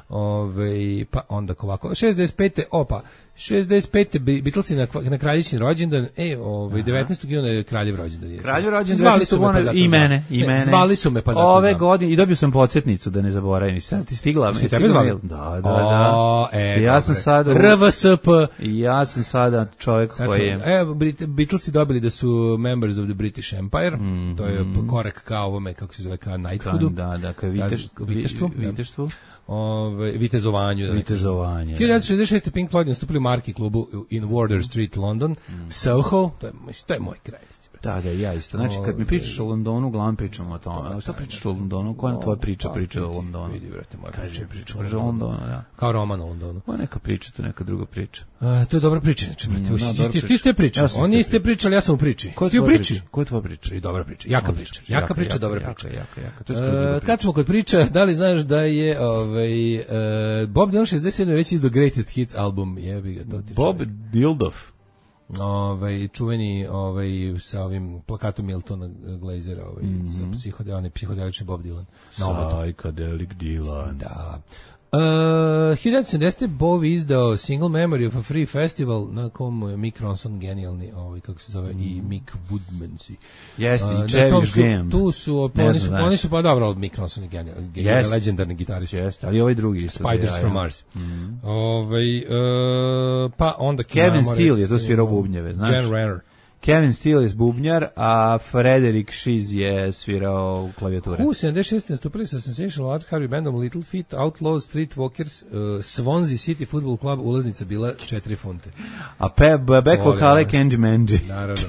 Ove, pa onda ovako, šezdeset pete opa, šezdeset pete Beatlesi na, na kraljičin rođendan, e, ovaj devetnaestog juna je kraljev rođendan. Kraljev rođendan Zvali su me pa zato i znam. mene, i Ne, mene. Zvali su me pa zato Ove znam. godine i dobio sam podsjetnicu da ne zaboravim. Sad ti stigla, Su me tebe stigla zvali? mail. Da, da, da. O, e, I ja sam dobre. sada R V S P. I ja sam sada čovjek Sad koji smo- je Evo, Brit- Beatlesi dobili da su members of the British Empire, to je korak ka ovome, kako se zove, ka Knighthoodu. da, da, kao viteš, Ka viteštvu, da. viteštvu, Ove, vitezovanju. Da vitezovanje. hiljadu devetsto šezdeset šeste Pink Floyd nastupili u Marki klubu in Wardour Street, London, Soho, to je, mislim, to je moj kraj. mislim, brate. Da, da, ja isto. Znači, kad mi pričaš o Londonu, uglavnom pričamo o tome. A šta pričaš o Londonu? Koja je tvoja priča Pa, priča o vidi, Londonu? Vidi, brate, moja Kaži, priča je priča o priča o Londonu. Londonu, da. Kao roman o Londonu. Ovo je neka priča, to je neka druga priča. A, to je dobra priča, znači, brate. Mm, Ti- da, ti- dobra ti- Ti priča. ste pričali, Ja sam oni iste ste pričali, ja sam u priči. Koja je Ti u tvoja priči? priča? Koja je tvoja priča? I dobra priča, jaka priča, jaka priča, dobra jaka, priča. Jaka, jaka, To je skroz druga Uh, priča. kad smo kod priča, da li znaš da je ovaj, uh, Bob Dylan šezdeset sedme već izdao Greatest Hits album, jebi ga, to ti Bob čovjek. Dildov. Ovaj, čuveni ovaj, sa ovim plakatom Miltona Glazera, ovaj, Mhm. sa psihode, on je psihodelični Bob Dylan. Na ometu. Psychedelic Dylan. Da. Uh, hiljadu devetsto sedamdesete Bowie izdao Single Memory of a Free Festival na kom je Mick Ronson genijalni, ovaj, kako se zove, i Mick Woodmansey. Jeste, Uh, i na Cherish tom su- Graham. Tu su, Ne oni znam, su, znaš. oni su pa dobro, Mick Ronson je genijalni, genijalni, Jeste. legendarni gitarist. Jeste, ali ovaj drugi. isto, Spiders ja, ja. from Mars. Ovaj, uh, pa onda Kevin imamo, Steele je tu recimo, svirao bubnjeve, znaš? Jan Renner. Kevin Steele je bubnjar, a Frederick Shiz je svirao klavijature. U sedamdeset šeste nastupili sa Sensational Art Harvey Bandom, Little Feat, Outlaws, Streetwalkers, uh, Swansea City Football Club, ulaznica bila četiri funte. A pe, back vokale Kenji Menji. Naravno.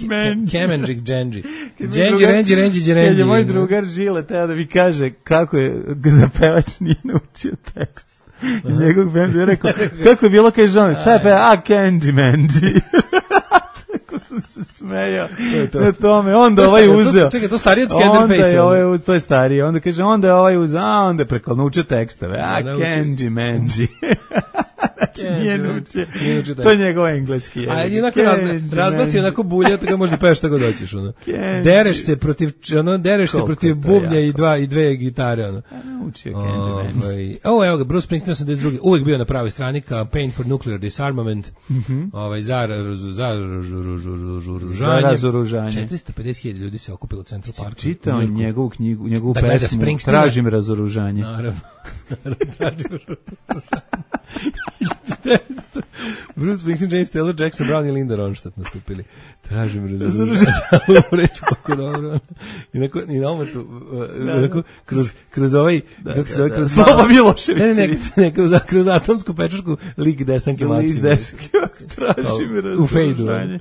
Menji. Kemenjik Dženji. Dženji, Renji, Renji, Dženji. Kad je moj drugar Žile teo da mi kaže kako je da pevač nije naučio tekst. I njegov band je rekao, kako je bilo kaj žao, šta je peva, a Kenji Menji. Tako sam se smejao na tome, onda ovaj uzeo. Čekaj, to stariji od Scanderface. Ovaj, to je stariji, onda kaže, onda je ovaj uzeo, a onda je preko naučio tekstove, a Kenji Menji. Znači, nije naučio. To je njegov engleski jezik. A jednako razglasi onako bulja, tako možda peveš šta god hoćeš. Ono. Dereš se protiv, ono, dereš se protiv bubnja i dva i dve gitare. Ono. Naučio Kenji Menji. Ovo, evo ga, Bruce Springsteen osamdeset druge uvijek bio na pravoj strani, Campaign for Nuclear Disarmament, ovaj, za razoružanje. četiristo pedeset hiljada ljudi se okupilo u Central Parku. Čitao njegovu knjigu, njegovu pesmu, Tražim razoružanje. Naravno. Tražim razoružanje. Bruce Springsteen, James Taylor, Jackson Brown i Linda Ronstadt nastupili. Tražim razoružanje. Reći kako dobro. I na i na ometu, kroz, kroz ovaj, kako se zove, kroz Slava Milošević. Ne, ne, ne, kroz, kroz atomsku pečašku lik desanke Maksim. Lik desanke, tražim razoružanje.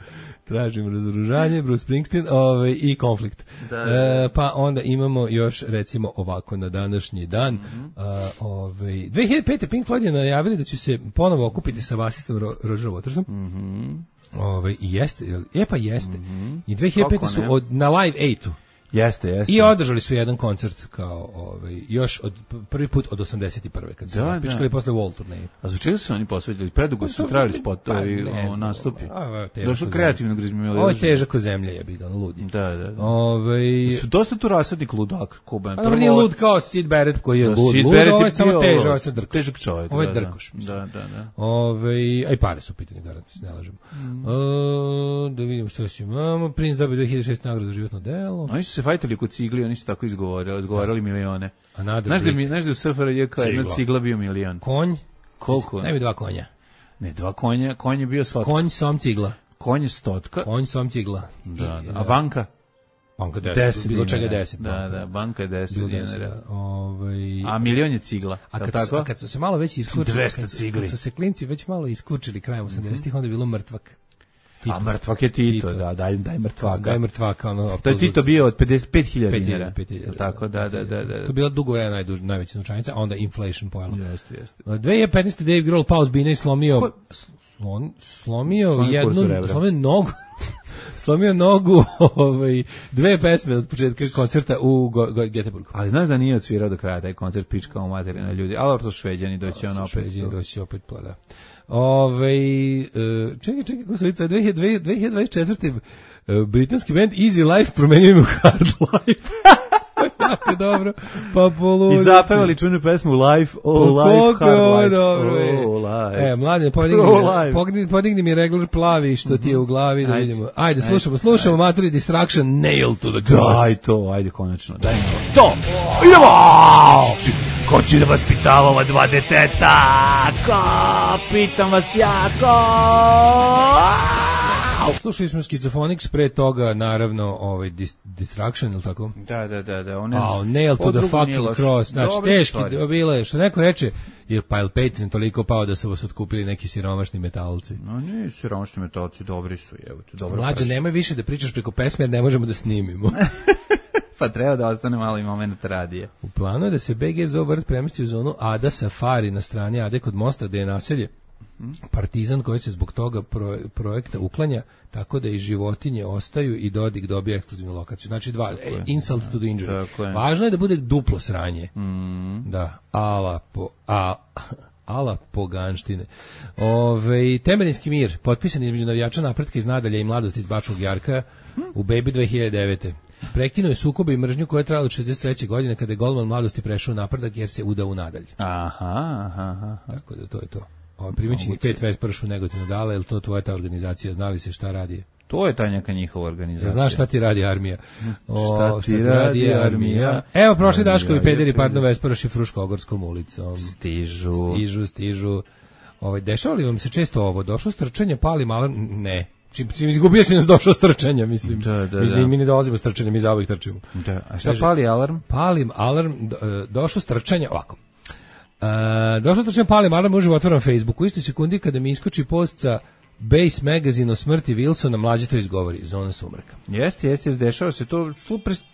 Tražim razoružanje, Bruce Springsteen, ovaj, i konflikt. Da, da, da. E, pa onda imamo još, recimo, ovako na današnji dan. Mm-hmm. A, ovaj, dve hiljade pete. Pink Floyd je najavili da će se ponovo okupiti sa basistom Ro- Roger Watersom. Mm-hmm. Ovaj, i jeste, je pa jeste. Mm-hmm. I dve hiljade pete. su od, na Live Eightu. Jeste, jeste. I održali su jedan koncert kao ovaj još od prvi put od osamdeset prve kad su da, pičkali posle Wall turneje. A zbog čega su oni posvetili? Predugo su trajali spotovi, pa, nastupi. Došlo kreativno grizmilo. Ovo je težak zemlja je bilo, ono ludi. Da, da, da. Ovaj su dosta tu rasadnik ludak, ko ben. Prvo nije lud kao Sid Barrett koji je lud. Sid Barrett je samo težak, ovo je drkoš. Težak čovjek. Ovo je drkoš. Da, da, da. Ovaj aj pare su pitanje garant, ne lažemo. Da vidimo što još imamo. Prince dobio dve hiljade šeste nagradu za životno delo. Oni su se fajtali kod cigli, oni su tako izgovorili, izgovarali milione. A znaš da mi, znaš da u S F R J kao jedna cigla bio milion. Konj? Koliko? Najmi dva konja. Ne, dva konja, konj je bio svatka. Konj, som cigla. Konj je stotka. Konj, som cigla. Da, da. A banka? Banka deset, bilo čega deset. Da, da, banka je deset dinara. Ovaj a milion je cigla. A kad, tako? A kad su se malo već iskučili, dvesta cigli. Kad su se klinci već malo iskučili krajem osamdesetih, onda je bilo mrtvak. Tito. A mrtvak je Tito, Tito. Da, daj, daj mrtvaka. Daj mrtvaka, ono. To je Tito bio od pedeset pet hiljada dinara. Tako, da, da, da, da. To je bila dugo vremena najduž, najveća novčanica, a onda inflation pojela. Jeste, jeste. dve hiljade petnaeste. Dave Grohl pao s bine i slomio, slon, slomio jednu, slomio nogu, slomio nogu, ovaj, dve pesme od početka koncerta u Göteborgu. Ali znaš da nije odsvirao do kraja taj koncert, pička u materina ljudi, ali to Šveđani doći on opet. Šveđani doći opet, pa da. Ove, čekaj, čekaj, kako se vidi, dve hiljade dvadeset četvrte. britanski band Easy Life promenio mu Hard Life. Jako dobro. Pa poludici. I zapevali čuvenu pesmu Life, Oh Life, Hard Life. Dobro, oh, life. E, mladen, podigni, oh, podigni, podigni mi regler plavi što ti je u glavi, da vidimo. Ajde, slušamo, slušamo Maturi Distraction, Nail to the Cross. Daj to, ajde konačno, daj mi to. Idemo! Ko će da vas pitava ova dva deteta? Ko? Pitam vas ja, ko? Slušali smo Schizophrenics, pre toga naravno ovaj dis, Distraction ili tako? Da, da, da, da. One oh, Nail to the fucking cross. Znači teški bilo je, što neko reče, jer Pile Patreon toliko pao da su vas otkupili neki siromašni metalci. No ne, siromašni metalci dobri su, evo te dobro. Mlađe, nemoj više da pričaš preko pesme jer ne možemo da snimimo. Pa treba da ostane malo i moment radije. U planu je da se B G Zoo vrt premesti u zonu Ada Safari na strani Ade kod mosta gde je naselje Partizan koji se zbog toga pro, projekta uklanja, tako da i životinje ostaju i Dodik dobije ekskluzivnu lokaciju. Znači dva, e, insult to the injury. Važno je da bude duplo sranje. Mm. Da, ala po, a, ala poganštine. Ove, Temerinski mir, potpisan između navijača Napretka iz Nadalja i Mladosti iz Bačkog Jarka u Baby dve hiljade devete. Prekinuo je sukobe i mržnju koja je trajala od šezdeset treće godine kada je golman Mladosti prešao u Napredak jer se udao u Nadalj. Aha, aha, aha. Tako da to je to. Ovo primičnih pet Vespršu Negotinu dala, je li to tvoja ta organizacija? Znali se šta radi? To je ta neka njihova organizacija. Znaš šta ti radi armija? O, šta ti šta radi armija? armija? Evo, prošli Daškovi pederi padnu Vesprši Fruškogorskom ulicom. Stižu. Stižu, stižu. Ovaj, dešava li vam se često ovo? Došlo strčanje, pali malo? Ne. Čim, čim izgubio si nas došao s trčanja, mislim. Da, da, mi, da. mi ne dolazimo s trčanja, mi zauvijek trčimo. Da. A šta Kaže, pali alarm? Palim alarm, do, e, došao s trčanja, ovako. E, došao s trčanja, palim alarm, uživo otvaram Facebook. U istoj sekundi kada mi iskoči post sa Base Magazine o smrti Wilsona, mlađe to izgovori, zona sumraka. Jeste, jeste, dešava se to,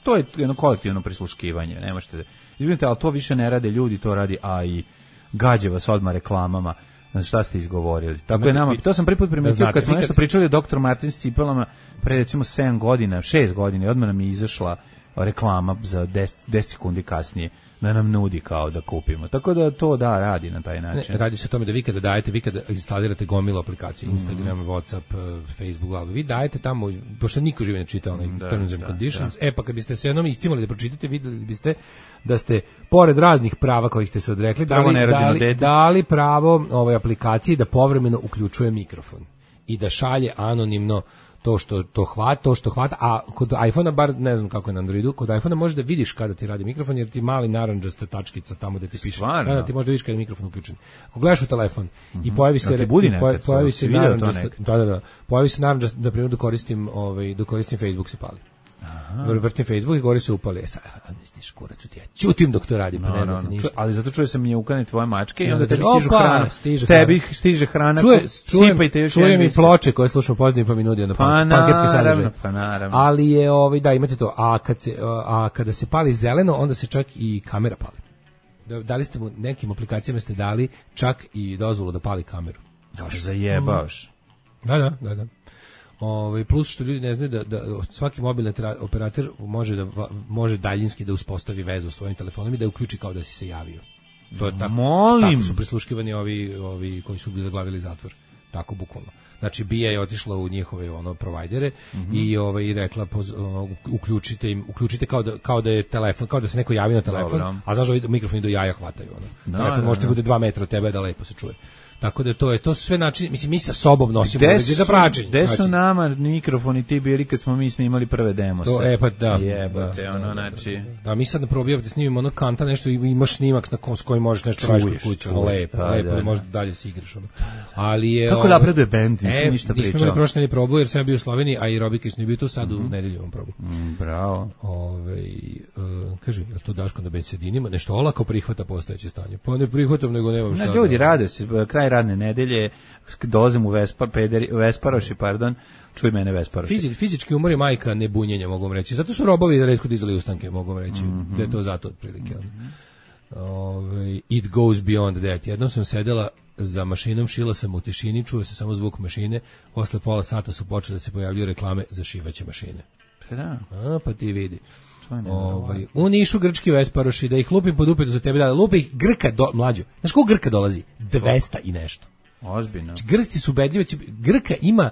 to je jedno kolektivno prisluškivanje, ne možete, izvinite, ali to više ne rade ljudi, to radi A I, gađe vas odmah reklamama, znači šta ste izgovorili. Tako je nama, to sam prvi put primetio kad smo nešto pričali o doktor Martin s cipelama pre recimo sedam godina, šest godina, i odmah nam je izašla reklama za deset sekundi kasnije da nam nudi kao da kupimo. Tako da to da radi na taj način. Ne, radi se o tome da vi kada dajete, vi kada instalirate gomilu aplikacije, Instagram, mm. WhatsApp, Facebook, ali vi dajete tamo, pošto niko živi ne čita onaj da, terms and da, conditions, da. E pa kad biste se jednom istimali da pročitate, videli biste da ste, pored raznih prava kojih ste se odrekli, dali, dali, dali pravo ovoj aplikaciji da povremeno uključuje mikrofon i da šalje anonimno to što to hvata, to što hvata, a kod iPhona, bar ne znam kako je na Androidu, kod iPhona možeš da vidiš kada ti radi mikrofon, jer ti mali narandžasta tačkica tamo da ti piše. Stvarno? Da, da, ti možeš da vidiš kada je mikrofon uključen. Ako gledaš u telefon mm-hmm. i pojavi se, da budi pojavi, pojavi se narandžasta, da, da, da, pojavi se narandžasta, da primjer da koristim, ovaj, da koristim Facebook se pali. Aha. Vrtim Facebook i gori se upali. Sa, misliš, kurac, ti ja ćutim dok to radi, pa no, ne znam no, no. ništa. Ali zato čuje sam mjukane tvoje mačke i onda tebi stižu hrana. Stiže tebi stiže hrana. Čuje, čujem, sipajte još čujem i ploče koje slušamo pozivnim pa mi nudi na pa pankerski sadržaj. Pa naravno. Ali je, ovaj, da, imate to. A, kad se, a kada se pali zeleno, onda se čak i kamera pali. Dali ste mu, nekim aplikacijama ste dali čak i dozvolu da pali kameru. Baš zajebaš. Da, da, da, da. Ovaj plus što ljudi ne znaju da, da svaki mobilni operator može da može daljinski da uspostavi vezu s tvojim telefonom i da uključi kao da si se javio. To je tako. Molim. Tako su prisluškivani ovi ovi koji su zaglavili zatvor. Tako bukvalno. Znači B I A je otišla u njihove ono provajdere mm-hmm. i ovaj i rekla poz, ono, uključite im uključite kao da kao da je telefon, kao da se neko javi na telefon, dobro. A znaš da mikrofoni do jaja hvataju ono. Da, telefon da, može da bude dva metra od tebe da lepo se čuje. Tako da to je, to su sve načini, mislim, mi sa sobom nosimo uređaj za praćenje. Gde su nama mikrofoni ti bili kad smo mi snimali prve demose? To, e, pa da. Jebate, da, ono, da, znači... Da, da, mi sad na probijavate snimimo ono kanta, nešto i imaš snimak na ko, s kojim možeš nešto raditi kod kuće, ono, lepo, da, lepo, da, da možeš dalje se igraš, ono. Ali je... Kako napreduje bend, nisam e, ništa pričao. Nismo imali prošle nedelje probu, jer sam bio u Sloveniji, a i Robika su ne bio tu, sad mm-hmm. u nedelju vam probu. Mm, bravo. Ove, uh, kaži, je to Daško da bensedinima, nešto olako prihvata postojeće stanje? Pa ne prihvatam, nego nemam šta. Na, ljudi rade se, kraj radne nedelje, dolazim u Vespar, pederi, Vesparoši, pardon, čuj mene Vesparoši. Fizi, fizički umor je majka nebunjenja, mogu vam reći. Zato su robovi da retko dizali ustanke, mogu vam reći. Mm-hmm. Da je to zato otprilike. Mm-hmm. Ove, it goes beyond that. Jednom sam sedela za mašinom, šila sam u tišini, čuo se samo zvuk mašine, posle pola sata su počele da se pojavljaju reklame za šivaće mašine. Da. A, pa ti vidi. Ovaj, u Nišu grčki Vesparoši, da ih lupim pod upetu za tebe, da lupi ih Grka, do, mlađo. Znaš koliko Grka dolazi? dvesta i nešto. Ozbiljno. Grci su ubedljivi, Grka ima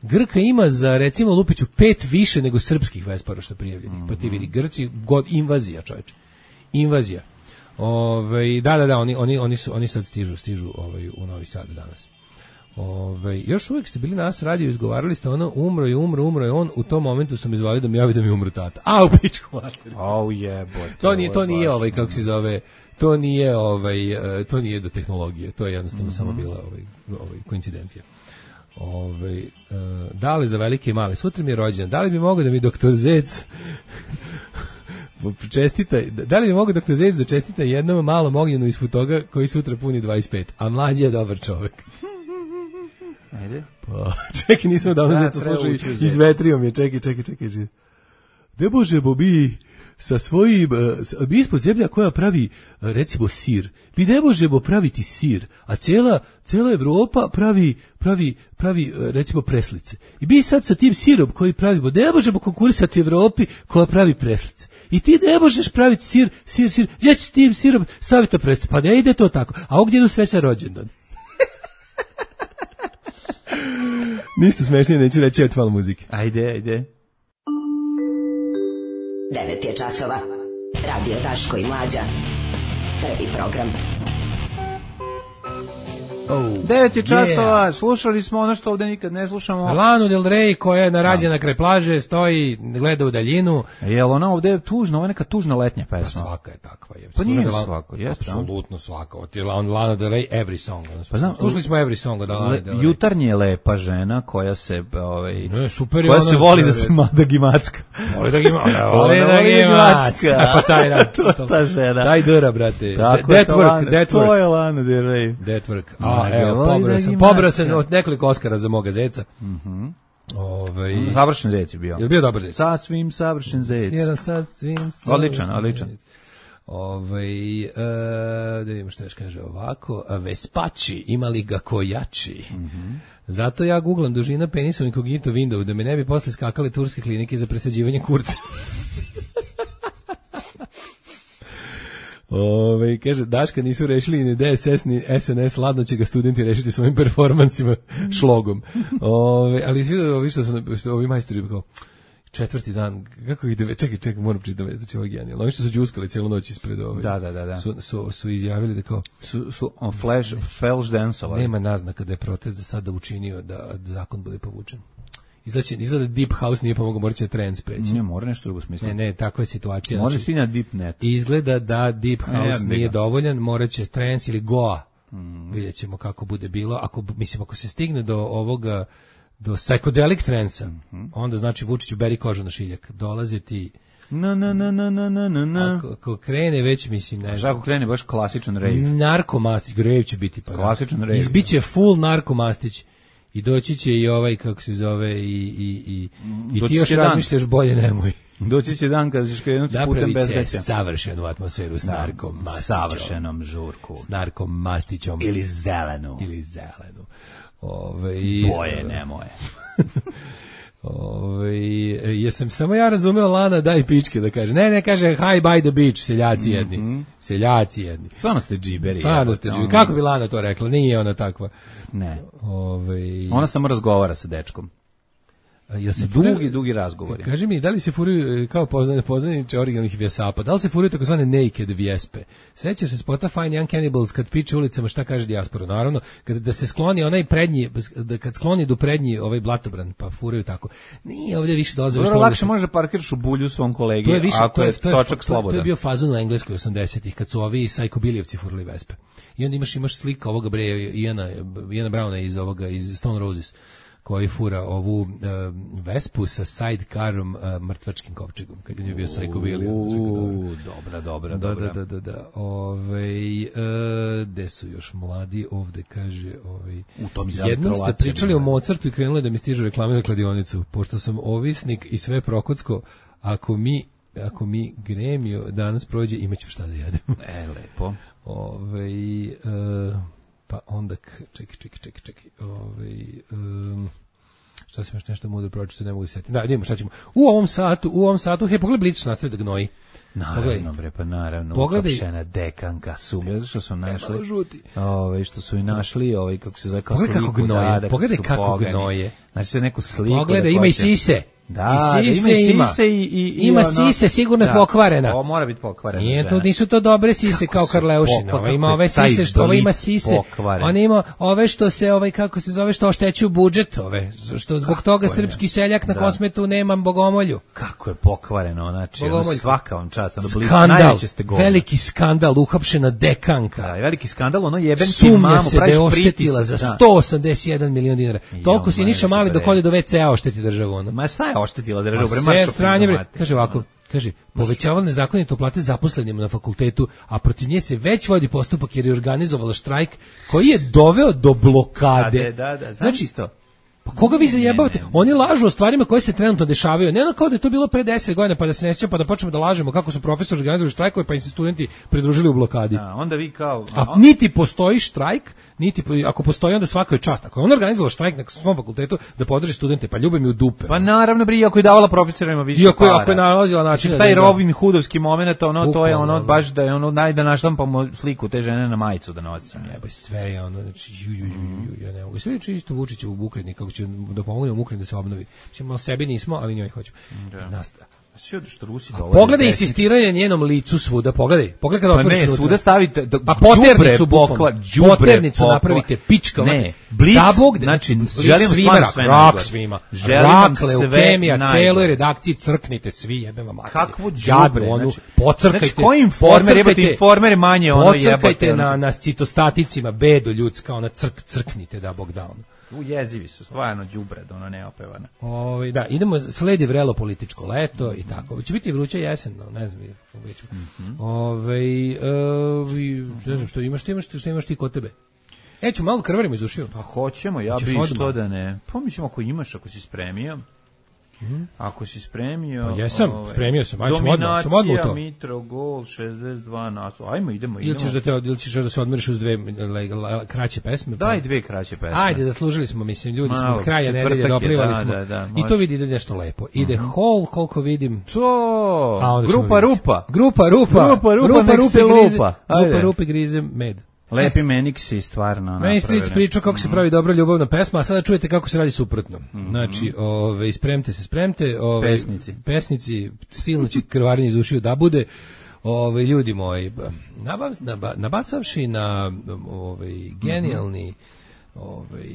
Grka ima za recimo lupiću pet više nego srpskih Vesparoša prijavljenih. Mm-hmm. Pa ti vidi Grci god invazija, čoveče. Invazija. Ovaj da da da oni oni oni su oni sad stižu stižu ovaj u Novi Sad danas. Ovaj još uvijek ste bili na nas radio, izgovarali ste ono umro je umro umro je on, u tom momentu sam izvalio da mi javi da mi umro tata. A u pičku materinu. Au jebote. To nije to nije ovaj kako se zove. To nije ovaj to nije do tehnologije, to je jednostavno mm-hmm. samo bila ovaj ovaj koincidencija. Ovaj uh, da li za velike i male, sutra mi je rođendan, da li bi mogao da mi doktor Zec čestita, da li bi mogao doktor Zec da čestita jednom malom ognjenu iz Futoga koji sutra puni dvadeset pet, a mlađi je dobar čovjek. Ajde. Pa, čekaj, nismo davno da, Zeca slušali, izvetrio mi je, čekaj, čekaj, čekaj. Ne možemo mi sa svojim, mi ispod zemlja koja pravi, recimo, sir. Mi ne možemo praviti sir, a cijela, cijela Evropa pravi, pravi, pravi, recimo, preslice. I mi sad sa tim sirom koji pravimo, ne možemo konkurisati Evropi koja pravi preslice. I ti ne možeš praviti sir, sir, sir, gdje ćeš tim sirom staviti preslice? Pa ne ide to tako. A ovdje idu sreća rođendan. Ništa smešnije, neću reći, eto malo muzike. Ajde, ajde. devet je časova. Radio Daško i Mlađa. Prvi program. Oh, devet je časova, yeah. slušali smo ono što ovde nikad ne slušamo. Lanu Del Rey koja je narađena kraj plaže, stoji, gleda u daljinu. Jel ona ovde je tužna, ovo je neka tužna letnja pesma. Pa svaka je takva. Je. Pa nije Lana, svaka, jeste. Apsolutno svaka. Od je Lana Del Rey, Every Song. Pa znam, slušali smo Every Song od Lana Del Rey. Jutarnje je lepa žena koja se, ovaj, ne, super je koja ona, se voli da se mada gimacka. Voli da gimacka. Voli da gimacka. Pa taj da, to ta žena. Taj dra, brate. Tako that work, that work. To je Lana Del Rey. That work. A, evo, pobrao sam, pobrao sam od nekoliko Oskara za moga zeca. Mhm. Ovaj savršen zec je bio. Je bio dobar zec. Sasvim savršen zec. Jedan sasvim. Odličan, odličan. Ovaj e, da vidimo što još kaže ovako, Vespači, imali ga kojači. Mhm. Zato ja googlam dužina penisa incognito window da me ne bi posle skakale turske klinike za presađivanje kurca. Ove, kaže, Daška nisu rešili ni D S S ni S N S, ladno će ga studenti rešiti svojim performansima šlogom. Ove, ali svi ovi što su, što ovi majstori kao, četvrti dan, kako ide, čekaj, čekaj, moram čitati, znači ovo je genijalno. Oni što su džuskali cijelu noć ispred ove. Da, da, da, da. Su, su, su izjavili da kao, su, su on flash, flash dansovali. Nema naznaka da je protest da sada učinio da zakon bude povučen. Izgleda, izgleda Deep House nije pomogao, morat će trend spreći. Ne, mora nešto drugo smisliti. Ne, ne, takva je situacija. Može znači, svi na Deep Net. Izgleda da Deep House ne, nije dovoljan, morat će trends ili Goa. Mm. Vidjet ćemo kako bude bilo. Ako, mislim, ako se stigne do ovoga, do psychedelic transa, mm-hmm. onda znači Vučiću beri kožu na šiljak. Dolaze ti... Na, na, na, na, na, na, na. Ako, ako krene već, mislim, ne znam. Ako krene baš klasičan rave. Narkomastić, rave će biti. Pa klasičan rave. Izbiće full narkomastić. I doći će i ovaj, kako se zove, i, i, i, i ti još razmišljaš bolje nemoj. Doći će dan kada ćeš krenuti putem bezveća. Napravit će savršenu atmosferu s narkom mastićom. Savršenom žurku. S narkom mastićom. Ili zelenu. Ili zelenu. Ove, i, boje nemoje. Ove, jesam samo ja razumeo Lana daj pičke da kaže. Ne, ne, kaže hi by the beach, seljaci jedni. Mm-hmm. Seljaci jedni. Stvarno ste džiberi. Stvarno ste džiberi. Kako bi Lana to rekla? Nije ona takva. Ne. Ove, ona samo razgovara sa dečkom. Ja se dugi, furaju, dugi razgovori. Kaži mi, da li se furaju kao poznane, poznaniče originalnih vjesapa, da li se furaju takozvane naked vjespe? Sećaš se spota Fine Young Cannibals kad piče ulicama šta kaže dijaspora? Naravno, kad da se skloni onaj prednji, da kad skloni do prednji ovaj blatobran, pa furaju tako. Nije ovdje više dolaze. Dobro, lakše može parkiraš u bulju svom kolegi, to je više, ako to je, je, to je točak slobodan. To je bio fazon u Engleskoj osamdesetih, kad su ovi sajkobilijevci furali vespe. I onda imaš, imaš slika ovoga bre, Iana, Iana Browna iz ovoga, iz Stone Roses, koji fura ovu uh, Vespu sa sidekarom uh, mrtvačkim kovčegom, kad je bio sajkobilija. Uuu, dobra, dobra, da, dobra. Da, da, da, da. Ovej, uh, gde su još mladi, ovde kaže, ovej, u tom jednom ste pričali o Mozartu i krenuli da mi stižu reklame za kladionicu, pošto sam ovisnik i sve prokocko, ako mi, ako mi gremio danas prođe, imaću šta da jedem. E, lepo. Ovej, uh, pa onda, čekaj, čekaj, čekaj, čekaj, ovaj, um, šta sam još nešto mudro pročito, ne mogu se setiti. Da, vidimo šta ćemo. U ovom satu, u ovom satu, hej, pogledaj Blic nastavi da gnoji. Naravno, bre, pa naravno, uhapšena dekanka sumlja, što su našli, ove, što su i našli, ovaj, kako se zove, kao sliku. Pogledaj kako gnoje, da, pogledaj kako gnoje. Znači se neku sliku. Pogledaj, ima i sise. Da, i sise, ima sise i, i, i ima ono, sise sigurno da, pokvarena. Ovo mora biti pokvarena. Nije to, nisu to dobre sise kako kao Karleušina. Ova ima ove sise što ova ima sise. On ima ove što se ovaj kako se zove što oštećuju budžet ove. Što zbog kako toga srpski seljak na da. Kosmetu nema bogomolju. Kako je pokvareno, znači ono svaka vam čast, ono blic najveće ste govor. Veliki skandal, uhapšena dekanka. Da, veliki skandal, ono jebem ti mamu, praviš oštetila za sto osamdeset jedan milion dinara. Toliko si Niša Mali dok ode do ve ce a ošteti državu ona. Ma šta je oštetila državu? Sve sranje, bre, kaže ovako, kaže, povećavala nezakonito plate zaposlenima na fakultetu, a protiv nje se već vodi postupak jer je organizovala štrajk koji je doveo do blokade. Da, da, da, znači, pa koga vi zajebavate? Oni lažu o stvarima koje se trenutno dešavaju. Ne ono kao da je to bilo pre deset godina pa da se ne sjećamo pa da počnemo da lažemo kako su profesori organizovali štrajkove pa im se studenti pridružili u blokadi. Da, onda vi kao... A on... niti postoji štrajk, niti ako postoji onda svaka je čast. Ako je on organizovao štrajk na svom fakultetu da podrži studente, pa ljube mi u dupe. Pa naravno, bre, ako je davala profesorima više iako, para. Ako je nalazila način... Taj Robin Hoodovski moment, ono, to je ono, baš da je ono, naj da naštampamo sliku te žene na majicu da nosim. Jebe, sve je ono, znači, ju, ju, ju, ju, ja ne mogu. Sve je isto Vučića u Ukrajini, kako će da pomogne u Ukrajini da se obnovi. Mislim, malo sebi nismo, ali njoj hoću. Da. Nasta. Sve što Rusi dolaze. Pogledaj insistiranje njenom licu svuda, pogledaj. Pogledaj kada Pa otvoriš ne, unutra. svuda stavite da, pa poternicu bokva, bukvalno. Poternicu napravite pička. Ne, blic, da Bog, znači, blic želim svima, rak, sve rak najgore. svima. Želim rak, vam sve leukemija, najgore. celoj redakciji crknite svi, jebem vam materiju. Kakvo Jadnu, đubre, onu, znači, pocrkajte. znači, koji informer, jebate, informer je manje ono jebate. Pocrkajte na, na citostaticima, bedo ljudska, ona crk, crknite da Bog da ono. U jezivi su, stvarno đubre, ono neopevana. Ovaj da, idemo sledi vrelo političko leto i tako. Će biti vruća jesen, no, ne znam, već. Mm-hmm. Ovaj e, ne znam što imaš, što imaš, što imaš ti kod tebe. E, ću malo krvarimo iz ušiju. Pa hoćemo, ja Ćeš bi odmah? što da ne. Pa mi ćemo ako imaš, ako si spremio. Mm-hmm. Ako si spremio... Pa jesam, ovaj, spremio sam, ajmo odmah, ćemo odmah u to. Dominacija, Mitro, gol, šezdeset dva naslov. Ajmo, idemo, idemo. Ili ćeš da, te, ili ćeš da se odmoriš uz dve le, le, kraće pesme? Daj dve kraće pesme. Ajde, zaslužili smo, mislim, ljudi Malo, smo kraja četvrtak nedelje, je, doplivali da, smo. da, da, I to vidi ide nešto lepo. Ide Mhm. Hall, koliko vidim. To, A onda ćemo grupa vidjeti. Rupa. Grupa Rupa. Grupa Rupa, Rupa, nek Rupa, se grize, lupa. Ajde. Rupa, Rupa, grize, med. Lepi Meniksi, stvarno. Meni stric napravljene. pričao kako se pravi dobra ljubavna pesma, a sada čujete kako se radi suprotno. Mhm. Znači, ove, spremte se, spremte. Ove, Pesnici. Pesnici, stilno će krvarenje iz ušiju da bude. Ove, ljudi moji, nabav, naba, nabasavši na ovaj genijalni ovaj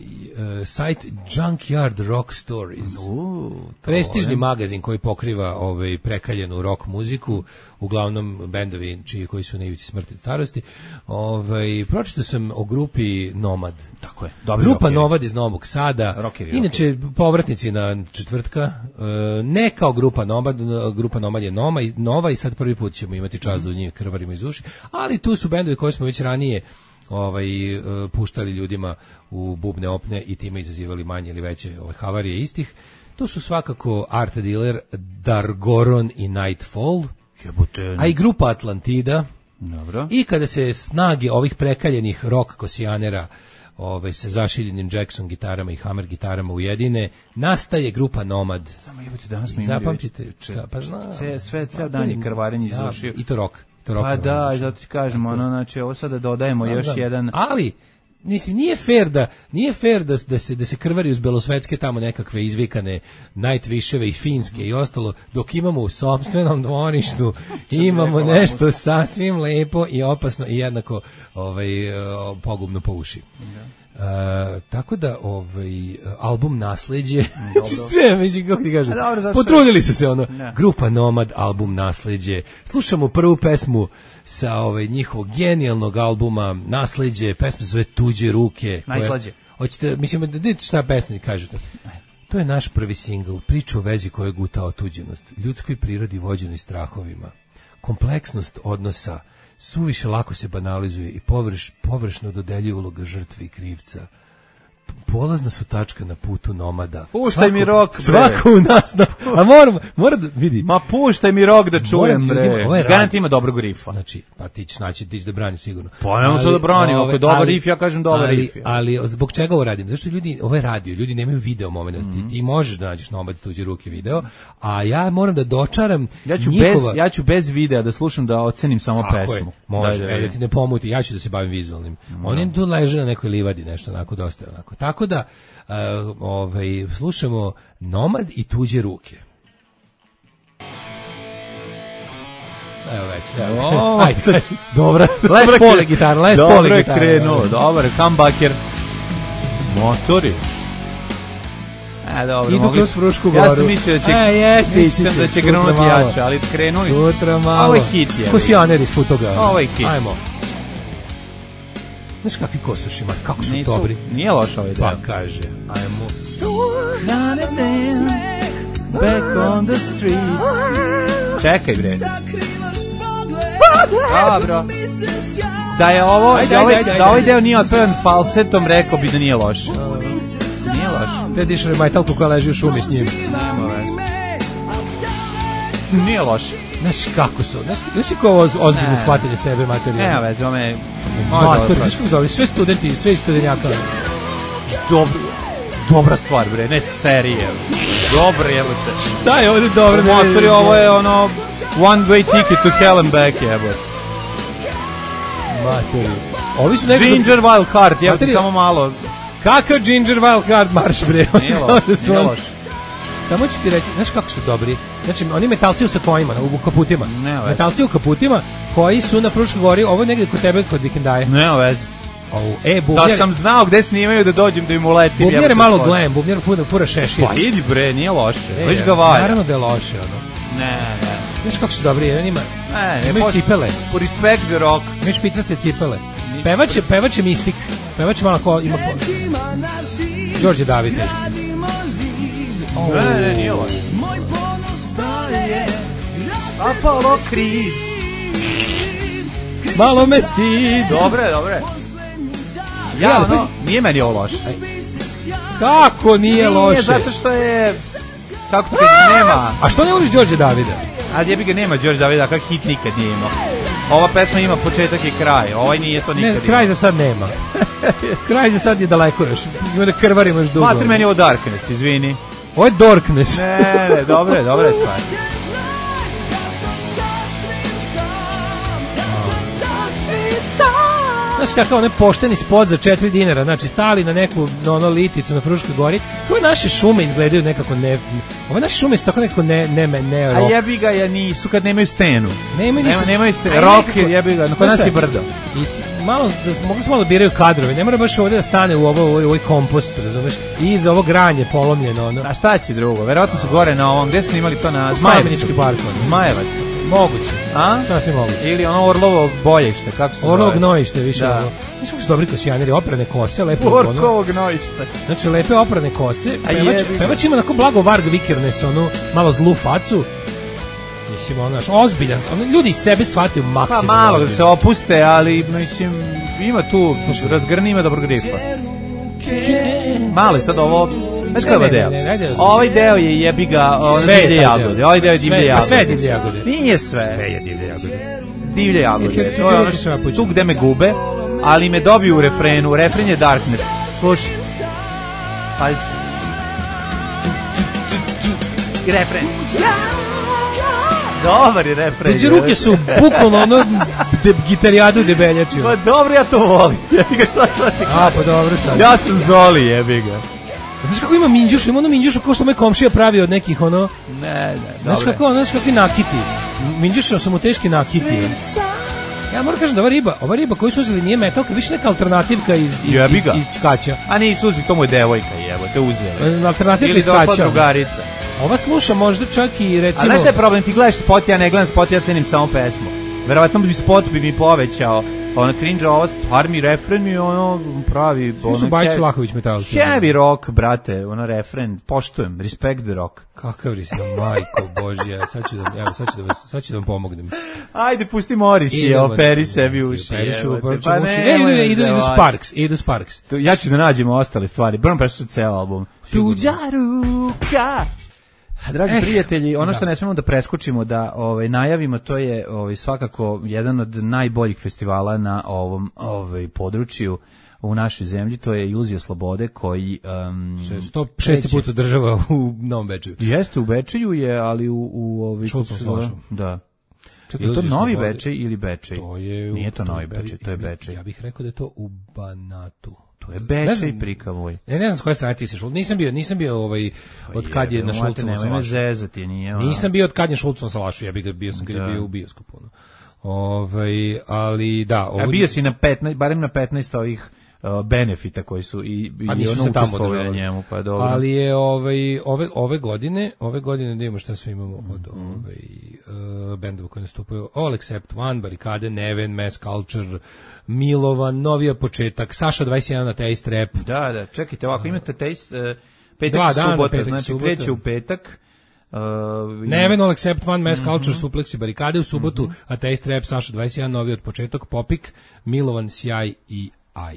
uh, sajt Junkyard Rock Stories. U, Prestižni magazin koji pokriva ovaj prekaljenu rock muziku, uglavnom bendovi čiji koji su na ivici smrti i starosti. Ovaj pročitao sam o grupi Nomad. Tako je. Dobri Grupa rockeri. Nomad iz Novog Sada. Rockeri, Inače povratnici na četvrtka, e, ne kao grupa Nomad, grupa Nomad je Noma i Nova i sad prvi put ćemo imati čast da u njih krvarimo iz uši, ali tu su bendovi koje smo već ranije ovaj e, puštali ljudima u bubne opne i time izazivali manje ili veće ove havarije istih. To su svakako Art Dealer, Dargoron i Nightfall, Jebote. a i grupa Atlantida. Dobro. I kada se snage ovih prekaljenih rock kosijanera ovaj, sa zašiljenim Jackson gitarama i Hammer gitarama ujedine, nastaje grupa Nomad. Samo jebote, danas smo I imali zapamtite, već- šta, pa znam. Sve, sve, ceo Pa, dan je to krvarenje iz da, ušiju. I to rock. To rock Pa da, iz ušiju. zato ti kažem, ono, znači, ovo sada dodajemo Znam, još znam. jedan... Ali mislim nije fair da nije fair da, da se da se krvari uz belosvetske tamo nekakve izvikane Nightwisheve i finske i ostalo, dok imamo u sopstvenom dvorištu imamo nešto sasvim lepo i opasno i jednako ovaj eh, pogubno po uši. Uh, tako da ovaj album Nasleđe sve među kako ti kažem A dobro, zašto- potrudili su se ono Da. grupa Nomad, album Nasleđe. Slušamo prvu pesmu sa ovaj njihovog genijalnog albuma Nasleđe, pesma se zove Tuđe ruke. koja- Najslađe. Hoćete, mislim, da vidite šta pesnik kažete. To je naš prvi singl, priča o vezi koja je guta otuđenost, ljudskoj prirodi vođenoj strahovima, kompleksnost odnosa, suviše lako se banalizuje i površ, površno dodeljuje uloga žrtve i krivca. P- Polazna su tačka na putu nomada. Puštaj mi rock, bre. Svako u nas, na, a moram, mora da vidi. Ma puštaj mi rok da čujem, Moram bre. ljudima, ovo je rad- Garant ima dobrog rifa. Znači, pa ti ćeš naći, ti ćeš da braniš sigurno. Pa nemoj sad da branim, ako je dobar riff, ja kažem dobar ali, riff, ja. Ali, zbog čega ovo radim? Zašto ljudi, ovo je radio, ljudi nemaju video momenta, Mhm. ti, ti možeš da nađeš na obad tuđe ruke video, a ja moram da dočaram Ja ću, njihova... bez, ja ću bez videa da slušam da ocenim samo Tako pesmu. je, može, Da, da, evo da da. ti ne pomuti, ja ću da se bavim vizualnim. Oni tu leže na nekoj livadi, nešto onako, dosta onako. Tako da, uh, ovaj, slušamo Nomad i tuđe ruke. Evo već, evo. O, Ajde, kaži. Dobra. Les dobra Paul kre- gitara, Les dobro Paul je gitara. krenuo, dobar, comebacker. Motori. A, dobro, Idu mogli kroz su- Frušku Ja goru. sam mislio da će, E, jeste, mislio ići sam da će, će sutra krenuti malo. jače, ali krenuli su. Sutra malo. Ovo je hit, je. Kosijaner iz Futoga. Ovo je hit. Ajmo. Znaš kakvi kosuši, Mar, kako su Nisu, dobri. nije loša ovaj Pa deo. kaže, ajmo. Back on the street. Čekaj, bre. Dobro. Da je ovo, Ajde, da, ovaj, ajde, ajde, da ovaj ajde. deo nije otpevan falsetom, rekao bi da nije loš. Nije loš. Te dišali majtalku koja leži u šumi s njim. Nije loš. Znaš kako su, znaš, znaš ti ko ovo oz- ozbiljno Ne. shvatanje sebe materijalno. Nema veze, ome... Mater, znaš kako dobri, sve studenti, sve studenjaka. Dobro. Dobra stvar, bre, ne serije. Dobro, jebote. Šta je ovdje dobro? da Motori, vidim? ovo je ono... One way ticket to hell and back, jebote. Mater. Ovi su nekako... Ginger Wild Card, jebote, Materi- samo malo. Kakav Ginger Wild Card marš, bre. Nije loš, Da su nije on- loš. samo ću ti reći, znaš kako su dobri? Znači, oni metalci u sakojima, u kaputima. Ne, metalci u kaputima koji su na Fruškoj gori, ovo je negdje kod tebe, kod Vikendaje. Ne, vezi. Oh, e, bubnjar, da sam znao gde snimaju da dođem da im uletim. Bubnjar je malo glam, bubnjar fura, fura šešir. Pa idi bre, nije loše. E, Viš ga valja. Naravno da je loše, ono. Ne, ne. Znaš kako su dobri, on ima, ne, ne imaju poš... cipele. Po respect the rock. Imaju špicaste cipele. Pevač je, pevač je mistik. Pevač je malo ko ima ko... Đorđe David. Oh. Ne, ne, nije loše. Apollo Creed. Malo me stid. Dobre, dobre. Ja, ja ono, nije meni ovo loše. Kako nije, nije loše? Zato što je... Kako ti kad nema... A što ne voliš Đorđe Davida? Ali jebi ga nema Đorđe Davida, kak hit nikad nije imao. Ova pesma ima početak i kraj, ovaj nije to nikad. Ne, kraj za sad nema. Kraj za sad je daleko još. Ima da krvarimo još dugo. Matri, meni ovo Darkness, izvini. Ovo je Dorkness. Ne, ne, dobre, dobre stvari. Znaš kakav onaj pošteni spot za četiri dinara, znači stali na neku na ono liticu na Fruškoj gori, koje naše šume izgledaju nekako ne... Ove naše šume su tako nekako ne... ne, ne, ne a jebi ga, ja nisu kad nemaju stenu. Nemaju ništa. Nema, nemaju stenu. Rock je jebi ga, kod nas je brdo. I malo, da, mogu se malo biraju kadrove, ne mora baš ovdje da stane u ovo, ovo, ovo kompost, razumeš, i iza ovo granje polomljeno. Ono. A šta će drugo? Verovatno su gore na ovom, gde su imali to na Zmajevac? Zmajevac. Moguće. A? Sasvim moguće. Ili ono Orlovo bojište, kako se zove? Orlovo gnojište, više. Da. Ono. Mislim kako su dobri kosijaneri, oprane kose, lepo. Orlovo gnojište. Znači, lepe oprane kose. Pevač, pevač ima onako blago Varg Vikernes, onu malo zlu facu. Mislim, ono, ozbiljan. Ono, ljudi iz sebe shvataju maksimum. Pa malo da se opuste, ali, mislim, ima tu, razgrni, ima dobro gripa. Malo je sad ovo... Znaš koji je ovaj deo? Ovaj deo je jebi ga divlje jagode. Ovaj deo je divlje jagode. Sve je divlje jagode. Nije sve. Sve je divlje jagode. Divlje jagode. To je ono tu gde me gube, ali me dobiju u refrenu. Refren je Darkness. Slušaj. Pazi. Refren. Dobar je refren. Tuđe ruke su bukvalno ono de, gitarijadu debeljačio. Pa dobro, ja to volim. Jebi ga, šta sad ti A, pa dobro sad. Ja sam Zoli, jebi ga. Znaš kako ima minđuš, ima ono minđuša kao što moj komšija pravi od nekih ono... Ne, ne, znaš dobre. kako, znaš kakvi nakiti. Minđuša su mu teški nakiti. Ja moram kažem da ova riba, ova riba koju su uzeli nije metalka, više neka alternativka iz, iz, iz, iz Čkaća. A nije Suzi, to mu je devojka, jevo, te uzeli. Alternativka iz Čkaća. Ili došla drugarica. Ova sluša možda čak i recimo... A znaš šta je problem, ti gledaš spot, ja ne gledam spot, ja cenim samo pesmu. Verovatno bi spot bi mi povećao. Ona cringe, ova stvar mi refren mi ono pravi... Svi su Bajić Vlahović metalci. Heavy rock, brate, ono refren, poštujem, respect the rock. Kakav risno, majko Božja, sad ću da, evo, sad ću da, vas, sad ću da vam pomognem. Ajde, pusti Morrissey, operi sebi uši. Operišu, pa ne, e, idu, idu, idu Sparks, idu Sparks. Ja ću da nađemo ostale stvari, brno prešu ceo album. Tuđa ruka. Dragi eh, prijatelji, ono što da. ne smemo da preskočimo, da ovaj, najavimo, to je ovaj, svakako jedan od najboljih festivala na ovom ovaj, području u našoj zemlji, to je Iluzija slobode koji... Um, sto šesti put održava u Novom Bečeju. Jeste, u Bečeju je, ali u... u ovaj, da. Čekaj, je to Novi slobode. Bečej ili Bečej? To je, Nije to Novi Bečej, to je Bečej. Ja bih rekao da je to u Banatu. To je Bečej prikavoj. Ne, ne znam s koje strane ti se Šulc. Nisam bio, nisam bio ovaj od kad je na Šulcovom salašu. Zezati, nije. Ona. Nisam bio od kad je Šulcovom salašu, ja bih ga bio sam kad je bio u bioskopu. Ovaj, ali da, ovdje... A bio si na petnaest, barem na petnaest ovih uh, benefita koji su i i ono učestvovali na njemu, pa dobro. Ali je ovaj ove ove godine, ove godine da imamo šta sve imamo od mm. ovaj uh, bendova koji nastupaju: All Except One, Barikade, Neven, Mass Culture, Milovan, Novija početak, Saša dvadeset jedan na Taste Rap. Da, da, čekajte, ovako imate Taste uh, petak i subota, petak, znači subota. Kreće u petak. Uh, Neven, All Except One, Mass Culture, mm-hmm. Suplex i Barikade u subotu, mm-hmm. a Taste Rap, Saša dvadeset jedan, Novi od početak, Popik, Milovan, Sjaj i Aj.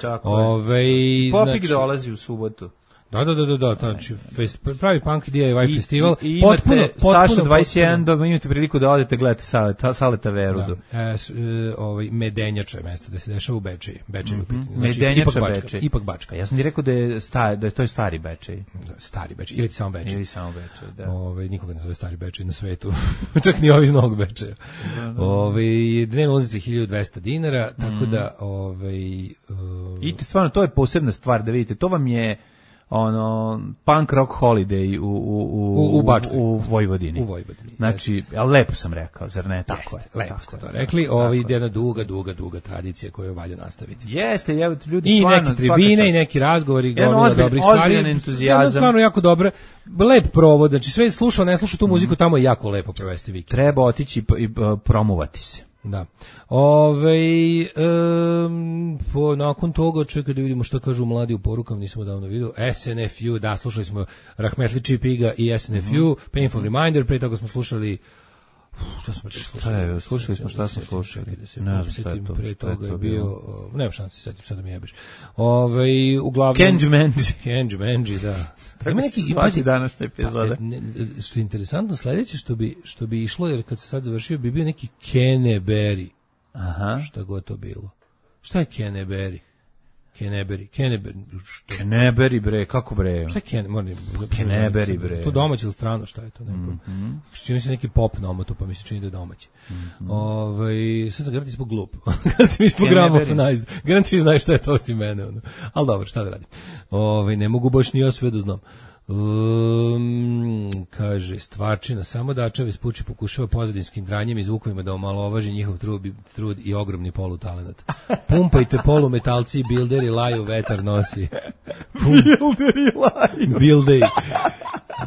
Tako Ove, Popik znači, dolazi u subotu. Da, da, da, da, da, znači fest, pravi punk D I Y I, festival. I, i imate potpuno, potpuno, Saša dvadeset jedan, da imate priliku da odete gledate Saleta, Saleta Verudu. Da, e, s, e, ovaj, Medenjača je mesto da se dešava u Bečeji. Bečej mm -hmm. znači, Medenjača ipak Bečej. Bačka, ipak Bačka. A ja sam ti rekao da je, sta, da je to je stari Bečej. Da, stari Bečej, ili samo Bečej. Ili samo Bečej, da. Ovaj, nikoga ne zove stari Bečej na svetu, čak ni ovi iz Novog Bečeja. Da, da. Ovaj, dnevna ulaznica hiljadu dvesta dinara, tako mm. da... Ovaj, uh, I stvarno, to je posebna stvar da vidite, to vam je... ono punk rock holiday u u u U- u Bačkoj. u Vojvodini. U Vojvodini. Znači, al lepo sam rekao, zar ne tako Jeste, je. lepo tako ste je, to tako rekli. je, Ovo tako ide je. jedna duga, duga, duga tradicija koju valja nastaviti. Jeste, evo ljudi I stvarno, neke svaka tribine čast. i neki razgovori, Jedan gomila ozbiljan- dobrih stvari. ozbiljan entuzijazam. Jedno stvarno jako dobro. Lep provod, znači sve slušao, ne slušao tu muziku, tamo je jako lepo provesti vikend. Treba otići i, i uh, promovati se. Da. Ove, um, po, nakon toga, čekaj da vidimo što kažu mladi u porukama, nismo davno vidio. S N F U, da, slušali smo Rahmetli Čipiga i S N F U, Painful Reminder, pre toga smo slušali šta smo slušali? Šta je, slušali smo, šta smo slušali? Čekaj da se Ne znam podsjetim, šta je to, pre šta je toga to je bio, bilo? uh, nema šanse se setim, sad da mi jebeš. Ove, uglavnom... Kenji Menji. Kenji Menji, da. Ima neki Svaki današnja Pa, epizoda. ne, ne, što je interesantno, sledeće što bi, što bi išlo, jer kad se sad završio, bi bio neki Kenneberry. Aha. Šta god to bilo. Šta je Kenneberry? Kenneberry. Kenneberry. Što? Kenneberry, bre, kako bre? Šta je Ken? Moram, Kenneberry, bre. To domaće ili strano, šta je to? Ne, Mhm. čini se neki pop na omotu, pa mi se čini da je domaći. Mhm. Ovaj, sad sam garanti smo glup. Garanti mi smo gramofonized. Garanti svi znaju šta je to osim mene. Ono. Ali dobro, šta da radim. Ovaj, ne mogu baš ni ja sve da znam. Um, kaže, stvarčina, samo Dačev ispuči pokušava pozadinskim dranjem i zvukovima da omalovaži njihov trud, trud i ogromni polutalenat. Pumpajte polumetalci i bilderi, laju, vetar nosi. Bilderi laju. Bilderi.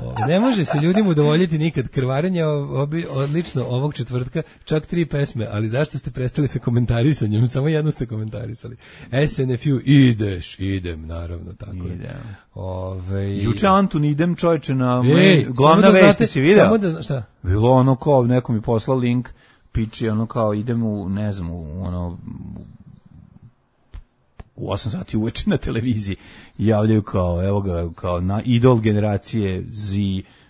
O, ne može se ljudima udovoljiti nikad. Krvarenje obi, odlično ovog četvrtka, čak tri pesme, ali zašto ste prestali sa komentarisanjem? Samo jedno ste komentarisali. S N F U, ideš, idem, naravno, tako je. Idem. Ove, Juče Antun idem čovječe na Ej, glavna samo da vesti, znate- si video? Samo da zna, šta? Bilo ono kao, neko mi poslao link, piči ono kao idem u, ne znam, u ono, u osam sati uveče na televiziji i javljaju kao, evo ga, kao na idol generacije Z,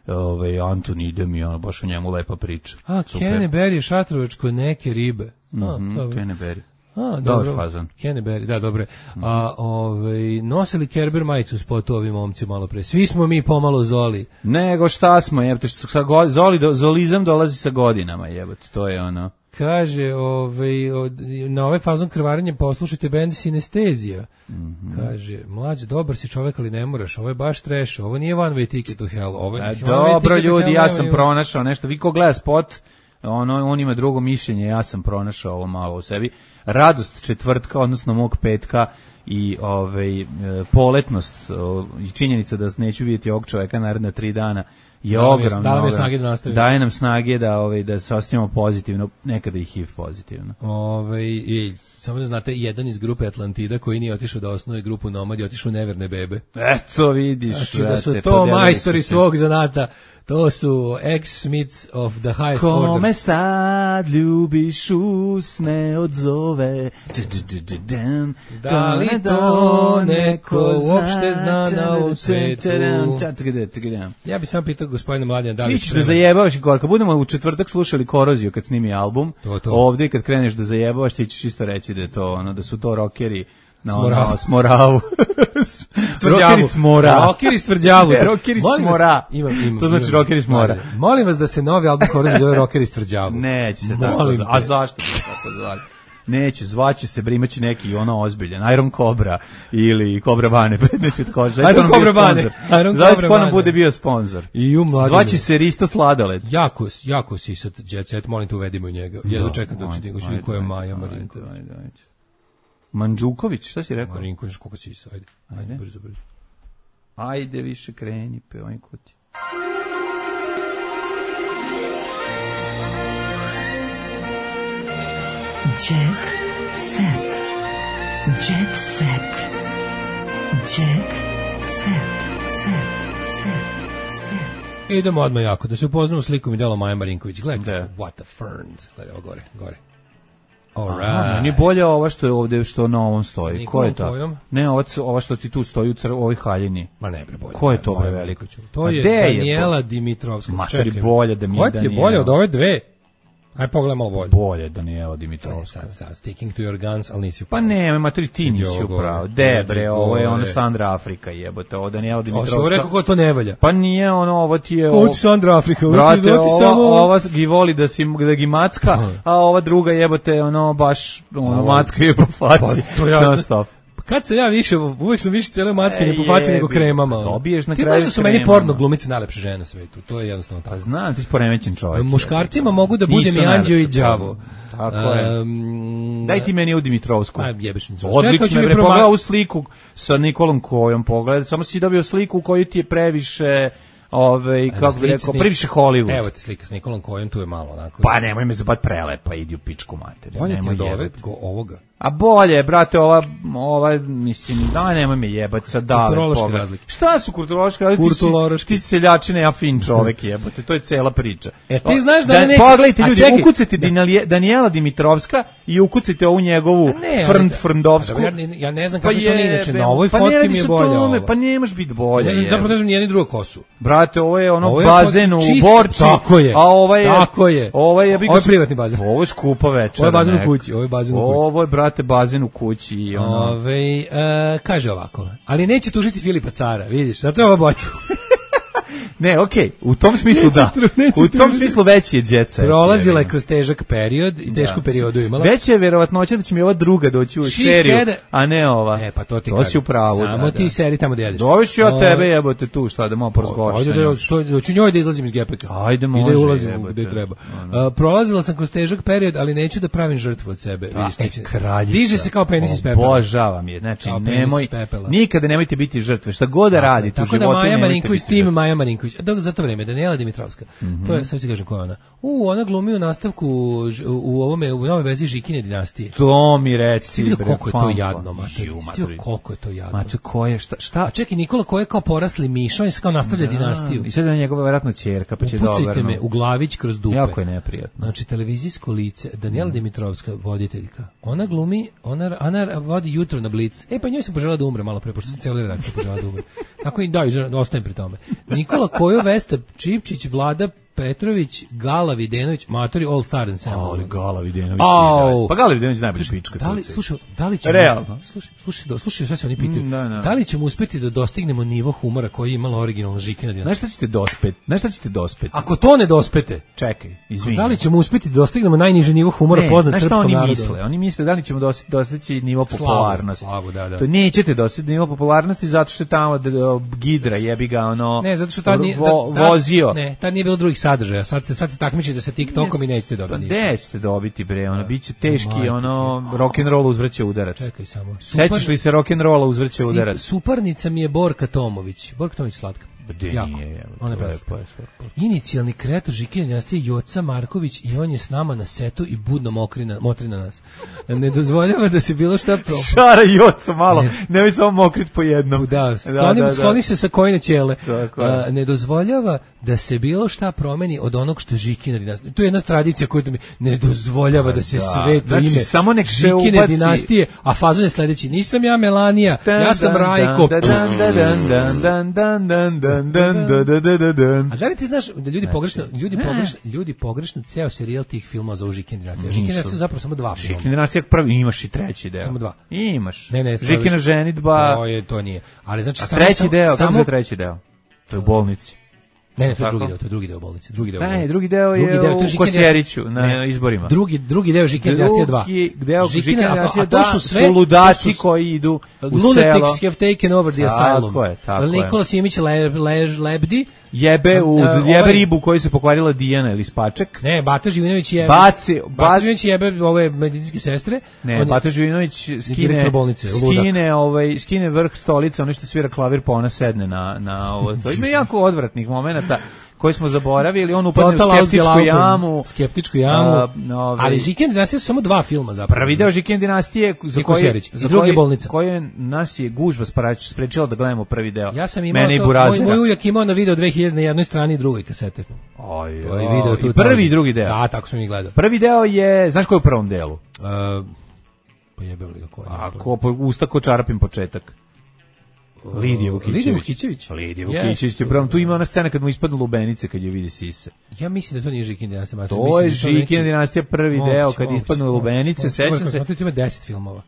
ovaj, Antun idem i ono, baš o njemu lepa priča. A, Super. Kenneberry, Šatrovačko, neke ribe. A, Mhm, dobro. Kenneberry. A, Dobar dobro. fazon. Kenneberry, da, dobro. A, ovaj, nosili Kerber majicu spotu ovi momci malo pre. Svi smo mi pomalo Zoli. Nego šta smo, jebote, što sa go- zoli, do, zolizam dolazi sa godinama, jebote, to je ono. Kaže, ovaj, od, na ovaj fazon krvarenja poslušajte bend Sinestezija. Mhm. Kaže, mlađ, dobar si čovek, ali ne moraš. Ovo je baš trash. Ovo nije one way ticket to hell. Ovo je A, one way dobro ticket to ljudi, hell, ja nema sam ima- pronašao nešto, vi ko gleda spot, ono, on ima drugo mišljenje, ja sam pronašao ovo malo u sebi. Radost četvrtka, odnosno mog petka i ovaj, e, poletnost o, i činjenica da neću vidjeti ovog čoveka naredna tri dana je Da nam je- ogromno. da nam je ogromno. snage da nastavimo. Daje nam snage da, ovaj, da se osjećamo pozitivno, nekada i H I V pozitivno. Ovaj, i, samo da znate, jedan iz grupe Atlantida koji nije otišao da osnuje grupu Nomad i otišao u Neverne bebe. Eto vidiš, Znači da su brate, to podelili majstori su se. svog zanata. To su ex-Smiths of the highest order. Kome sad ljubiš usne odzove. Da li to neko uopšte zna na ovom svetu? Ja bih sam pitao gospodina Mladena da li Mi se ćeš da sprema- zajebavaš i kor. Kad budemo u četvrtak slušali Koroziju kad snimi album, To, to. ovdje kad kreneš da zajebavaš ti ćeš isto reći da je to ono, da su to rokeri na S Morava. ono, s Moravu. Tvrđavu. Rokeri s Mora. Rokeri s Tvrđavu. Ne, rokeri s Molim vas- Mora. Imam, imam, To znači imam. rokeri s Mora. Ajde. Molim vas da se novi album Korozije zove Rokeri s Tvrđavu. Neće se tako. Molim zva- A te. zašto bi se tako zvali? Neće, zvaće se, brimaće neki ono ozbiljan, Iron Cobra ili Cobra Bane, predmet od kože. Zašto Iron nam bio Cobra Bane. sponsor? Iron Zašto Cobra ko nam Bane. bude bio sponsor? I u Mladenu. Zvaće se Risto Sladoled. Jako, jako si sad Jet Set, molim te uvedimo i njega. Jedno čekam da ću Ajde, ti ajde, ko je ajde, Maja ajde, Marinković. ajde, ajde. Mandžuković, šta si rekao? Marinković, koliko si isa, ajde. Ajde, Ajde. brzo, brzo. Ajde više kreni, pevaj kuti. Jet set. Jet set. Jet set. Set. Set. Set. Idemo odmah jako, da se upoznamo s likom i delom Maja Marinković. Gledaj, Da. kako, what a fern. Gledaj, ovo gore, gore. Aha, Alright. meni je bolje ova što je ovde, što na ovom Sa stoji. Nikolom Ko je to? Kojom? Ne, ova, ova što ti tu stoji u cr, ovoj haljini. Ma ne, bre, bolje. Ko je to, bre, Maja veliko? Marinković. To Ma je gde je, Daniela Dimitrovska. Matori, Čekaj. bolje da mi je Koja ti je Daniela. bolje od ove dve? Aj pogledaj malo bolje. Bolje Daniela Dimitrovska. Sad, sad, sticking to your guns, ali nisi Pa upravo. ne, maturi, ti nisi Ovo gore. upravo. De, bre, ovo je ono Gore. Sandra Afrika, jebote, ovo Daniela Ovo sam Dimitrovska. rekao ko to ne valja. Pa nije ono, ovo ti je... Ovo ti Sandra Afrika, ovo ti, Brate, ovo ti ova, samo... ova gi voli da, si, da gi macka, a ova druga jebote, ono, baš, ono, Ovo- macka je po Pa, faci. to ja- Non stop. kad sam ja više, uvek sam više cijelo mackanje po faci nego kremama. Dobiješ na Ti kraju znaš da su meni kremama. porno glumice najlepše žene na svetu, to je jednostavno tako. Pa znam, ti si poremećen čovjek. Muškarcima mogu da budem Nisu i anđeo i najlepše đavo. Tako je. Um, Daj ti meni u Dimitrovsku. Pa jebeš mi. Čekaj, hoću Odlično, mi bre, prema- pogledao u sliku sa Nikolom Kojom, pogledaj, samo si dobio sliku u kojoj ti je previše, ovaj, kako bi slici rekao, s Nik- previše Hollywood. Evo ti slika s Nikolom Kojom, tu je malo onako. Pa nemoj me zabat prelepa, idi u pičku mater. bolje ti nemoj od ove, jebat. go- ovoga. A bolje, brate, ova, ova, mislim, da, nemoj me jebat sad dale. Kulturološke pogled. razlike. Šta su kulturološke razlike? Ti si- Kulturološke. Ti si seljačina, ja fin čovek, jebote, to je cela priča. E, ti znaš da neće- Pogledajte, a ljudi, čekaj. ukucajte Dinalije- Danijela Dimitrovska i ukucajte ovu njegovu A ne, frnd ali- frndovsku. Ja, ne- ja ne znam kako su oni inače, jebem, na ovoj pa ne fotki radi mi je se o bolja tome, ova. Pa nemaš biti bolja. Ne znam, jebe. zapravo ne znam ni jedni drugu kosu. Brate, ovo je ono Ovo je bazen pod- u čist- Borči. tako je, A ovo je, tako je. Ovo je, ja bih Ovo je ga- privatni bazen. Ovo je skupa večera. Ovo je bazen u neka. kući, ovo je bazen u kući. Ovo je, brate, bazen u kući. I ono, Ove, e, kaže ovako, ali neće tužiti Filipa Cara, vidiš, zato je ova boću. ne, okej, u tom smislu da. Neće tru- neće U tom tužiti. smislu veći je jet set. Prolazila je jebi ga. kroz težak period i tešku periodu imala. Veća je verovatnoća da će mi ova druga doći u She seriju, had- a ne ova. E, pa to ti To kažem. si u pravu. Samo da, ti da. seri tamo gde jedeš. Doveš ja O, tebe, jebote, tu, šta, da malo porazgovaraš Ajde sa da njom. ja što hoću njoj da izlazim iz gepeka. Ajde, I može, da ulazim jebote. gde treba. Ono. A, prolazila sam kroz težak period, ali neću da pravim žrtvu od sebe. A, Vidiš, e, neće- kraljica. Diže se kao penis iz pepela. Obožavam je. Znači, Kao penis nemoj, iz pepela. nikada nemojte biti žrtve. Šta god da radite u Tako da životu, Maja nemojte Marinković, biti tim žrtve. Maja Marinković. Dok za to vreme Danijela Dimitrovska. To je, sad ću ti kažem ko je ona. U, ona glumi u nastavku ž- u ovome u novoj vezi Žikine dinastije. To mi reci, Si vidio bre, koliko je to fanfa. jadno, mater. Ju, Si mater. vidio koliko je to jadno. Mater, ko je, šta, šta? A čekaj, Nikola ko je kao porasli miša, on je kao nastavlja dinastiju. I sad je njegova vjerojatno ćerka, pa će Upucajte dobro. me u glavić kroz dupe. Jako je neprijatno. Znači, televizijsko lice, Danijela Dimitrovska, voditeljka. Ona glumi, ona, ona vodi jutro na Blic. E, pa njoj sam požela da umre malo pre, pošto sam cijelu redakciju požela da umre. Tako i da, ostajem pri tome. Nikola Kojo, Vesta Čipčić, Vlada Petrović, Gala Videnović, matori All Star Ensemble. Ali Gala Videnović. Au. je, da. Pa Gala Videnović najbolji pička. Da li, tu u slušaj, da li ćemo, Realno. slušaj, slušaj, do- slušaj, šta se oni pitaju, Mm, da, da. da li ćemo uspeti da dostignemo nivo humora koji je imala originalna Žikina dinastija? Znaš šta ćete dospet? Znaš šta ćete dospet? Ako to ne dospete, Čekaj, izvini. da li ćemo uspeti da dostignemo najniži nivo humora Ne, poznat znaš šta srpskom oni narodu? misle? Oni misle da li ćemo dosti- dostići nivo Slavu, popularnosti. slavu, da, da. To nećete dostići nivo popularnosti zato što je tamo d- d- Gidra jebi ga ono Ne, zato što tad nije, vo- tad- vozio. Ne, tad nije bilo drugih sadržaja. Sad ste sad se takmičite sa TikTokom i nećete Pa dobiti ništa. gde ćete dobiti bre, ono biće teški Majke ono rock and roll uzvraća udarac. Čekaj samo. Sećaš li se rock and rolla uzvraća Si- udarac? Suparnica mi je Borka Tomović. Borka Tomović slatka. Gde Jako. nije, evo, Ona je to je- preslatka. to je sve. Inicijalni kreator Žikine dinastije Joca Marković i on je s nama na setu i budno mokri na, motri na nas. Ne dozvoljava da se bilo šta pro... Šara i oca malo, nemoj samo mokrit po jednom. Da, skloni, da, da. skloni se sa kojine ćele. Tako je. A, ne dozvoljava da se bilo šta promeni od onog što je Žikina dinastija. To je jedna tradicija koju mi ne dozvoljava da se da. sve to Znači, ime samo nek se Žikine ubaci- dinastije, a fazon je sledeći. Nisam ja Melanija, Dan, ja sam dan, Rajko. dan, dan, dan, dan, dan, dan, dan, dan, dan, dan, dan, dan, dan. A da li ti znaš da ljudi pogrešno, ljudi ne. pogrešno, ljudi pogrešno ceo serijal tih filmova za Žikina dinastija. Žikina dinastija su zapravo samo dva filma. Žikina dinastija prvi, imaš i treći deo. Samo dva. Imaš. Ne, ne, Žikina ženidba, To je to nije. Ali znači a samo treći samo- deo, kako samo je treći deo? To je u bolnici. Ne, ne, to je Tako? drugi deo, to je drugi deo bolnice, drugi deo. Ne, bolnice. drugi deo je Drugi deo, to u je Žikina Kosjeriću, dinastija. na Ne. izborima. Drugi drugi deo Žikina dinastija dva. Drugi deo Žikina a- dinastija a to da, su sve su ludaci to su- koji idu u selo. Lunatics have taken over the Tako asylum. je, tako je. Nikola Simić le, lež, lebdi. Jebe, u, A, jebe ovaj- ribu koju se pokvarila Dijana ili Spaček. Ne, Bata Živinović je Baci- ba- Bata Živinović jebe ove medicinske sestre. Ne, On je- Bata Živinović skine, direktor bolnice, ludak. skine, ovaj, skine vrh stolice, ono što svira klavir, pa ona sedne na, na ovo. To ima jako odvratnih momenata koji smo zaboravili, on upadne Total u skeptičku Ausgelaufen. jamu. Skeptičku jamu. A, ovaj- Ali Žikina dinastija su samo dva filma zapravo. Prvi deo Žikine dinastije za I koji Kosjerić. I za drugi koji- bolnica. koje nas je gužva sprać- sprečila da gledamo prvi deo. Ja sam imao Mene i to, moj, Burazira. moj ujak imao na video dve hiljade na jednoj strani i drugoj kasete. Oj, To je oj, video tu. i prvi i drugi deo. Da, tako sam i gledao. Prvi deo je, znaš koji je u prvom delu? Uh, pa jebeo li ga ko je? Ako po, usta ko čarapim početak. Lidija Vukićević. Lidija Vukićević? Lidija Yes. Vukićević. je prvom, tu ima ona scena kad mu ispadnu lubenice kad je vidi sise. Ja mislim da to nije Žikina dinastija. mater, To mislim je da Žikina neki- dinastija prvi Moguće, deo kad moguće, ispadnu moguće. lubenice, Moguće, sećam moguće, se. moguće, ima deset filmova.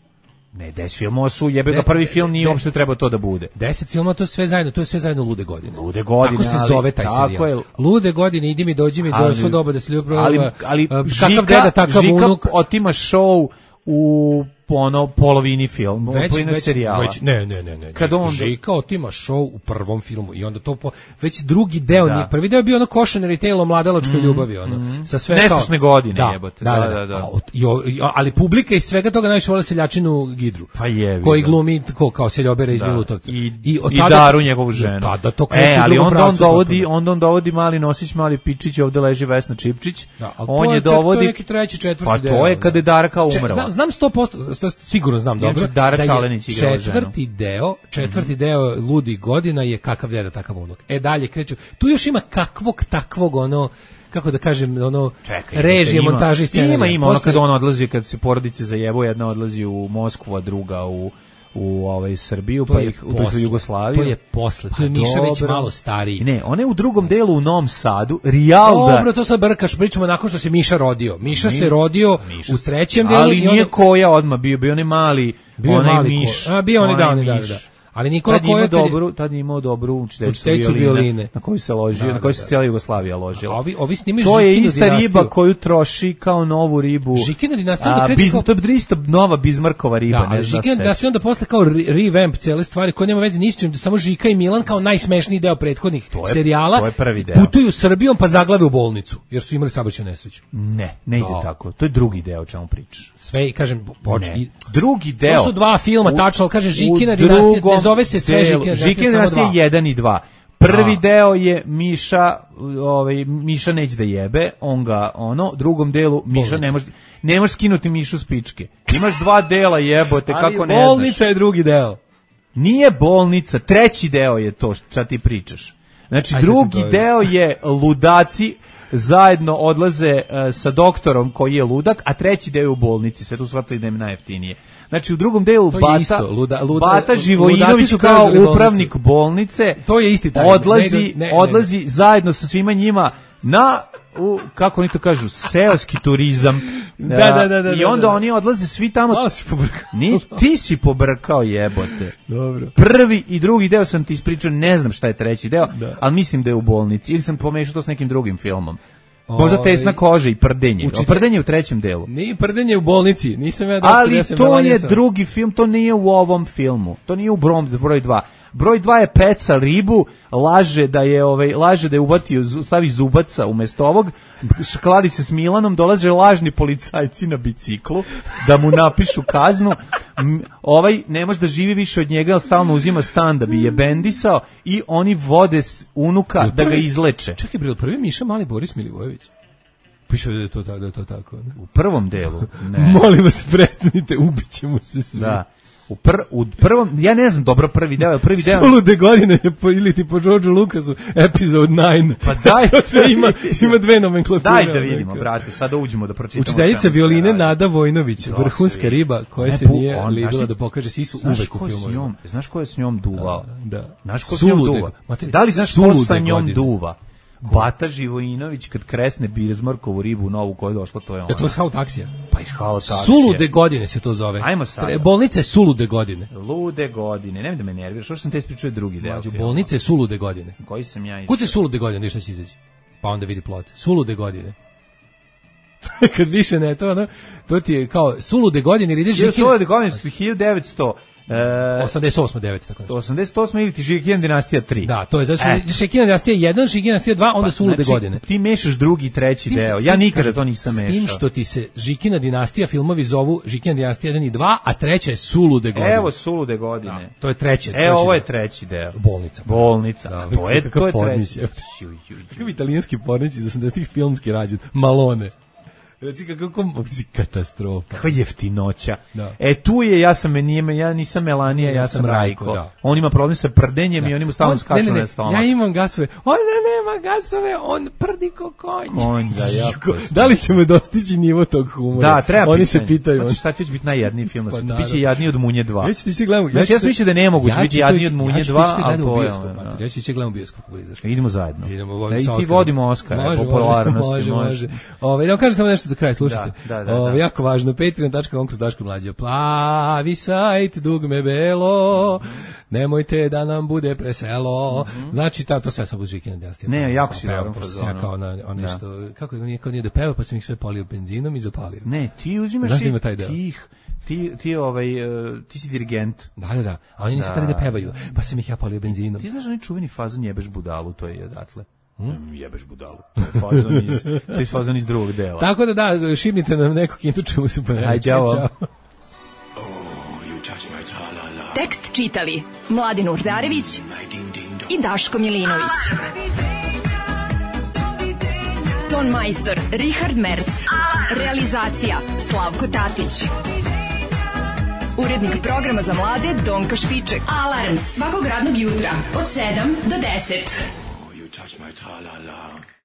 Ne, deset filmova su, jebe ga Ne, prvi film nije ne. uopšte trebao to da bude. deset filmova, to je sve zajedno, to je sve zajedno Lude godine. Lude godine, Tako se ali- zove taj tako serijal. je. Lude godine, idi mi, dođi mi, Ali- došlo doba da se ljubav Ali, proba, ali uh, Žika, kakav deda, takav Žika unuk. otima show u ono polovini film, Već, polovini već, serijala. već, ne, ne, ne, ne. Kad on Žika otima show u prvom filmu i onda to po, već drugi deo, Da. nije, prvi deo je bio ono Cautionary Tale o mladalačkoj ljubavi, ono, sa sve Nestašne kao, godine, da, jebote, Da, da, da, da. da. A, i o- i- ali publika iz svega toga najviše vole seljačinu Gidru. Pa jebi koji ga. glumi ko, kao seljobera iz Da. Milutovca. I, od i tada- Daru njegovu ženu. Da, da to kreće e, u ali drugom onda on pravcu dovodi, potpuno. onda on dovodi Mali Nosić, Mali Pičić, ovde leži Vesna Čipčić. Da, ali on to je tek- to je dovodi neki treći, četvrti Pa deo, to je da. kada je Darka Če- umrla. Znam, znam sto posto, sto- sigurno znam Inače, dobro. Dara da je Čalenić igrala ženu. četvrti deo, četvrti deo Ludi godina je kakav deda takav unuk. E dalje kreću. Tu još ima kakvog takvog ono kako da kažem, ono Čekaj, režije, ima- montaže i scenarija. Ima, ima, ono Posle- kad on odlazi, kad se porodice zajebu, jedna odlazi u Moskvu, a druga u u ovaj Srbiju, To pa je ih u posle. Jugoslaviju. To je posle. Pa To je Miša već dobro. malo stariji. Ne, on je u drugom delu u Novom Sadu, Rijalda. Dobro, to sad brkaš, pričamo nakon što se Miša rodio. Miša se rodio Miša u se- trećem delu ali i nije onda koja odmah bio, bio onaj mali, bio je onaj mali miš. ko- A bio oni da, onaj oni da, miš. da. Ali Nikola Tad je imao Koja kad je- dobru, tad je imao dobru učiteljicu Učiteljicu violine, violine. na koju se ložio, Da, na koju da, se da. cijela Jugoslavija ložila. A ovi, ovi snimaju To je Žikinu ista dinastiju. riba koju troši kao novu ribu. Žikina dinastija onda A, kreće Biz- kao- To je isto nova Bizmarkova riba, Da, ne ali znam Žika se. da ste onda posle kao re- revamp cijele stvari koje nema veze ni s čim, samo Žika i Milan kao najsmešniji deo prethodnih To je- serijala. to je prvi deo. Putuju Srbijom pa zaglave u bolnicu jer su imali saobraćajnu nesreću. Ne, ne ide Da. tako. To je drugi deo o čemu pričaš. Sve i kažem poč, Ne. i, Drugi deo. To su dva filma, U- tačno, ali kaže u Žikina dinastija, drugom ne zove se sve delu- Žikina dinastija, Žikina samo dinastija dva. jedan i dva. Prvi Da. deo je Miša, ovaj Miša neće da jebe, on ga ono, drugom delu Miša Bolnica. ne može ne može skinuti Mišu s pičke. Imaš dva dela, jebote, Ali kako ne bolnica znaš. je drugi deo. Nije bolnica, treći deo je to što ti pričaš. Znači, Ajde, drugi sad to je. deo je ludaci zajedno odlaze e, sa doktorom koji je ludak, a treći deo je u bolnici, sve tu shvatili da im najjeftinije. Znači, u drugom delu To je Bata, isto, luda- luda- Bata ludaci Živojinović su kao preuzeli bolnicu. upravnik bolnice To je isti taj. odlazi, Ne, ne, ne, odlazi zajedno sa svima njima na u, kako oni to kažu, seoski turizam. Da, da, da, da, I da, onda da. oni odlaze svi tamo. Malo si pobrkao. Ni, ti si pobrkao, jebote. Dobro. Prvi i drugi deo sam ti ispričao, ne znam šta je treći deo, Da. ali mislim da je u bolnici. Ili sam pomešao to s nekim drugim filmom. Možda Ovaj, tesna koža i prdenje. učite- A prdenje je u trećem delu. Nije prdenje u bolnici, nisam ja doktor, Ali ja sam to Melanija je sam. drugi film, to nije u ovom filmu. To nije u broj, broj dva. Broj dva je peca ribu, laže da je ovaj laže da je uvatio, zu- stavi zubaca umesto ovog, kladi se s Milanom, dolaze lažni policajci na biciklu da mu napišu kaznu. M, ovaj ne može da živi više od njega, ali stalno uzima stan da bi je bendisao i oni vode s unuka Jel da ga prvi- izleče. Čekaj, bre, prvi Miša mali Boris Milivojević. Piše da je to, ta- da je to tako. Ne? U prvom delu, ne. Molim vas, prestanite, ubićemo se svi. Da. U, pr, u prvom, ja ne znam dobro prvi deo, prvi deo. Sulude godine je po, ili ti po Georgeu Lucasu epizod devet. Pa daj. To sve ima, ima dve nomenklature. Daj da vidimo, brate, sada uđemo da pročitamo. Učiteljica o čemu se violine radi. Nada Vojnović, Da, se vrhunska vidi. riba koja Ne, se pu- nije on, libila znaš ti- da pokaže, svi su Znaš uvek u ko je s filmovima. njom, znaš ko je s njom duvao? Da. Znaš ko s njom Sulude- duva? Materi, Da li znaš ko sulude sa njom godine. duva? Bata Živojinović kad kresne Bizmarkovu ribu novu koja je došla, to je ona. Je to Hao taksija? Pa iz Hao taksije. Sulude godine se to zove. Ajmo sada. Bolnica je sulude godine. Lude godine, nemoj da me nerviraš, što sam te ispričao je drugi deo Mađo, filma. bolnica je sulude godine. Koji sam ja Kuće sulude godine, vidiš šta će izaći. Pa onda vidi plot. Sulude godine. Kad više ne, to ono, to ti je kao sulude godine, ili ideš Žikina... Žikina... Sulude godine su hiljadu devetsto osamdeset osam devet tako nešto. osamdeset osam ili ti Žikina dinastija tri. Da, to je zato E. što Žikina dinastija jedan, Žikina dinastija dva, onda Pa, sulude znači, godine. Ti mešaš drugi i treći S tim što- deo. s Ja tim, nikada kažem, to nisam mešao. S tim što ti se Žikina dinastija filmovi zovu Žikina dinastija jedan i dva, a treća je sulude godine. Evo sulude godine. Da, to je treće. E, ovo je deo. treći deo. Bolnica. Bolnica. Da, to je, kakav to je pornić, treći. evo. Ju, ju, ju. Kakav italijanski pornić iz osamdesetih filmski rađen. Malone. Reci kako katastrofa. Kakva jeftinoća. Da. E, tu je, ja sam, nije, ja nisam Melanija, ja sam Rajko. da. On ima problem sa prdenjem i on ima stalno On- skaču ne, ne, ne, na stomak. Ja imam gasove. On ne, nema gasove, on prdi ko konj. Konj, da, jako. Da li ćemo dostići nivo tog humora? Da, treba Oni pitanje. se pitaju. Znači, šta će već biti najjadniji film? Pa, Pa, naravno. biće jadniji od Munje dva. Ja ću ti se gledam. Znači, ja sam mislio da ne mogu biti jadniji od Munje dva, ali ali to to je je. ono, da. Ja ću ti gledam u bioskop kako bude izašlo. Idemo zajedno. Idemo, Da, i sa ti Oskarom. vodimo Oskara, Može, popularnosti. Može, može. Ove, da kažem samo nešto za kraj, slušajte. Da, da, da, Ove, da. jako važno, patreon tačka com kroz Daško mlađe. Plavi sajt, dugme belo, nemojte da nam bude preselo. Znači, ta, to sve sam uz Žikina dinastija. Ne, jako si Pevam, dobro pošto fazonu. sam ja kao na on Da. nešto, kako je nije kao nije da peva, pa sam ih sve polio benzinom i zapalio. Ne, ti uzimaš Znaš da i ima taj deo? tih ti, ti, ovaj, uh, ti si dirigent. Da, da, da. A oni nisu hteli da pevaju, pa sam ih ja palio benzinom. Ti znaš onaj čuveni fazon jebeš budalu, to je odatle. Hmm? Jebeš budalu. To je fazon iz, to je fazon iz drugog dela. Tako da da, šibnite nam nekog kintu čemu se ponavljati. Aj, ćao. Tekst čitali Mladin Urdarević i Daško Milinović. Ton majstor Richard Merc. Realizacija Slavko Tatić. Urednik programa za mlade Donka Špiček. Alarms svakog radnog jutra od sedam do deset. You touch my tra-la-la.